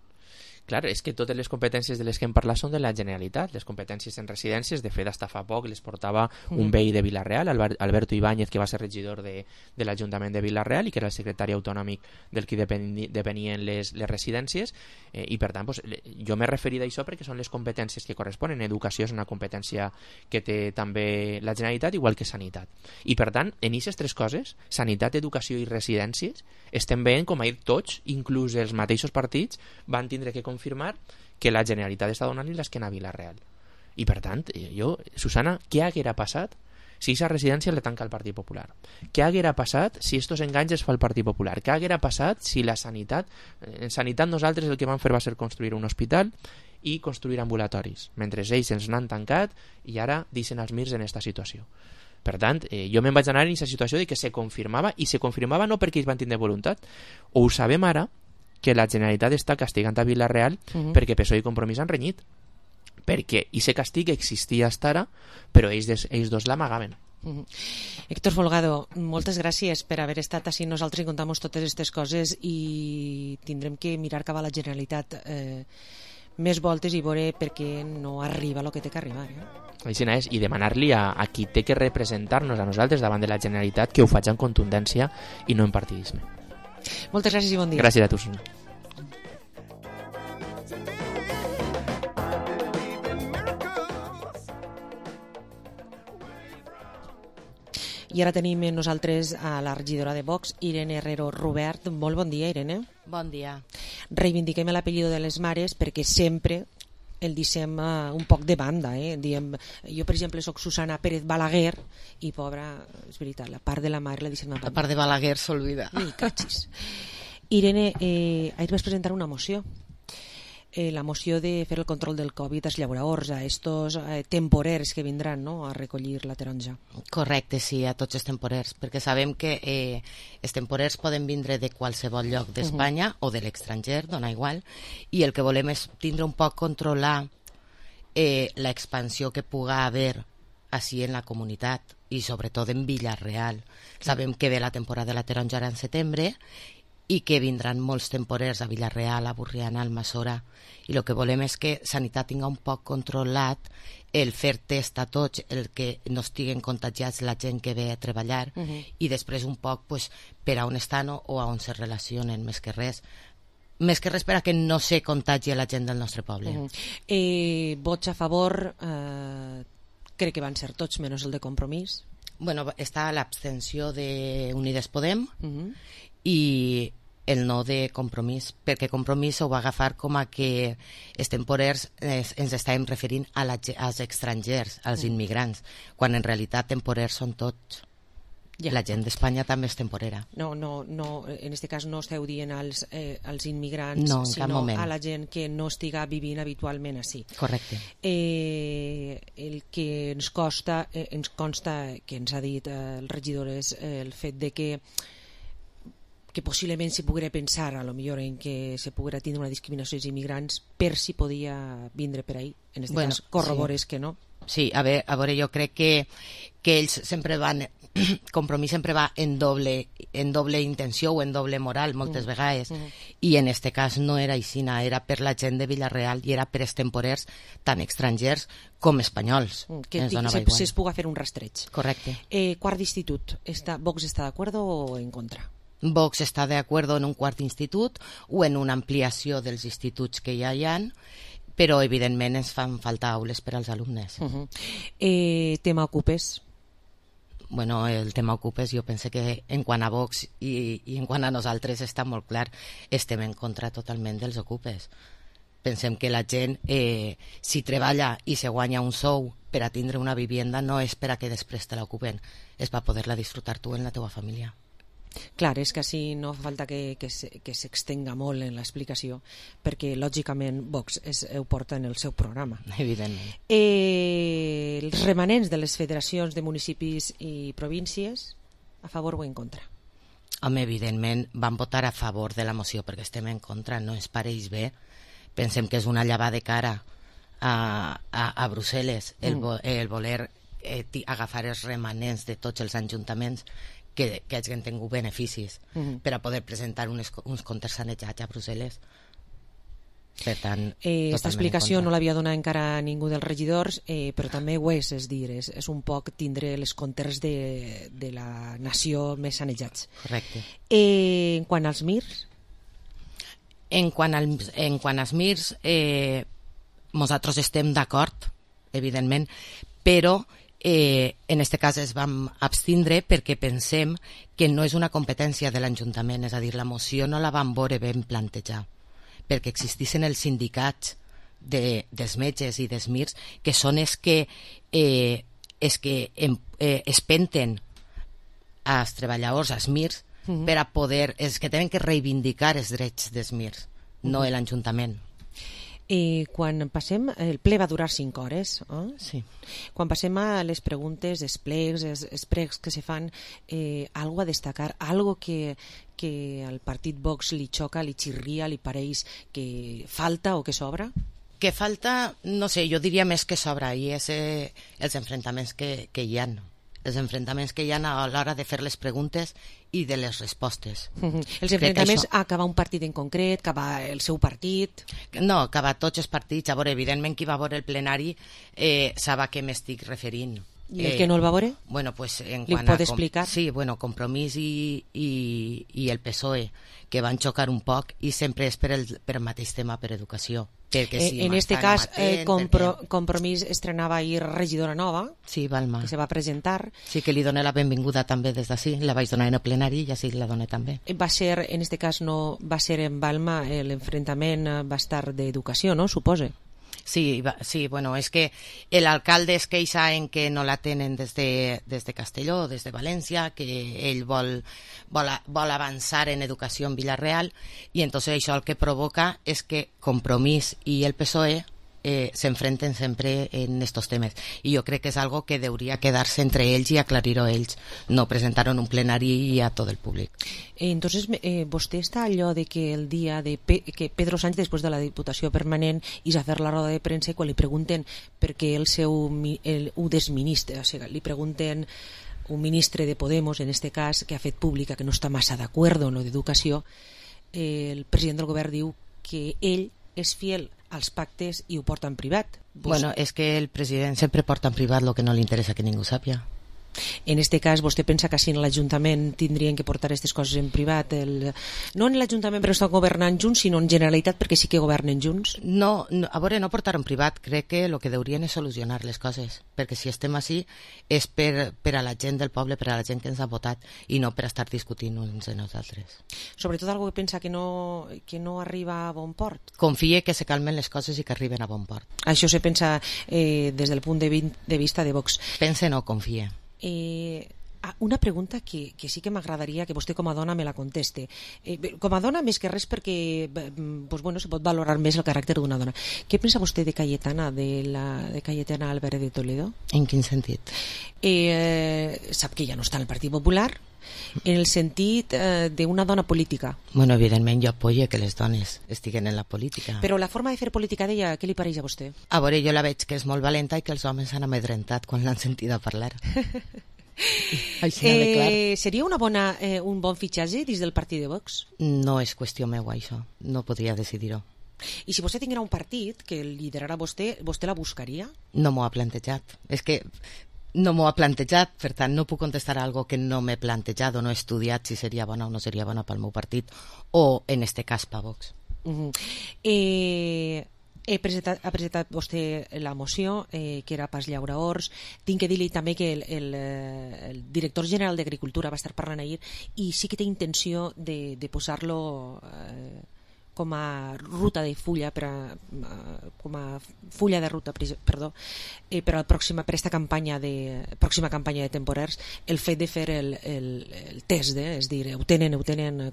Clar, és que totes les competències de les que hem parlat són de la Generalitat. Les competències en residències, de fet, hasta fa poc les portava un veí de Vila-real, Alberto Ibáñez, que va ser regidor de l'Ajuntament de Vila-real i que era el secretari autonòmic del que depenien les residències, i per tant, jo m'he referit a això perquè són les competències que corresponen. Educació és una competència que té també la Generalitat, igual que sanitat. I per tant, en aquestes tres coses, sanitat, educació i residències, estem veient com ahir tots, inclús els mateixos partits, van tindre que confirmar que la Generalitat està donant-li l'esquena a Vila-real. I per tant, Susana, què haguera passat si aquesta residència la tanca el Partit Popular? Què haguera passat si estos enganys es fa el Partit Popular? Què haguera passat si la sanitat... En sanitat nosaltres el que vam fer va ser construir un hospital i construir ambulatoris, mentre ells ens n'han tancat i ara deixen els MIRs en aquesta situació. Per tant, jo me'n vaig anar en aquesta situació de que se confirmava, i se confirmava no perquè ells van tindre voluntat. Ho sabem ara, que la Generalitat està castigant a Vila-real perquè PSOE i Compromís han renyit. Perquè aquest castig existia fins ara, però ells dos l'amagaven. Héctor Folgado, moltes gràcies per haver estat així nosaltres i contar-nos totes aquestes coses, i tindrem que mirar cap a la Generalitat més voltes i veure per què no arriba el que té que arribar. Així és, i demanar-li a qui té que representar-nos a nosaltres davant de la Generalitat que ho faci en contundència i no en partidisme. Moltes gràcies i bon dia. Gràcies a tu, Susana. I ara tenim nosaltres a la regidora de Vox, Irene Herrero Rubert. Molt bon dia, Irene. Bon dia. Reivindiquem l'apellido de les mares perquè sempre el deixem un poc de banda. Diem, jo, per exemple, soc Susana Pérez Balaguer i, pobra, és veritat, la part de la mare la deixem a banda. La part de Balaguer s'olvida. Ni cachis. Irene, ahir vas presentar una moció. La moció de fer el control del Covid als llauraors, a estos temporers que vindran, no?, a recollir la taronja. Correcte, sí, a tots els temporers, perquè sabem que els temporers poden vindre de qualsevol lloc d'Espanya o de l'estranger, dona igual, i el que volem és tindre un poc controlar l'expansió que puga haver així en la comunitat i sobretot en Villarreal. Sabem que ve la temporada de la taronja ara en setembre i que vindran molts temporers a Villarreal, a Borriana, a Almassora, i el que volem és que Sanitat tinga un poc controlat el fer test a tots, el que no estiguen contagiats la gent que ve a treballar, i després un poc pues, per a on estan o a on se relacionen, més que res per a que no se contagi la gent del nostre poble. Vots a favor, crec que van ser tots, menys el de Compromís. Bueno, està l'abstenció d'Unides Podem i el no de Compromís, perquè Compromís ho va agafar com a que els temporers ens estàvem referint als estrangers, als immigrants, quan en realitat temporers són tots. La gent d'Espanya també és temporera. No, en aquest cas no esteu dient als immigrants, sinó a la gent que no estiga vivint habitualment així. Correcte. El que ens consta que ens ha dit el regidor és el fet de que possiblement se poguera pensar a lo millor en que se poguera tindre una discriminació dels immigrants per si podia vindre per ahí. En aquest cas corrobores que no. Sí, a veure, jo crec que ells sempre van, Compromís sempre va en doble intenció o en doble moral moltes vegades, i en este cas no era així, era per la gent de Villarreal i era per els temporers tant estrangers com espanyols. Que es puga fer un rastreig. Correcte. Quart d'institut, ¿Vox està d'acord o en contra? Vox està d'acord en un quart institut o en una ampliació dels instituts que ja hi ha, però evidentment ens fan falta aules per als alumnes. Tema Ocupes? Bueno, el tema Ocupes jo penso que en quant a Vox i en quant a nosaltres està molt clar, estem en contra totalment dels Ocupes. Pensem que la gent, si treballa i se guanya un sou per a tindre una vivienda, no és per a que després te l'ocupen, és per poder-la disfrutar tu en la teva família. Clar, és que així no fa falta que s'extenga molt en l'explicació, perquè lògicament Vox ho porta en el seu programa. Evidentment. Els remanents de les federacions de municipis i províncies, a favor o en contra? Home, evidentment van votar a favor de la moció perquè estem en contra, no ens pareix bé. Pensem que és una llevada de cara a Brussel·les el voler agafar els remanents de tots els ajuntaments que hagin tingut beneficis per a poder presentar uns comptes sanejats a Brussel·les. Per tant, aquesta explicació no l'havia donat encara ningú dels regidors, però també ho és dir, és un poc tindre les comptes de la nació més sanejats. Correcte. En quant als MIRs? En quant als MIRs, nosaltres estem d'acord, evidentment, però en aquest cas es vam abstindre perquè pensem que no és una competència de l'Ajuntament, és a dir, la moció no la vam veure ben plantejar, perquè existissin els sindicats dels metges i dels MIRs que són els que espenten als treballadors, als MIRs, per a poder, els que tenen que reivindicar els drets dels MIRs, no l'Ajuntament. Quan passem, el ple va durar 5 hores, sí. Quan passem a les preguntes, els plecs, els pregs que se fan, algo a destacar, algo que al partit Vox li xoca, li xirria, li pareix que falta o que sobra? Que falta, no sé, jo diria més que sobra, i és els enfrontaments que hi ha. els enfrontaments que hi ha a l'hora de fer les preguntes i de les respostes. Els enfrontaments acaba un partit en concret, acaba el seu partit? No, acaba tots els partits. A veure, evidentment, qui va veure el plenari sap a què m'estic referint. I el que no el va veure? Bueno, pues, li pot explicar? Sí, bueno, Compromís i el PSOE, que van xocar un poc, i sempre és per el mateix tema, per educació. En este cas, Compromís estrenava ahir regidora nova, sí, Balma, que se va presentar. Sí, que li doné la benvinguda també des d'ací, la vaig donar en el plenari i així la doné també. Va ser, en este cas no va ser en Balma, l'enfrontament va estar d'educació, no? Supose. Sí, bueno, és que l'alcalde es queixa en que no la tenen des de Castelló, des de València, que ell vol avançar en educació en Villarreal, i entonces això el que provoca és que Compromís i el PSOE se enfrenten sempre en estos temes, i jo crec que és algo que hauria quedar-se entre ells i aclarir-ho ells, no presentar en un plenari i a tot el públic. Entonces, vostè està allò de que el dia de que Pedro Sánchez, després de la Diputació Permanent, is a fer la roda de premsa, i quan li pregunten per què el seu ho desministre, o sigui, li pregunten un ministre de Podemos, en este cas, que ha fet pública que no està massa d'acord en lo d'educació, el president del govern diu que ell és fiel als pactes i ho porta en privat. Bueno, és que el president sempre porta en privat el que no li interessa que ningú sàpia. En este cas, vostè pensa que si en l'Ajuntament tindrien que portar aquestes coses en privat? No en l'Ajuntament perquè estan governant junts, sinó en Generalitat perquè sí que governen junts? No, a veure, no portar en privat. Crec que el que haurien és solucionar les coses, perquè si estem així és per a la gent del poble, per a la gent que ens ha votat, i no per estar discutint uns de nosaltres. Sobretot algú que pensa que no arriba a bon port? Confie que se calmen les coses i que arriben a bon port. Això se pensa des del punt de vista de Vox. Pense no, confie. Una pregunta que sí que m'agradaria que vostè com a dona me la conteste. Com a dona, més que res perquè se pot valorar més el caràcter d'una dona. Què pensa vostè de Cayetana, de Cayetana Álvarez de Toledo? En quin sentit? Sap que ja no està en el Partit Popular, en el sentit d'una dona política. Bueno, evidentment jo apoyo que les dones estiguen en la política. Però la forma de fer política d'ella, què li pareix a vostè? A veure, jo la veig que és molt valenta i que els homes s'han amedrentat quan l'han sentida parlar. Seria un bon fitxatge dins del partit de Vox? No és qüestió meua, això. No podria decidir-ho. I si vostè tinguera un partit que liderara vostè la buscaria? No m'ho ha plantejat. És que no m'ho ha plantejat, per tant no puc contestar algo que no m'he plantejat o no he estudiat si seria bona o no seria bona pel meu partit, o en este cas per Vox. Ha presentat vostè la moció, que era pas llaura horts. Tinc que dir-li també que el director general d'Agricultura va estar parlant ahir i sí que té intenció de posar-lo com a ruta de fulla com a fulla de ruta, perdó, per aquesta pròxima campanya de temporers, el fet de fer el test, és dir, ho tenen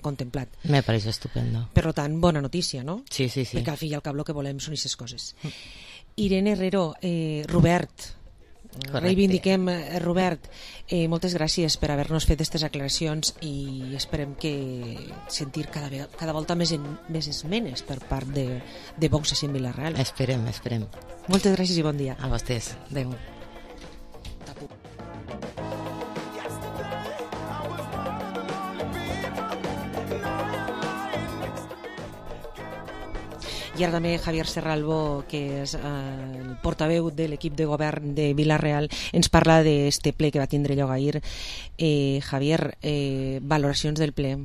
contemplat. Me pareix estupendo. Per tant, bona notícia, no? Sí. Perquè al fi i al cap el que volem són aquestes coses. Irene Herrero, Robert, reivindiquem Robert, moltes gràcies per haver-nos fet aquestes aclaracions i esperem que sentir cada volta més esmenes per part de Vox a Villarreal. Esperem. Moltes gràcies i bon dia. A vostès. Adéu. I ara també Javier Serralbo, que és el portaveu de l'equip de govern de Villarreal, ens parla d'este ple que va tindre lloc ahir. Javier, valoracions del ple?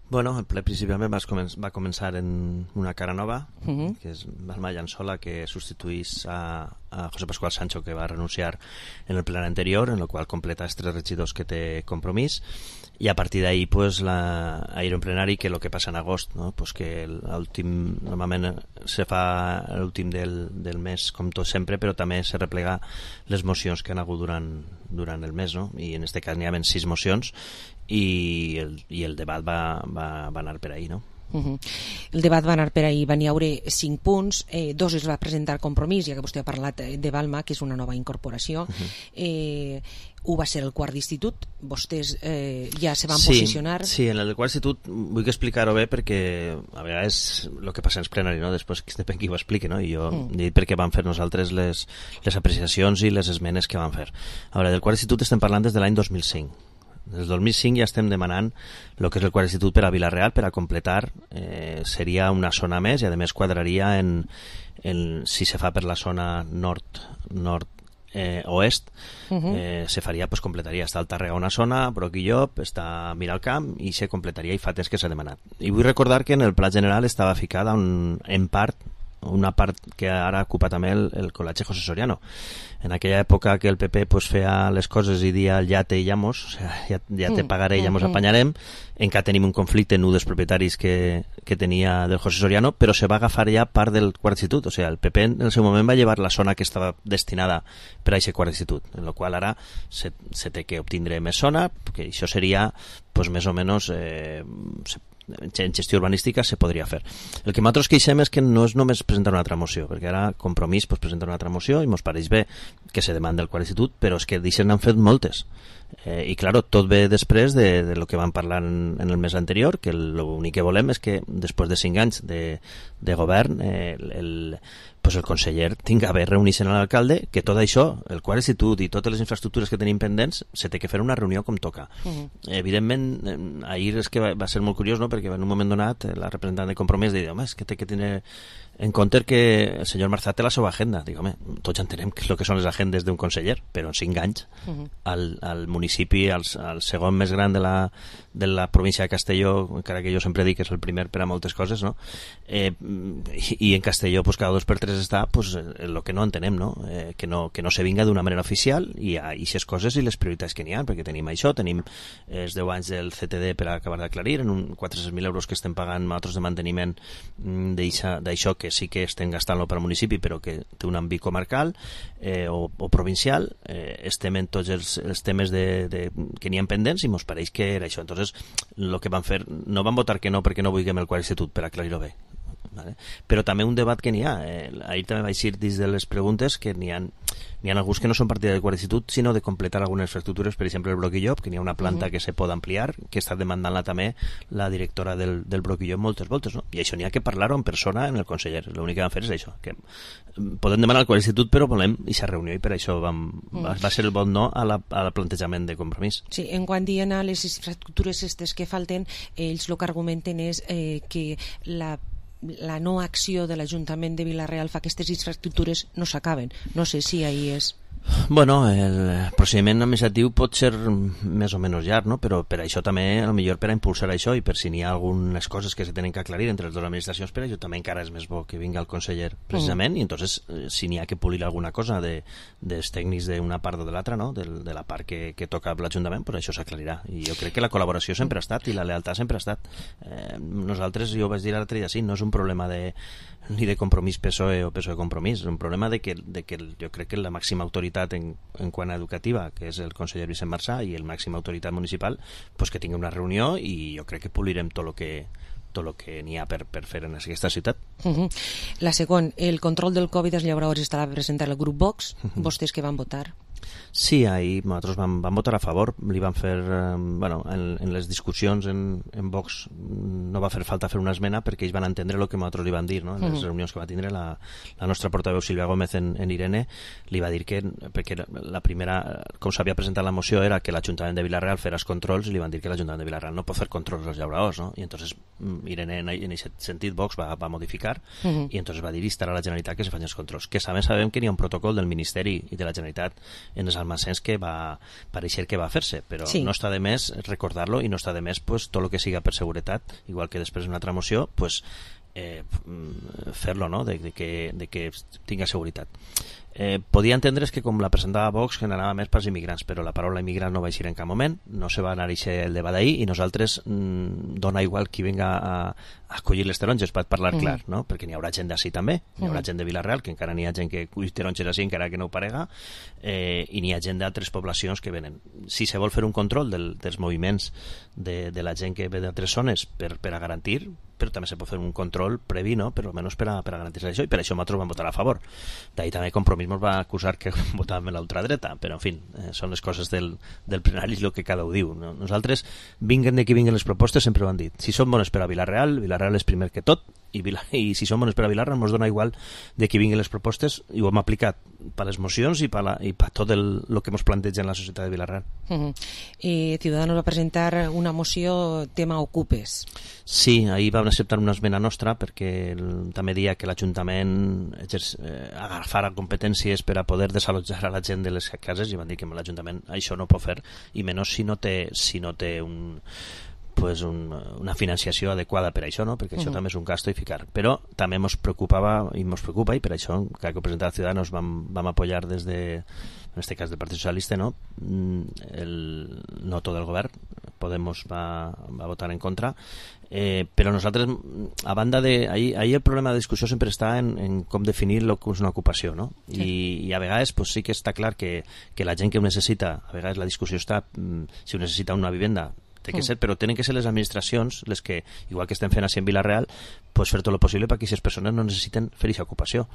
Bueno, el ple principalment va començar en una cara nova, que és Balma Llançola, que substituís a José Pascual Sancho, que va renunciar en el ple anterior, en el qual completa els 3 regidors que té Compromís, i a partir d'ahí pues, ahir en plenari, que el que passa en agost, no? Pues que normalment se fa l'últim del mes, com tot sempre, però també se replega les mocions que han hagut durant el mes, no? I en aquest cas n'hi ha 6 mocions, i el debat va anar per ahí, no? El debat va anar per ahir, van hi haure 5 punts, 2 es va presentar Compromís, ja que vostè ha parlat de Balma, que és una nova incorporació. Ho va ser el quart d'institut, vostès ja se van posicionar. Sí, en el quart institut vull explicar-ho bé perquè a vegades el que passa ens plenari, no? Després depèn qui ho expliqui, no? I jo he dit perquè vam fer nosaltres les apreciacions i les esmenes que vam fer. A veure, del quart institut estem parlant des de l'any 2005. Des del 2005 ja estem demanant el que és el quart institut per a Vila-real per a completar, seria una zona més i a més quadraria si se fa per la zona nord-oest, se faria, pues completaria, està al Tàrrega una zona, Broc i Llop, està Miralcamp i se completaria i fa temps que s'ha demanat. I vull recordar que en el pla general estava ficada en part una part que ara ocupa també el Col·legi José Soriano. En aquella època que el PP pues, feia les coses i dia ja te llamos, o sea, ja te pagaré i ja mos apanyarem, encara tenim un conflicte en un dels propietaris que tenia del José Soriano, però se va agafar ja part del quart institut, o sea, el PP en el seu moment va llevar la zona que estava destinada per a aquest quart institut, en la qual ara se té que obtindre més zona, que això seria pues, més o menys en gestió urbanística se podria fer. El que nosaltres queixem és que no és només presentar una altra moció, perquè ara Compromís pues, presenta una altra moció i ens pareix bé que se demanda el quart institut, però és que d'això n'han fet moltes. I claro, tot ve després de lo que vam parlar en el mes anterior, que l'únic que volem és que després de 5 anys de govern el conseller tinga bé reunir-se amb l'alcalde, que tot això, el quart institut i totes les infraestructures que tenim pendents, se té que fer una reunió com toca. Evidentment, ahir és que va ser molt curiós, no? Perquè en un moment donat la representant de Compromís deia, home, és que té que tenir en compte que el senyor Marzà té la seva agenda. Dic, home, tots ja entenem què és el que són les agendes d'un conseller, però en 5 anys al municipi, al segon més gran de la província de Castelló, encara que jo sempre dic que és el primer per a moltes coses, no? I en Castelló pues, cada 2 per 3 està pues, el que no entenem, no? Que no se vinga d'una manera oficial i a aquestes coses i les prioritats que n'hi ha, perquè tenim això, tenim els 10 anys del CTD per acabar d'aclarir, en 400.000 euros que estem pagant nosaltres de manteniment d'això que sí que estem gastant-lo per al municipi però que té un àmbit comarcal o provincial, estem en tots els temes que n'hi ha pendents i mos pareix que era això. Entonces, el que van fer, no van votar que no perquè no vulguem el quart institut, per aclarir-ho bé, ¿vale? Però també un debat que n'hi ha, ahir també vaig dir dins de les preguntes que n'hi ha alguns que no són partida del quart institut sinó de completar algunes infraestructures, per exemple el Broc i Llop, que n'hi ha una planta que se pot ampliar, que està demandant-la també la directora del Broc i Llop moltes voltes, no? I això n'hi ha que parlar-ho en persona en el conseller, l'únic que van fer és això, que podem demanar al quart institut però volem aquesta reunió i per això va ser el bon no al plantejament de Compromís. Sí, en quant diuen a les infraestructures aquestes que falten, ells el que argumenten és que la no acció de l'Ajuntament de Vila-real fa que aquestes infraestructures no s'acaben. No sé si ahí és... Bueno, el procediment administratiu pot ser més o menys llarg, no? Però per això també, potser per a impulsar això i per si n'hi ha algunes coses que se tenen que aclarir entre les dues administracions, per això també encara és més bo que vinga el conseller precisament i entonces si n'hi ha que polir alguna cosa dels tècnics d'una part o de l'altra, no? De la part que toca l'Ajuntament, pues això s'aclarirà. I jo crec que la col·laboració sempre ha estat i la lealtat sempre ha estat. Nosaltres, jo ho vaig dir l'altre dia, sí, no és un problema ni de Compromís PSOE o PSOE Compromís, és un problema de que jo crec que la màxima autoritat en quant a educativa, que és el conseller Vicent Marzà, i el màxima autoritat municipal, pues que tingui una reunió i jo crec que polirem tot el que n'hi ha per fer en aquesta ciutat. La segona, el control del Covid als llauradors estarà a presentar el grup Vox. Vostès que van votar? Sí, ahir nosaltres vam votar a favor, li van fer, en les discussions en Vox no va fer falta fer una esmena perquè ells van entendre el que nosaltres li van dir, no? En les reunions que va tindre la nostra portaveu Sílvia Gómez en Irene, li va dir que, perquè la primera, com s'havia presentat la moció, era que l'Ajuntament de Vila-real fes els controls i li van dir que l'Ajuntament de Vila-real no pot fer controls als llauradors, no? I entonces Irene en aquest sentit Vox va modificar i entonces va dir estarà la Generalitat que se facin els controls, que sabem que n'hi ha un protocol del Ministeri i de la Generalitat en els almacens que va pareixer que va fer-se, però no està de més recordar-lo i no està de més pues, tot el que siga per seguretat, igual que després una altra moció pues, fer-lo, no? de que tinga seguretat. Podia entendre's que com la presentava Vox generava més pels immigrants, però la paraula immigrant no va eixir en cap moment, no se va anar el debat d'ahir i nosaltres dona igual qui venga a collir les taronges, per parlar clar, no? Perquè n'hi haurà gent d'ací també, n'hi haurà gent de Vila-real, que encara n'hi ha gent que cull taronges així encara que no ho parega, i n'hi ha gent d'altres poblacions que venen. Si se vol fer un control dels moviments de la gent que ve d'altres zones per a garantir, però també se pot fer un control previ, no? Per almenys per a garantir això, i per això nosaltres vam votar a favor. D'ahir també Compromís ens va acusar que votàvem a l'ultradreta, però en fi, són les coses del plenari i el que cada un diu, no? Nosaltres, vinguen de qui vinguen les propostes, sempre ho han dit. Si són bones per a Vila-real, Vila-real és primer que tot, i si són bones per a Vila-real ens dona igual de qui vinguin les propostes, i ho hem aplicat per les mocions i per tot el que ens planteja en la societat de Vila-real. Ciudadanos va presentar una moció tema Ocupes. Sí, ahir vam acceptar una esmena nostra perquè també deia que l'Ajuntament agafara competències per a poder desallotjar a la gent de les cases, i van dir que l'Ajuntament això no pot fer, i menys si no té una financiació adequada per a això, no? Perquè això també és un gasto i ficar. Però també ens preocupava i ens preocupa, i per això, que ho presentava Ciudadanos, vam apoyar des de, en este cas del Partit Socialista, no? El no tot el govern, Podemos va votar en contra, però nosaltres, a banda de... Ahir el problema de discussió sempre està en com definir el que és una ocupació, no? I a vegades pues, sí que està clar que la gent que ho necessita, a vegades la discussió està si ho necessita una vivenda, té que ser, però tenen que ser les administracions les que, igual que estem fent així en Vila-real, pues fer tot el possible perquè aquestes persones no necessiten fer aquesta ocupació.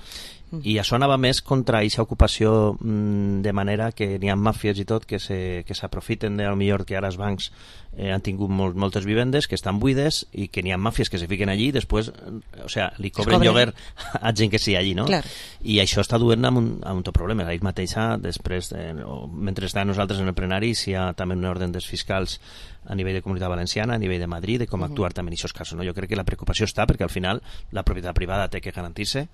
I això anava més contra aquesta ocupació de manera que n'hi ha màfies i tot que s'aprofiten de, millor que ara els bancs han tingut moltes vivendes que estan buides i que n'hi ha màfies que se fiquen allí i després, li cobren lloguer a gent que sigui allí, no? Clar. I això està duent a un tot problema. Ahir mateixa, després, mentre estàvem nosaltres en el plenari, hi ha també un ordre dels fiscals a nivell de Comunitat Valenciana, a nivell de Madrid, de com actuar també en aquests casos, no? Jo crec que la preocupació està perquè al final la propietat privada té que garantir-se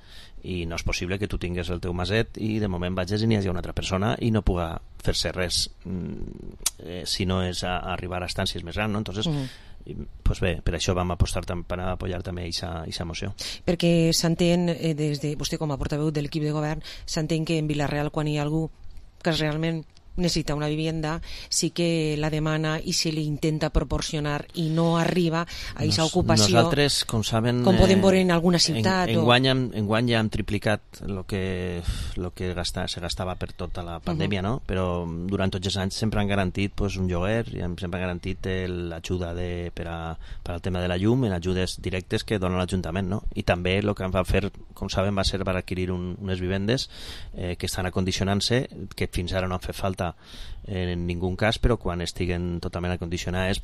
i no és possible que tu tingues el teu maset i de moment vagis i n'hi hagi una altra persona i no puga fer-se res si no és arribar a estàncies més grans, no? Entonces, pues bé, per això vam apostar per apoyar també aquesta moció. Perquè s'entén, des de vostè com a portaveu de l'equip de govern, s'entén que en Vila-real quan hi ha algú que realment necessita una vivienda, sí que la demana i se li intenta proporcionar i no arriba a aquesta ocupació. Nosaltres, com saben... Com podem veure en alguna ciutat. Enguany ja hem triplicat el que se gastava per tota la pandèmia, no? Però durant tots els anys sempre han garantit un lloguer i sempre han garantit l'ajuda per al tema de la llum, en ajudes directes que dona l'Ajuntament, no? I també el que van fer, com saben, va ser per adquirir unes vivendes que estan acondicionant-se, que fins ara no han fet falta en ningú cas, però quan estiguen totalment acondicionades,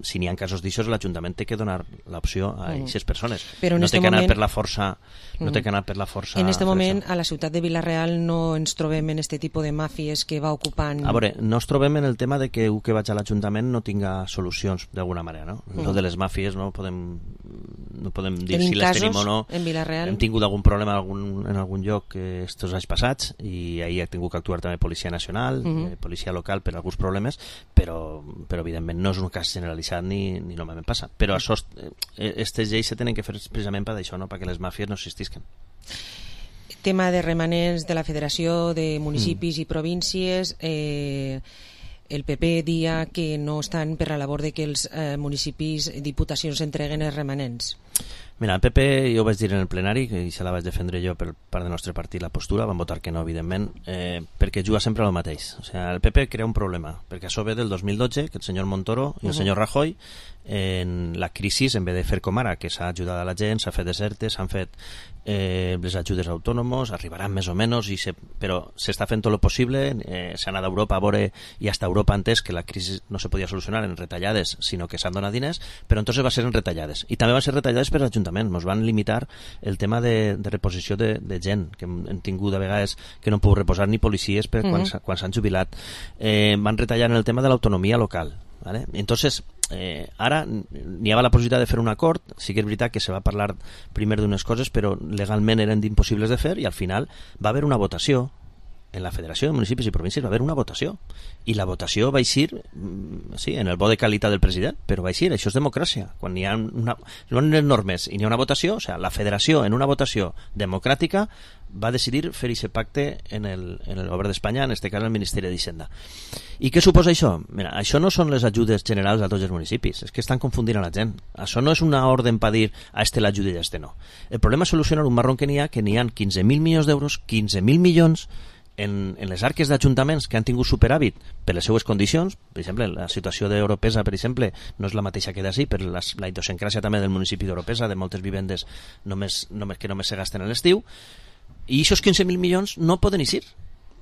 si n'hi ha casos d'això, l'Ajuntament té que donar l'opció a aquestes persones. No té que anar per la força. No té que anar per la força. En aquest moment, a la ciutat de Vila-real no ens trobem en aquest tipus de màfies que va ocupant... A veure, no ens trobem en el tema de que que vaig a l'Ajuntament no tinga solucions d'alguna manera, no? Lo de les màfies no podem dir si les tenim o no. En Vila-real? Hem tingut algun problema en algun lloc estos anys passats i ahir ha tingut que actuar també Policia Nacional, policia local per alguns problemes, però evidentment no és un cas generalitzat ni normalment passa. Però aquestes lleis se tenen que fer precisament per això, no? Perquè les màfies no existisquen. Tema de remanents de la Federació de Municipis i Províncies, el PP dia que no estan per la labor de que els municipis, diputacions entreguen els remanents. Mira, el PP, jo ho vaig dir en el plenari, i se la vaig defendre jo per part del nostre partit la postura, van votar que no, evidentment, perquè juga sempre el mateix. O sigui, el PP crea un problema, perquè això ve del 2012, que el senyor Montoro i el senyor Rajoy, en la crisi, en vez de fer com ara, que s'ha ajudat a la gent, s'ha fet desertes, s'han fet les ajudes a autònomos, arribaran més o menys, però s'està fent tot el possible, s'ha anat a Europa a veure, i hasta Europa ha entès que la crisi no se podia solucionar en retallades, sinó que s'han donat diners, però entonces va ser en retallades. I també van ser retallades per l'Ajuntament, ens van limitar el tema de reposició de gent, que hem tingut a vegades que no han pogut reposar ni policies quan s'han jubilat. Van retallar en el tema de l'autonomia local, ¿vale? Entonces, ara n'hi havia la possibilitat de fer un acord, sí que és veritat que se va parlar primer d'unes coses, però legalment eren impossibles de fer, i al final va haver una votació en la Federació de Municipis i Províncies, va haver una votació, i la votació va eixir sí, en el bo de qualitat del president, però va així, això és democràcia. Quan hi ha unes normes i n'hi ha una votació, o sigui, la federació en una votació democràtica va decidir fer aquest pacte en el govern d'Espanya, en aquest cas el Ministeri d'Hisenda. I què suposa això? Mira, això no són les ajudes generals a tots els municipis, és que estan confundint a la gent. Això no és una ordre per dir a este l'ajuda i a este no. El problema és solucionar un marrón que n'hi ha 15.000 milions d'euros, 15.000 milions en les arques d'ajuntaments que han tingut superàvit per les seues condicions. Per exemple, la situació d'Europesa, per exemple, no és la mateixa que d'ací, per la idiosincràsia també del municipi d'Europesa, de moltes vivendes que només se gasten a l'estiu, y esos 15.000 milions no poden eixir.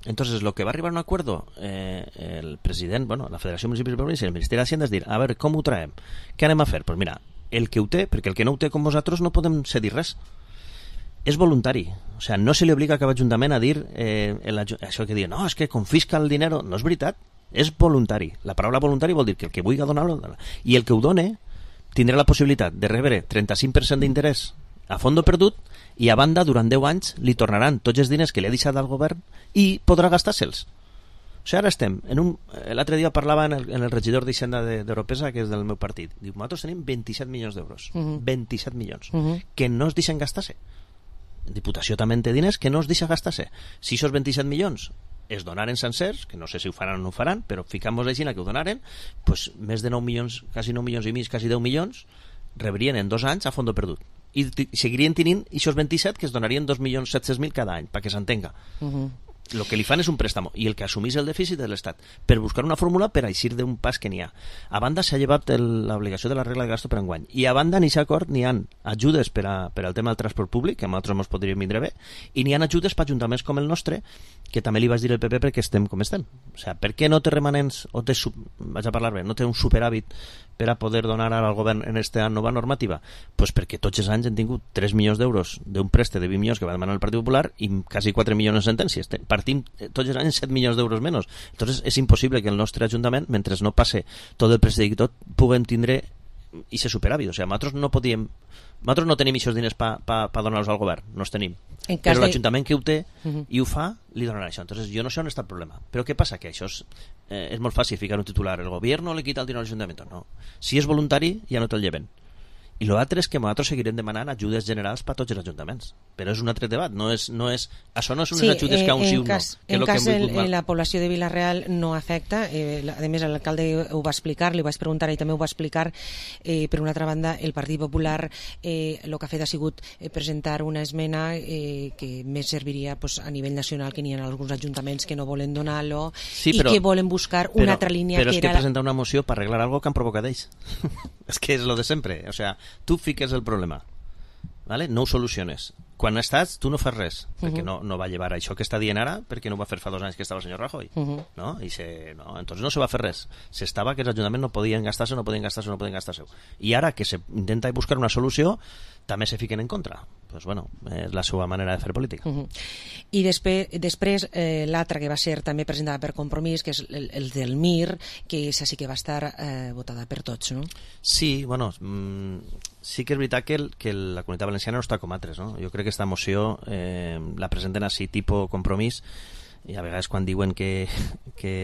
Entonces, lo que va arribar a un acuerdo el president, bueno, la Federació de Municipis de Província i el Ministeri d'Hacienda és dir, a veure, com ho traiem? Què anem a fer? Pues mira, el que ho té, perquè el que no ho té com vosaltres no podem cedir res. És voluntari, o sea, no se li obliga a cada ajuntament a dir això que diuen, no, és que confisca el dinero. No és veritat, és voluntari. La paraula voluntari vol dir que el que vulgui donar-lo, i el que ho done tindrà la possibilitat de rebre 35% d'interès a fondo perdut, i a banda, durant 10 anys li tornaran tots els diners que li ha deixat al govern i podrà gastar-se'ls. O sigui, ara estem l'altre dia parlava en el regidor d'Hisenda d'Europesa, que és del meu partit. Diu, nosaltres tenim 27 milions d'euros. 27 milions. Que no es deixen gastar-se. Diputació també té diners que no es deixa gastar-se. Si aquests 27 milions es donaren sencers, que no sé si ho faran o no ho faran, però ficam-nos així que ho donaren, pues més de 9 milions, quasi 9 milions i mig, quasi 10 milions, rebrien en 2 anys a fondo perdut. I seguirien tenint aquests 27 que es donarien 2.700.000 cada any, perquè s'entenga. El que li fan és un préstamo, i el que assumís el dèficit de l'Estat, per buscar una fórmula per eixir d'un pas que n'hi ha. A banda s'ha llevat l'obligació de la regla de gasto per enguany, i a banda en aquest acord n'hi ha ajudes per al tema del transport públic, que a nosaltres ens podríem vindre bé, i n'hi ha ajudes per ajuntaments com el nostre, que també li vaig dir al PP perquè estem com estem. O sigui, per què no té remanents, o té, vaig a parlar bé, no té un superàvit per a poder donar ara al govern en aquesta nova normativa? Pues perquè tots els anys hem tingut 3 milions d'euros d'un préstec de 20 milions que va demanar el Partit Popular i quasi 4 milions en sentències. Partim tots els anys 7 milions d'euros menys. Entonces és impossible que el nostre ajuntament, mentre no passe tot el préstec i tot, puguem tindre i ser superàvit. O sigui, nosaltres no tenim aquests diners per donar-los al govern, no els tenim. Però l'Ajuntament que ho té i ho fa, li donarà això. Entonces, jo no sé on està el problema. Però què passa? Que això és molt fàcil ficar un titular. El govern le quita el dinero al Ajuntament. No. Si és voluntari, ja no te'l lleven. I l'altre és que nosaltres seguirem demanant ajudes generals per a tots els ajuntaments. Però és un altre debat. Això no són unes ajudes que a un sí o un no. En cas la població de Vila-real no afecta. A més, l'alcalde ho va explicar, li vaig preguntar i també ho va explicar. Per una altra banda, el Partit Popular el que ha fet ha sigut presentar una esmena que més serviria a nivell nacional, que n'hi ha alguns ajuntaments que no volen donar-lo i que volen buscar una altra línia. Però és que presentar una moció per arreglar algo que han provocat ells. És que és lo de sempre. O sea, tu fiques el problema, ¿vale? No ho soluciones. Quan estàs, tu no fas res, perquè no va llevar això que està dient ara, perquè no ho va fer fa 2 anys que estava el senyor Rajoy, no? Entonces no se va fer res. S'estava que els ajuntaments no podien gastar-se. I ara que s'intenta buscar una solució, també se fiquen en contra. Pues bueno, és la seva manera de fer política. I després l'altra que va ser també presentada per Compromís, que és el del MIR, que és així que va estar votada per tots, no? Sí, bueno, sí que és veritat que la Comunitat Valenciana no està com altres, no? Jo crec que aquesta moció la presenten així tipus Compromís, i a vegades quan diuen que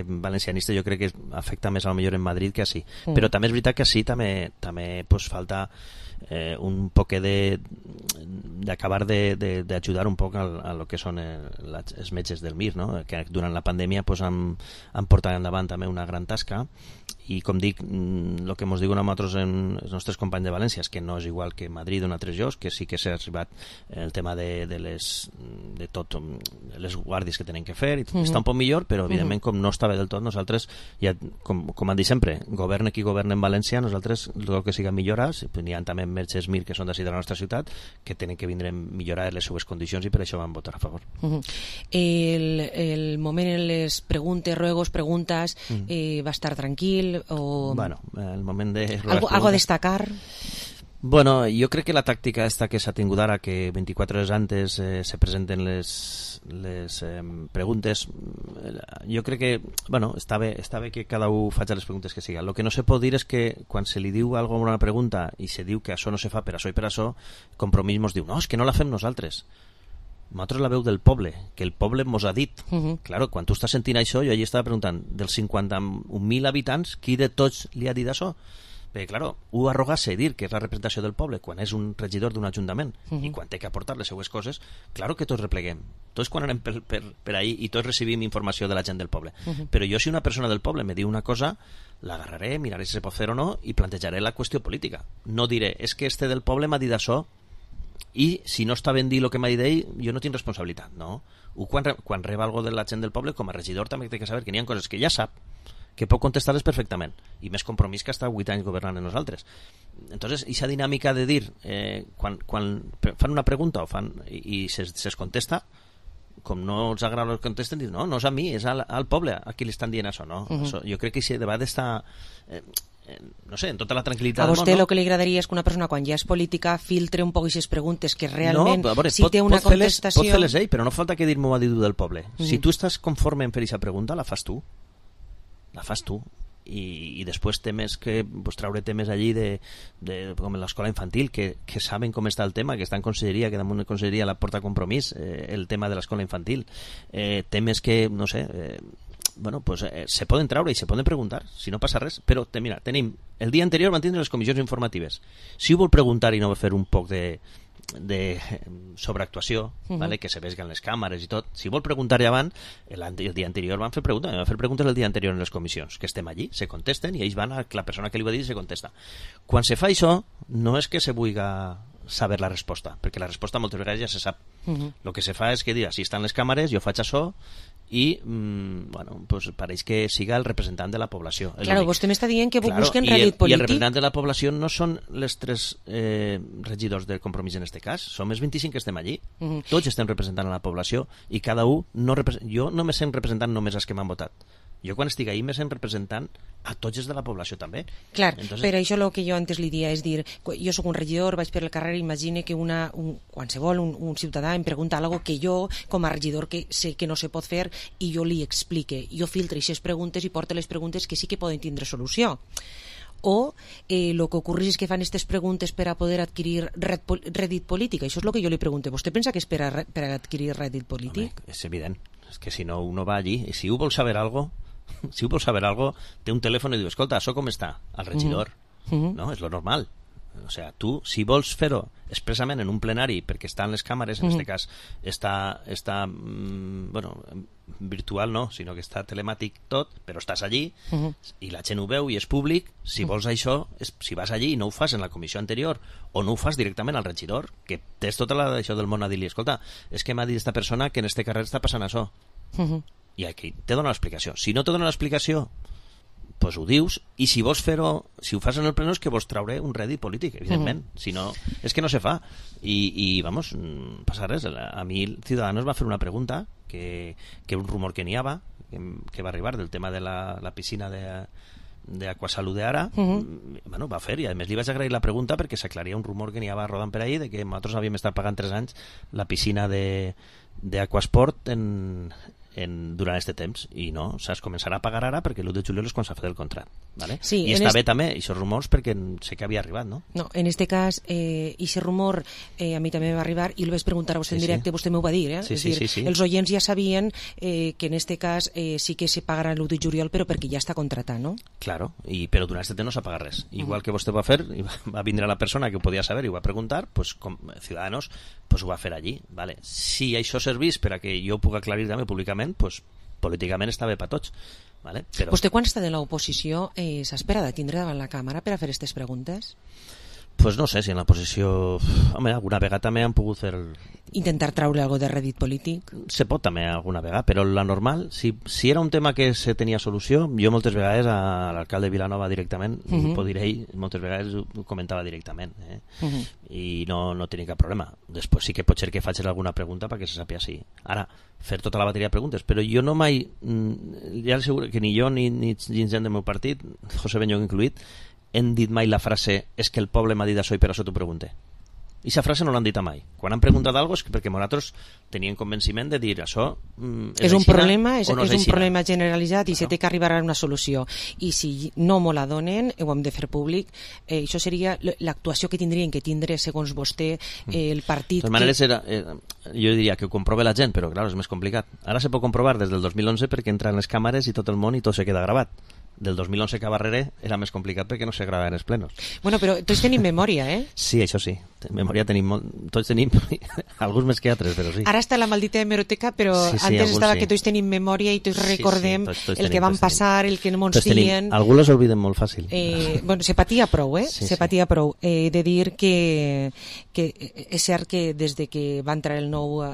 valencianista, jo crec que afecta més a lo millor en Madrid que així. Però també és veritat que així també pues, falta un poc d'acabar d'ajudar un poc a lo que són els metges del MIR, no? Que durant la pandèmia pues, han portat endavant també una gran tasca, i com dic, el que ens diuen a nosaltres els nostres companys de València és que no és igual que Madrid o en altres llocs, que sí que s'ha arribat el tema de les guàrdies que tenen que fer, i està un poc millor, però evidentment com no està bé del tot, nosaltres ja, com han dit sempre, governe qui governa en València, nosaltres el que siga millores, n'hi ha també metges MIR que són d'ací de la nostra ciutat que tenen que vindre a millorar les seues condicions, i per això van votar a favor. El moment en les preguntes, ruegos, preguntes va estar tranquil? Bueno, el moment de... Algo a destacar? Bueno, jo crec que la tàctica esta que s'ha tingut ara, que 24 hores antes se presenten les preguntes, jo crec que, bueno, està bé que cada un faci les preguntes que siga. El que no se pot dir és que quan se li diu alguna una pregunta i se diu que això no se fa per això i per això, Compromís ens diu, no, és que no la fem nosaltres. nosaltres la veu del poble, que el poble mos ha dit. Claro, quan tu estàs sentint això, jo allà estava preguntant, dels 51.000 habitants, qui de tots li ha dit això? Perquè, claro, arrogar-se i dir que és la representació del poble quan és un regidor d'un ajuntament i quan té que aportar les seues coses, claro que tots repleguem. Tots quan anem per ahí i tots recibim informació de la gent del poble. Però jo, si una persona del poble me diu una cosa, l'agarraré, miraré si se pot fer o no i plantejaré la qüestió política. No diré, és que este del poble m'ha dit això i si no està ben dir el que m'ha dit ell, jo no tinc responsabilitat, no? Quan reba algo de la gent del poble, com a regidor també té que saber que n'hi ha coses que ja sap, que pot contestar-les perfectament, i més compromís que està 8 anys governant en nosaltres. Entonces, aquesta dinàmica de dir, quan fan una pregunta i es contesta, com no els agrada el que contesten, diuen, no és a mi, és al poble a qui li estan dient això, no? Jo crec que aquest debat està... no sé, en tota la tranquil·litat a vostè el que li agradaria és que una persona quan ja és política filtre un poc aquestes preguntes que realment si té una contestació... Pot fer-les ell, però no falta que dir m'ho ha dit del poble. Si tu estàs conforme en fer aquesta pregunta, la fas tu i després temes que traure temes allí com en l'escola infantil que saben com està el tema, que està en conselleria, que damunt de conselleria la porta Compromís, el tema de l'escola infantil, temes que no sé, se poden traure i se poden preguntar, si no passa res. Però mira, tenim, el dia anterior van tindre les comissions informatives. Si ho vol preguntar i no vol fer un poc de sobreactuació, vale? Que se vesguen les càmeres i tot, si vol preguntar ja abans, el dia anterior van fer preguntes el dia anterior en les comissions, que estem allí, se contesten i ells van a la persona que li va dir i se contesta. Quan se fa això, no és que se vulgui saber la resposta, perquè la resposta moltes vegades ja se sap. El que se fa és que dir, si estan les càmeres, jo faig això i pareix que siga el representant de la població. Claro, vostè m'està dient que busquen rèdit polític. I el representant de la població no són les 3 regidors de Compromís en este cas, som els 25 que estem allí. Tots estem representant a la població i cada un jo no me sent representant només els que m'han votat. Jo quan estic ahí me sent representant a tots els de la població també. Clar, per això el que jo antes li dia és dir, jo sóc un regidor, vaig per el carrer i imagine que qualsevol un ciutadà em pregunta algo que jo com a regidor que sé que no se pot fer i jo li explique, jo filtre aquestes preguntes i porte les preguntes que sí que poden tindre solució. O el que ocorre és que fan aquestes preguntes per a poder adquirir rèdit polític. Això és el que jo li pregunto. Vostè pensa que és per a adquirir rèdit polític? Home, és evident, és que si no uno va allí i si ho vol saber algo té un telèfon i diu, escolta, això com està? Al regidor. No, és lo normal. O sea, tu, si vols fer-ho expressament en un plenari perquè estan les càmeres, en aquest cas està virtual no, sinó que està telemàtic tot, però estàs allí i la gent ho veu i és públic, si vols això, si vas allí i no ho fas en la comissió anterior o no ho fas directament al regidor, que tens tota això del món a dir-li, escolta, és que m'ha dit aquesta persona que en este carrer està passant això. I aquí te dona l'explicació. Si no te dona l'explicació, pues ho dius, i si vols fer-ho, si ho fas en el pleno és que vols traure un rèdit polític, evidentment. Si no, és que no se fa. I vamos, passa res. A mi Ciudadanos va fer una pregunta, que un rumor que n'hi havia, que va arribar del tema de la piscina d'Aquasalut d'ara, va fer, i a més li vaig agrair la pregunta perquè s'aclaria un rumor que n'hi havia rodant per ahí de que nosaltres havíem estat pagant 3 anys la piscina d'Aquasport durant aquest temps, i no, es començarà a pagar ara perquè l'1 de juliol és quan s'ha fet el contracte, ¿vale? Sí, i està bé també, aquests rumors, perquè sé que havia arribat, no? No, en este cas, aquest rumor a mi també va arribar i el vaig preguntar a vostè en directe, vostè m'ho va dir, Sí. Els oients ja sabien que en este cas sí que se pagarà l'1 de juliol, però perquè ja està contratat, no? Claro, però durant aquest temps no s'ha pagat res. Igual que vostè va fer, va vindre la persona que ho podia saber i ho va preguntar, pues, com Ciudadanos ho va fer allí, ¿vale? Si això servís per a que jo pugui aclarir també públicament, pues, políticament està bé per tots, ¿vale? Però... Vostè quan està de l'oposició s'espera de tindre davant la càmera per a fer aquestes preguntes? Pues no sé si en la posició... Home, alguna vegada també han pogut fer... Intentar traure algo de rèdit polític? Se pot també alguna vegada, però la normal, si era un tema que se tenia solució, jo moltes vegades a l'alcalde de Vilanova directament, ho diré ell, moltes vegades ho comentava directament, i no tenia cap problema. Després sí que pot ser que faig alguna pregunta perquè se sàpiga si... Ara, fer tota la bateria de preguntes, però jo no mai... Ja asseguro que ni jo ni gent del meu partit, José Beñón incluït, hem dit mai la frase és que el poble m'ha dit això i per això t'ho pregunte. I aquesta frase no l'han dit mai. Quan han preguntat alguna cosa és perquè nosaltres tenien convenciment de dir això és un problema, és un problema generalitzat i se té que arribar a una solució. I si no me la donen, ho hem de fer públic. Això seria l'actuació que tindrien que tindre, segons vostè, el partit... De totes maneres, jo diria que ho comprove la gent, però clar, és més complicat. Ara se pot comprovar des del 2011 perquè entran les càmeres i tot el món i tot se queda gravat. Del 2011 cap darrere era més complicat perquè no se gravaven els plenos. Bueno, però tots tenim memòria, Sí, això sí. Memòria tenim tots tenim, alguns més que altres, però sí. Ara està la maldita hemeroteca, però antes estava que tots tenim memòria i tots recordem el que van passar, el que no ens diuen... Alguns els obliden molt fàcil. Bueno, se patia prou, se patia prou. De dir que és cert que des de que va entrar el nou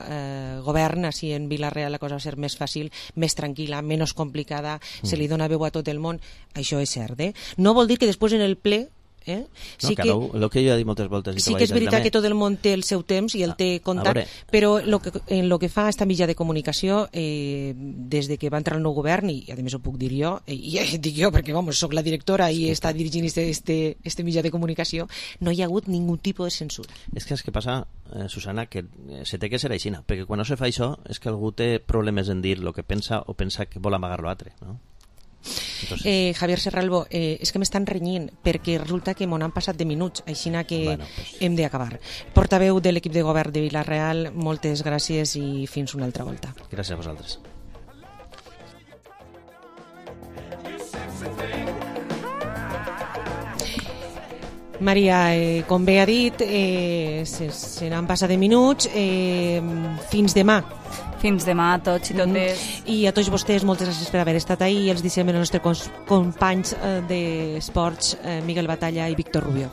govern, així en Vila-real la cosa va ser més fàcil, més tranquil·la, menys complicada, se li dona veu a tot el món. Això és cert, No vol dir que després en el ple sí que el que jo he dit moltes voltes sí que és veritat que tot el món té el seu temps i el té comptat, però en el que fa esta mitjà de comunicació des de que va entrar el nou govern, i a més ho puc dir jo, i dic jo perquè soc la directora i està dirigint este mitjà de comunicació, no hi ha hagut ningú tipus de censura. És que passa, Susana, que se té que ser així, perquè quan no se fa això és que algú té problemes en dir el que pensa o pensa que vol amagar l'altre, no? Javier Serralbo, és que m'estan renyint perquè resulta que m'ho han passat de minuts, així que hem d'acabar. Portaveu de l'equip de govern de Vila-real, moltes gràcies i fins una altra volta. Gràcies a vosaltres. Maria, com bé ha dit, se n'han passat de minuts. Fins demà. Fins demà a tots i totes. I a tots vostès, moltes gràcies per haver estat ahí i els deixem els nostres companys d'esports, Miguel Batalla i Víctor Rubio.